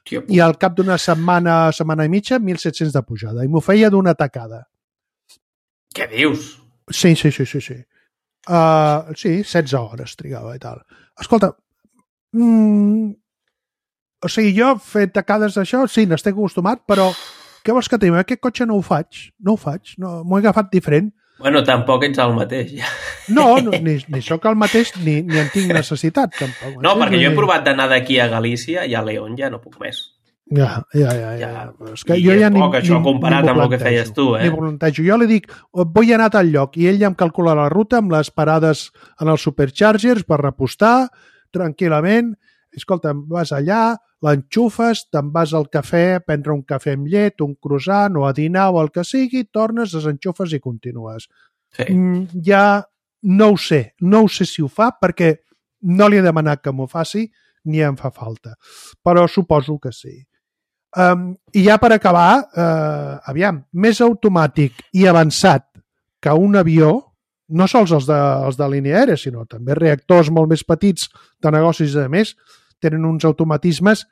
Tio. I al cap d'una setmana, setmana i mitja, mil set-cents de pujada. I m'ho feia d'una tacada. Què dius? Sí, sí, sí, sí. sí. Uh, sí, setze hores trigava i tal. Escolta, mm, o sigui, jo he fet tacades d'això, sí, n'estic acostumat, però què vols que tinc? Aquest cotxe no ho faig. No ho faig. No, m'ho he agafat diferent. Bueno, tampoc ets el mateix, ja. No, no ni, ni sóc el mateix, ni, ni en tinc necessitat, tampoc. No, perquè jo he provat d'anar d'aquí a Galícia i a León ja no puc més. Ja, ja, ja. ja. ja. És que jo ja ni, poc, això ni, comparat ni amb el que feies tu, eh? Ni plantejo. Jo li dic, vull anar a tal lloc, i ell ja em calcula la ruta amb les parades en els superchargers per repostar tranquil·lament. Escolta, vas allà, l'enxufes, te'n vas al cafè, a prendre un cafè amb llet, un croissant o a dinar o el que sigui, tornes, desenxufes i continues. Sí. Mm, ja no ho sé, no ho sé si ho fa perquè no li he demanat que m'ho faci ni em fa falta, però suposo que sí. Um, I ja per acabar, uh, aviam, més automàtic i avançat que un avió, no sols els de, els de línia aèria, sinó també reactors molt més petits de negocis a més, tenen uns automatismes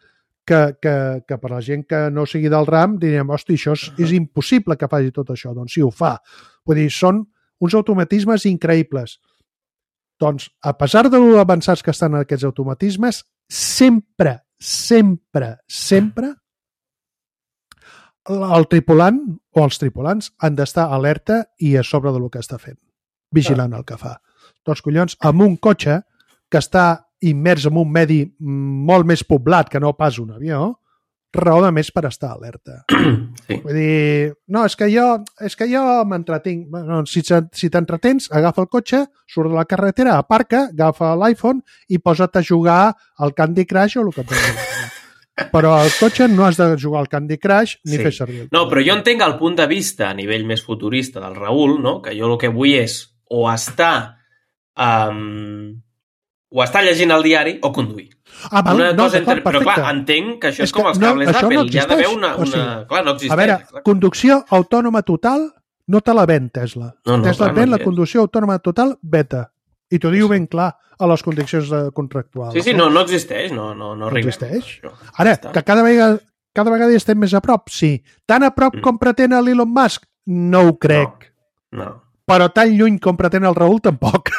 que, que, que per la gent que no sigui del ram diríem, hosti, això és, és impossible que faci tot això. Doncs sí, ho fa. Vull dir, són uns automatismes increïbles. Doncs, a pesar de l'avançats que estan aquests automatismes, sempre, sempre, sempre el tripulant o els tripulants han d'estar alerta i a sobre del que està fent, vigilant el que fa. Doncs, collons, amb un cotxe que està immers en un medi molt més poblat que no pas un avió, raó de més per estar alerta. Sí. Vull dir, no, és que jo, és que jo m'entretinc. Bueno, si si t'entretens, agafa el cotxe, surt de la carretera, aparca, agafa l'iPhone i posa't a jugar al Candy Crush o el que et doni. Però al cotxe no has de jugar al Candy Crush ni sí. fer servir el No, però jo entenc el punt de vista a nivell més futurista del Raül, no? Que jo el que vull és o estar um, o estar llegint el diari o conduir. Ah, val, una no, cosa entre... Però clar, entenc que això és, és com els cables no, d'Apple. No hi ha d'haver una... una... O sigui, clar, no existeix. A veure, exacte. Conducció autònoma total no te la ven Tesla. No, no, Tesla ven no la conducció autònoma total beta. I t'ho diu sí. ben clar a les condicions contractuals. Sí, sí, no, no existeix. No, no, no, no existeix. Ara, que cada vegada, cada vegada hi estem més a prop, sí. Tan a prop mm. com pretén l'Elon Musk? No ho crec. No, no. Però tan lluny com pretén el Raül, tampoc.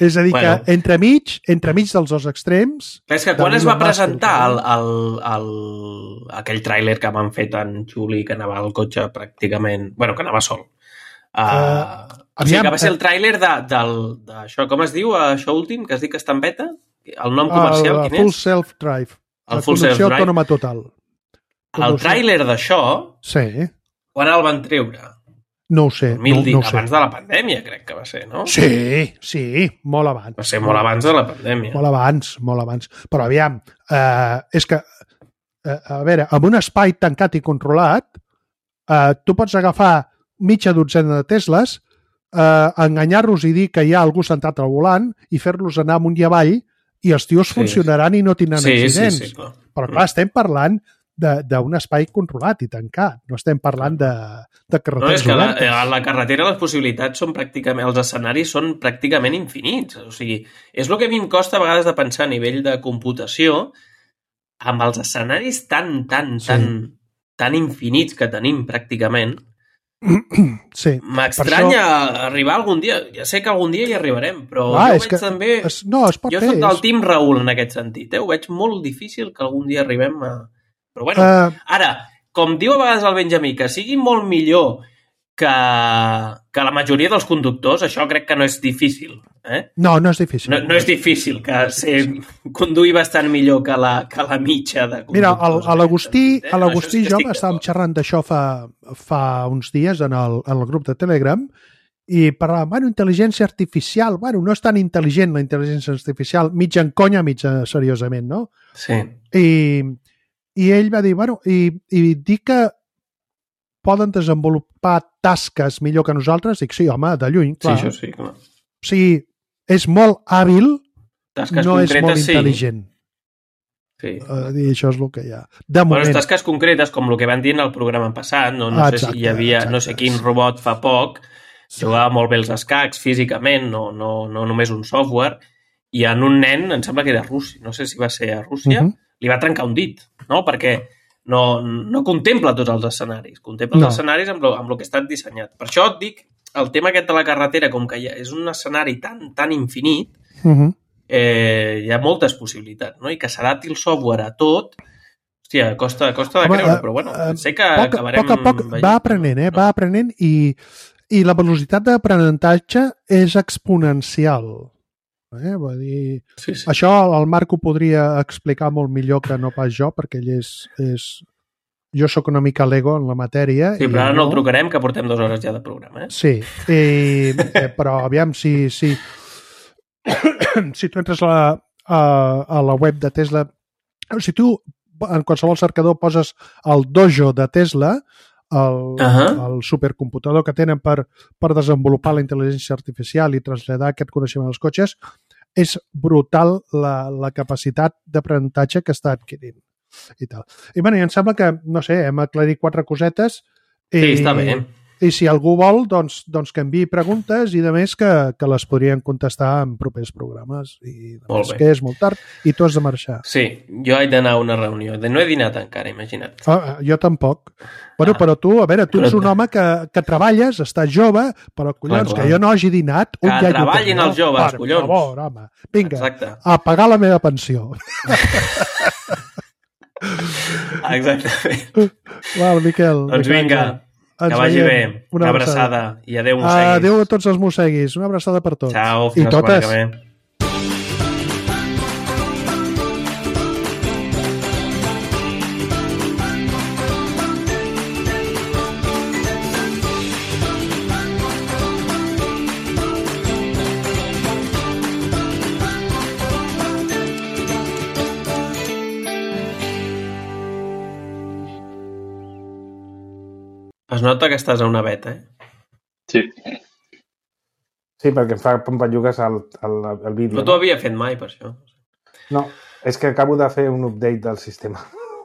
És a dir, bueno. que entremig, entremig dels dos extrems... És que quan es va presentar el, el, el, aquell tràiler que m'han fet tan xuli que anava al cotxe pràcticament... Bueno, que anava sol. Uh, uh, o sigui, que va ser el tràiler de, del, d'això, com es diu, això últim, que es diu que està en beta? El nom comercial, el, quin Full és? Self-Drive. El Full Self conducció Drive. autònoma total. El tràiler d'això, Sí. quan el van treure? No ho sé. Mil no, dit, no ho sé. abans de la pandèmia, crec que va ser, no? Sí, sí, molt abans. Va ser molt abans de la pandèmia. Molt abans, molt abans. Però aviam, eh, és que, eh, a veure, amb un espai tancat i controlat, eh, tu pots agafar mitja dotzena de Tesles, eh, enganyar-los i dir que hi ha algú sentat al volant i fer-los anar amunt i avall i els tios Sí, funcionaran i no tindran Sí, sí, accidents. sí, clar. Però clar, estem parlant de- d'un espai controlat i tancat. No estem parlant de, de No, carreteres és que la, obertes. a la carretera les possibilitats són pràcticament, els escenaris són pràcticament infinits. O sigui, és el que a mi em costa a vegades de pensar a nivell de computació amb els escenaris tan, tan, Sí. tan, tan infinits que tenim pràcticament. Sí. M'estranya això... arribar algun dia. Ja sé que algun dia hi arribarem, però Clar, jo és veig que també... Es, no, es pot jo fer. soc del és- team Raül en aquest sentit. Eh? Ho veig molt difícil que algun dia arribem a... Però bueno, Eh, ara, com diu a vegades el Benjamí, que sigui molt millor que, que la majoria dels conductors, això crec que no és difícil. Eh? no, no és difícil. No, no és difícil que ser, conduir bastant millor que la, que la mitja de conductors. Mira, el- a l'Agustí Eh? a l'Agustí i Això sí que jo estic estàvem d'acord. xerrant d'això fa, fa uns dies en el, en el grup de Telegram i parlàvem, bueno, intel·ligència artificial, bueno, no és tan intel·ligent la intel·ligència artificial, mig en conya, mig seriosament, no? Sí, I, i ell va dir, bueno, i, i dir que poden desenvolupar tasques millor que nosaltres, dic, sí, home, de lluny, sí, clar. això sí, clar. O sigui, és molt hàbil, Tasques no és molt concretes, sí. intel·ligent. Sí. Uh, I això és el que hi ha. De Bueno, moment. tasques concretes, com el que van dir en el programa passat, no, no Ah, sé exacte, si hi havia no sé exacte. quin robot fa poc, jugava molt bé els escacs físicament, no, no, no només un software, i en un nen, em sembla que era Rússia, no sé si va ser a Rússia, Uh -huh. li va trencar un dit, no? Perquè no, no contempla tots els escenaris, contempla No. els escenaris amb lo, amb lo que està dissenyat. Per això et dic, el tema aquest de la carretera, com que ja és un escenari tan, tan infinit, Uh -huh. eh, hi ha moltes possibilitats, no? I que s'adapti el software a tot, hòstia, costa, costa de Home, creure, eh, però bueno, eh, sé que poc, acabarem... poc a poc veient. va aprenent, eh? va aprenent i, i la velocitat d'aprenentatge és exponencial. Eh? Vull dir, Sí, sí. això el Marc ho podria explicar molt millor que no pas jo, perquè ell és... és... Jo sóc una mica l'ego en la matèria. Sí, i però ara no el trucarem, que portem dues hores ja de programa, eh? Sí, i, eh, però aviam si, si, si tu entres a la, a, a la web de Tesla, si tu en qualsevol cercador poses el dojo de Tesla, el, uh Ahà. -huh. el supercomputador que tenen per, per desenvolupar la intel·ligència artificial i traslladar aquest coneixement als cotxes, és brutal la, la capacitat d'aprenentatge que està adquirint. I, tal. I, bueno, i em sembla que, no sé, hem aclarit quatre cosetes. I, Sí, està bé. I si algú vol, doncs, doncs que enviï preguntes i de més que, que les podrien contestar en propers programes. I de Molt més bé. que és molt tard i tu has de marxar. Sí, jo haig d'anar a una reunió. No he dinat encara, imagina't. Ah, jo tampoc. Bueno, Ah. però tu, a veure, tu ets Però- un home que, que treballes, estàs jove, però collons, Clar, clar. que jo no hagi dinat... Que un ja hi ho treballin tenia. els joves, Per collons. favor, home. Vinga, Exacte. a pagar la meva pensió. Exactament. Val, Miquel. Doncs de vinga, Canya. que Ens vagi veiem. bé. Una abraçada. I adéu, Ah, mosseguis. adéu a tots els mosseguis. Una abraçada per tots. Ciao, fins I la setmana totes. que ve. Es nota que estàs a una beta, eh? Sí. Sí, perquè em fa pampallugues el, el, el vídeo. No t'ho havia fet mai, per això. No, és que acabo de fer un update del sistema.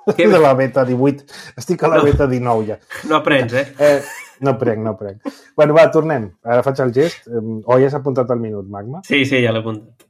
Què? De la beta divuit. Estic a la No. beta dinou ja. No aprens, eh? Eh, no prenc, no prenc. Bueno, va, tornem. Ara faig el gest. Eh, O ja s'ha apuntat el minut, Magma? Sí, sí, ja l'he apuntat.